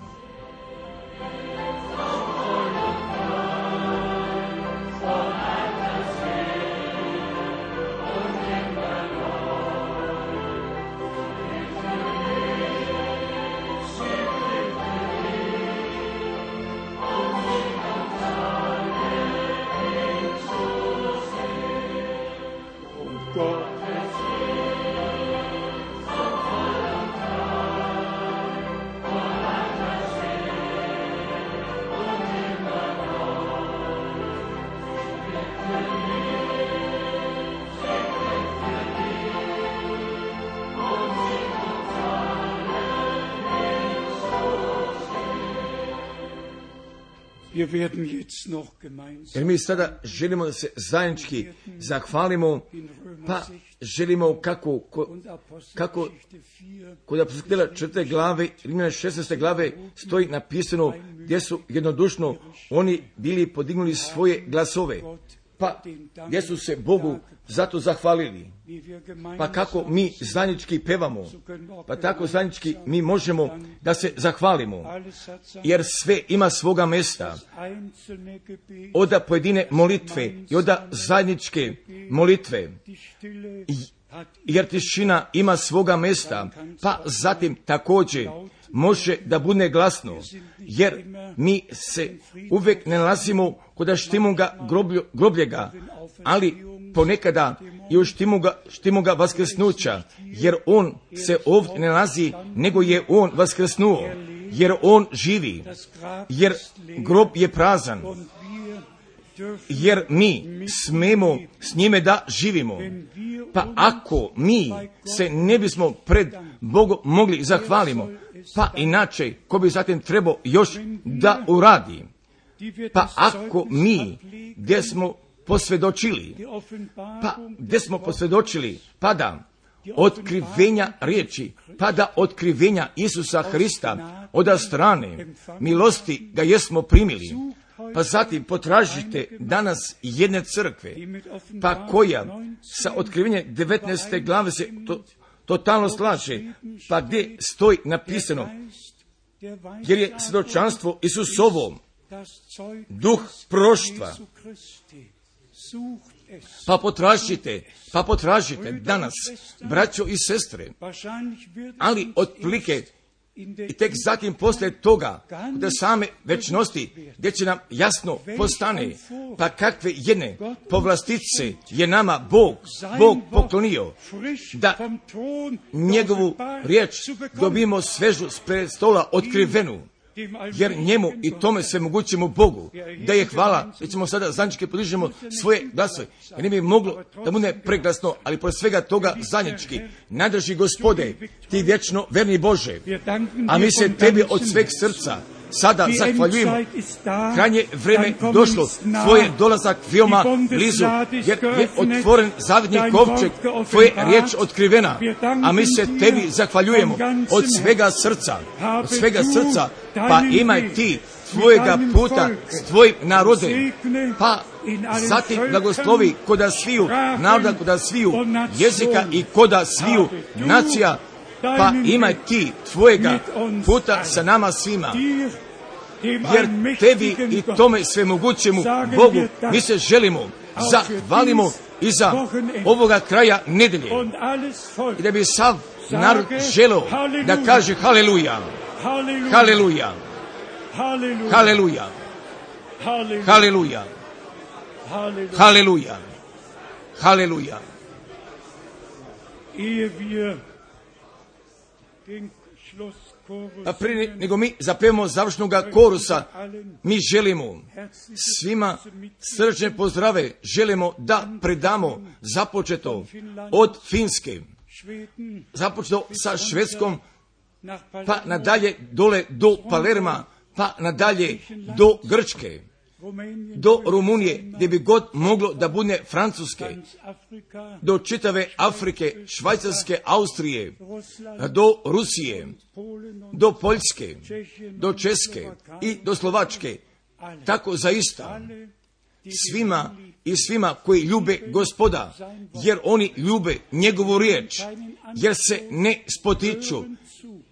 Jer mi sada želimo da se zajednički zahvalimo, pa želimo kako, kako kod apostolskih četvrte glave, Rimljana šesnaeste glave stoji napisano gdje su jednodušno oni bili podignuli svoje glasove, pa gdje su se Bogu zato zahvalili. Pa kako mi zajednički pevamo, pa tako zajednički mi možemo da se zahvalimo, jer sve ima svoga mesta. Od pojedine molitve i od zajedničke molitve, jer tišina ima svoga mesta, pa zatim također može da bude glasno, jer mi se uvijek ne nalazimo kod štimuga grobljega, ali ponekada i u štimuga, štimuga vaskrsnuća, jer on se ovdje ne nalazi, nego je on vaskrsnuo, jer on živi, jer grob je prazan, jer mi smemo s njime da živimo. Pa ako mi se ne bismo pred Bogom mogli zahvalimo, pa inače ko bi zatim trebao još da uradi. Pa ako mi gdje smo posvjedočili, pa gdje smo posvjedočili, pa da otkrivenja riječi, pa da otkrivenja Isusa Hrista od strane milosti ga jesmo primili, pa zatim potražite danas jedne crkve, pa koja sa otkrivenjem devetnaeste glave se to, totalno slaže, pa gdje stoji napisano, jer je svjedočanstvo Isusovo, duh proroštva. Pa potražite, pa potražite danas, braćo i sestre, ali otprilike I tek zatim poslije toga, da same večnosti, gdje će nam jasno postane, pa kakve jedne povlastice je nama Bog, Bog poklonio, da njegovu riječ dobimo svežu s prestola otkrivenu, jer njemu i tome sve mogućemu Bogu, da je hvala, da ćemo sada zajednički podižemo svoje glasove, jer ne bi moglo da bude preglasno, ali pored svega toga zajednički, nadrži Gospode, ti vječno verni Bože, a mi se tebi od sveg srca sada zahvaljujemo. Krajnje vrijeme došlo, tvoj je dolazak veoma blizu, jer je otvoren zavidni kovčeg, tvoje riječ otkrivena, a mi se tebi zahvaljujemo od svega srca, od svega srca, pa imaj ti tvojega puta s tvojim narodem, pa zatim blagoslovi koda sviju naroda, koda sviju jezika i koda sviju nacija, pa imaj ti tvojega puta sa nama svima, jer tebi i tome svemogućemu Bogu mi se želimo, zahvalimo i za ovoga kraja nedelje, i da bi sav narod želeo da kaže haleluja, haleluja, haleluja, haleluja, haleluja, haleluja. A prije nego mi zapevamo završnog korusa, mi želimo svima srčne pozdrave, želimo da predamo započeto od Finske, započeto sa Švedskom, pa nadalje dole do Palerma, pa nadalje do Grčke, do Rumunije, gdje bi god moglo da bude Francuske, do čitave Afrike, Švajcarske, Austrije, do Rusije, do Poljske, do Česke i do Slovačke. Tako zaista svima i svima koji ljube Gospoda, jer oni ljube njegovu riječ, jer se ne spotiču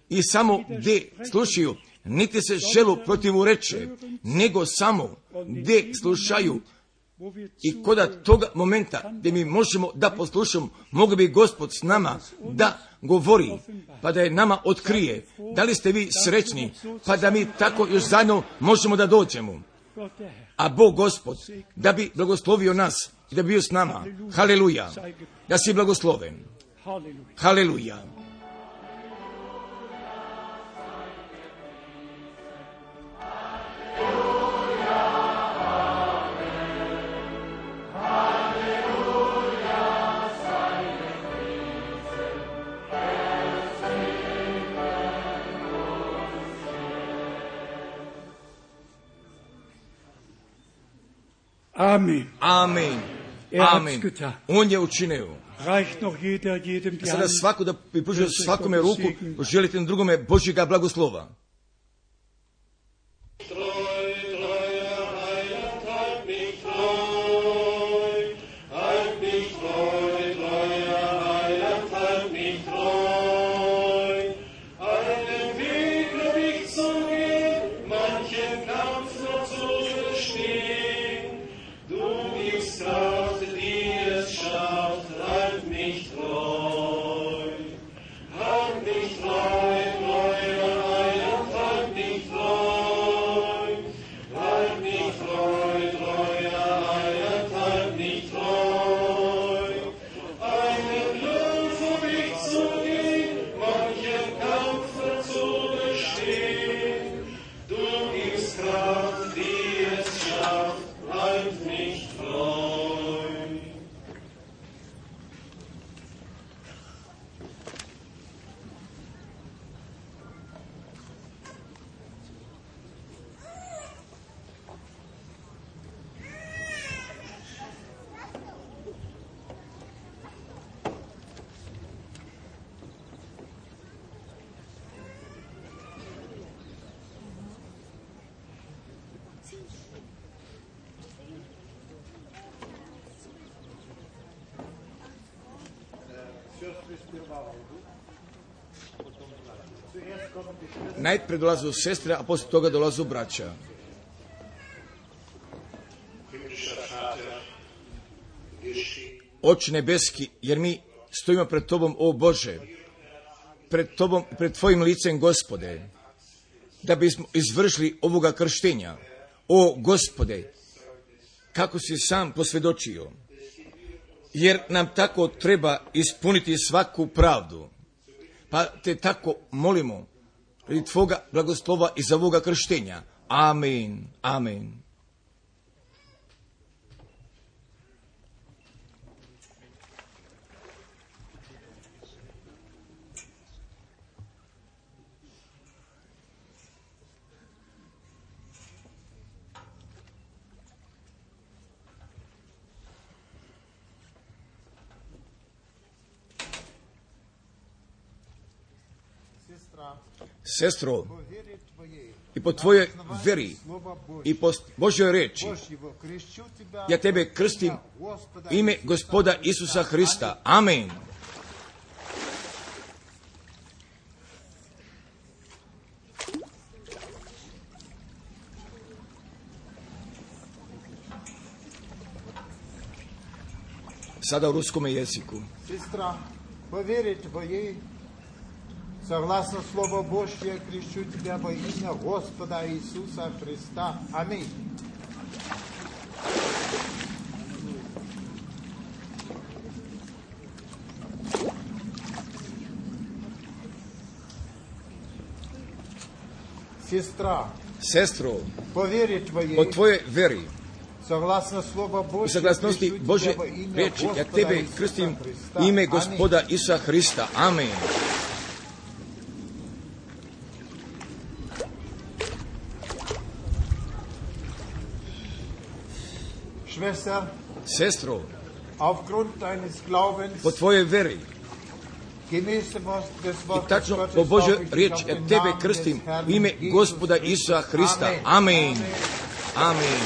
i samo gdje slušaju, niti se želu protivu reče, nego samo gdje slušaju. I koda toga momenta gdje mi možemo da poslušamo, mogu bi Gospod s nama da govori, pa da je nama otkrije. Da li ste vi srećni, pa da mi tako još zajedno možemo da dođemo. A Bog Gospod da bi blagoslovio nas i da bi bio s nama. Haleluja. Da si blagosloven. Haleluja. Amen. Amen. Er hat's Amen. getan. On je učinio. Reicht noch jeder jedem die Sada Hand. svako da bi pružio svakome ruku, želite na drugome Božjega blagoslova. Najprije dolazu sestre, a poslije toga dolazu braća. Oče nebeski, jer mi stojimo pred Tobom, o Bože, pred tobom, pred tvojim licem, Gospode, da bismo izvršili ovoga krštenja. O Gospode, kako si sam posvjedočio, jer nam tako treba ispuniti svaku pravdu. Pa te tako molimo radi tvoga blagoslova i za ovoga krštenja. Amen, amen. Sestro, i po tvojoj veri i po Božjoj reči, ja tebe krstim ime Gospoda Isusa Hrista. Amen. Sada u ruskome jeziku. Сестра, поверить в ей, согласно Слову Божье, крещу тебя во имя Господа Иисуса Христа. Аминь. Сестра, Sestro, поверить в po ей, tvojoj veri согласно Слову i Божье, saglasnosti крещу Božje тебя во имя riječi, ja Господа tebe Иисуса krstim Христа. ime Аминь. Gospoda Isusa Hrista. Amen. Schwester, Sestro, aufgrund deines Glaubens, po tvojoj veri gemäß dem Wort des i Wortes tačno Gottes, po Božjoj darf ich dich riječi, auf ja den tebe Namen krstim des Herrn u ime Jesus Gospoda Isusa Hrista. Amen. Amen.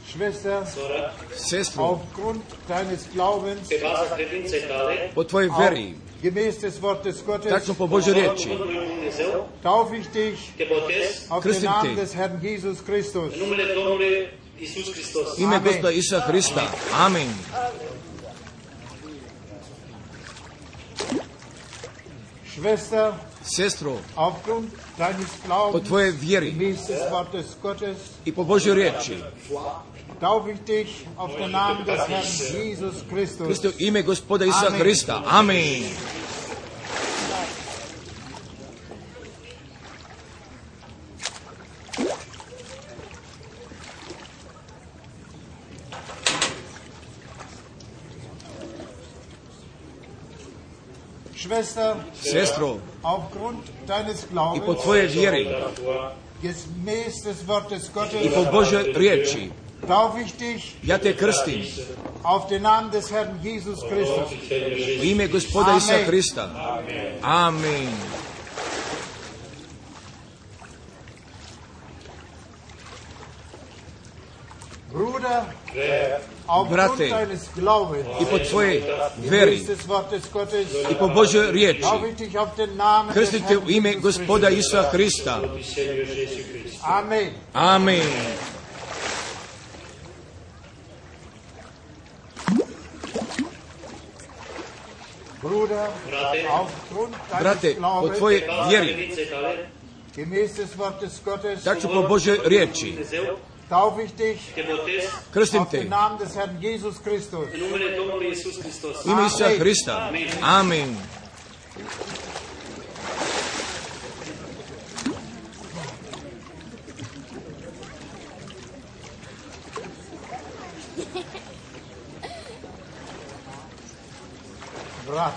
Schwester, Sestro, aufgrund deines Glaubens, po tvojoj veri, gemäß des Wortes Gottes, tačno po Božjoj riječi, taufe ich dich auf den Krstim Namen te. des Herrn Jesus Christus. ime Amen. Gospoda Isusa Hrista. Amen. Schwester, Sestro, aufgrund deines po Glaubens, tvojoj vjeri gemäß des Wortes Gottes, i po Božjoj riječi, taufe ich dich auf den Namen des Herrn Jesus Christus. Kristo ime Gospoda Isusa Amen. Hrista. Amen. Schwester, Sestro, aufgrund deines i po Glaubens, tvojoj vjeri gemäß des Wortes i Gottes, po Božjoj riječi, taufe ich dich ja te krstim auf den Namen des Herrn Jesus Christus. u ime Gospoda Isusa Amen. Hrista. Amen. Bruder, aufgrund Brate, deines Glaubens, i po tvojoj veri gemäß des Wortes Gottes, i po Božjoj riječi, taufe ich dich auf den Namen des krstim te Herrn u ime Jesus Gospoda Christus. Isusa Hrista. Amen. Amen. Bruder, aufgrund deines Brate, po Glaubens, tvojoj vjeri, gemäß des Wortes Gottes, tačno po Božjoj riječi, taufe ich dich krstim auf te den Namen des Herrn Jesus Christus. u ime Isusa Hrista. Amen. Brat,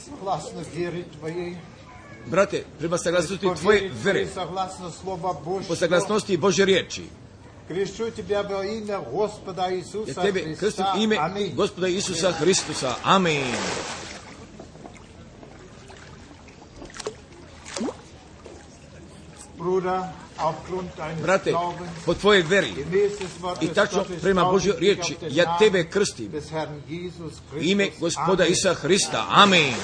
согласно вере Твоей, Brate, prema saglasnosti по tvoje вере vere, Твоей, согласно Слова po Божьего, saglasnosti Božje riječi, крещу Тебя во имя Господа ja Иисуса tebe krstim Христа. ime Аминь. Gospoda Isusa Hristusa. Amen. Bruder, aufgrund deines Brate, Glaubens, po tvojoj veri gemäß des Wortes i tačno Gottes, prema taufe Božjoj ich dich riječi, auf den ja Namen tebe krstim des Herrn Jesus u ime Christus. Gospoda Amen. Isusa Hrista. Amen.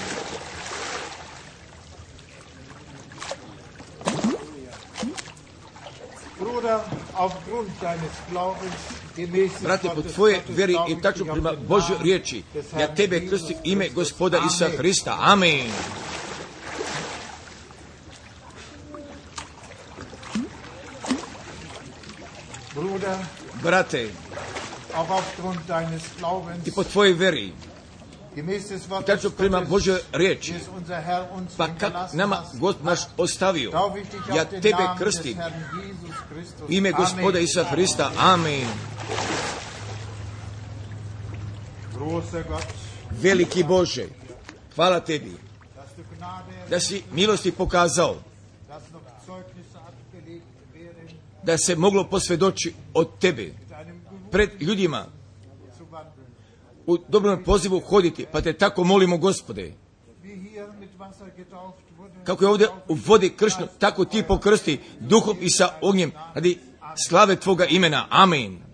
Bruder, aufgrund deines Glaubens, brate, po tvoje vjeri i tačno prema Božoj riječi, ja tebe krstim ime Gospoda Isusa Hrista. Amen. Brate, i po tvojoj vjeri, i tačno prema Božoj riječi, pa kako nama Gospod naš ostavio, ja tebe krstim ime Gospoda Isusa Hrista. Amen. Veliki Bože, hvala tebi da si milosti pokazao, da se moglo posvjedoči od tebe pred ljudima u dobrom pozivu hoditi, pa te tako molimo, Gospode, kako je ovdje u vodi kršno, tako ti pokrsti duhom i sa ognjem radi slave tvoga imena. Amen.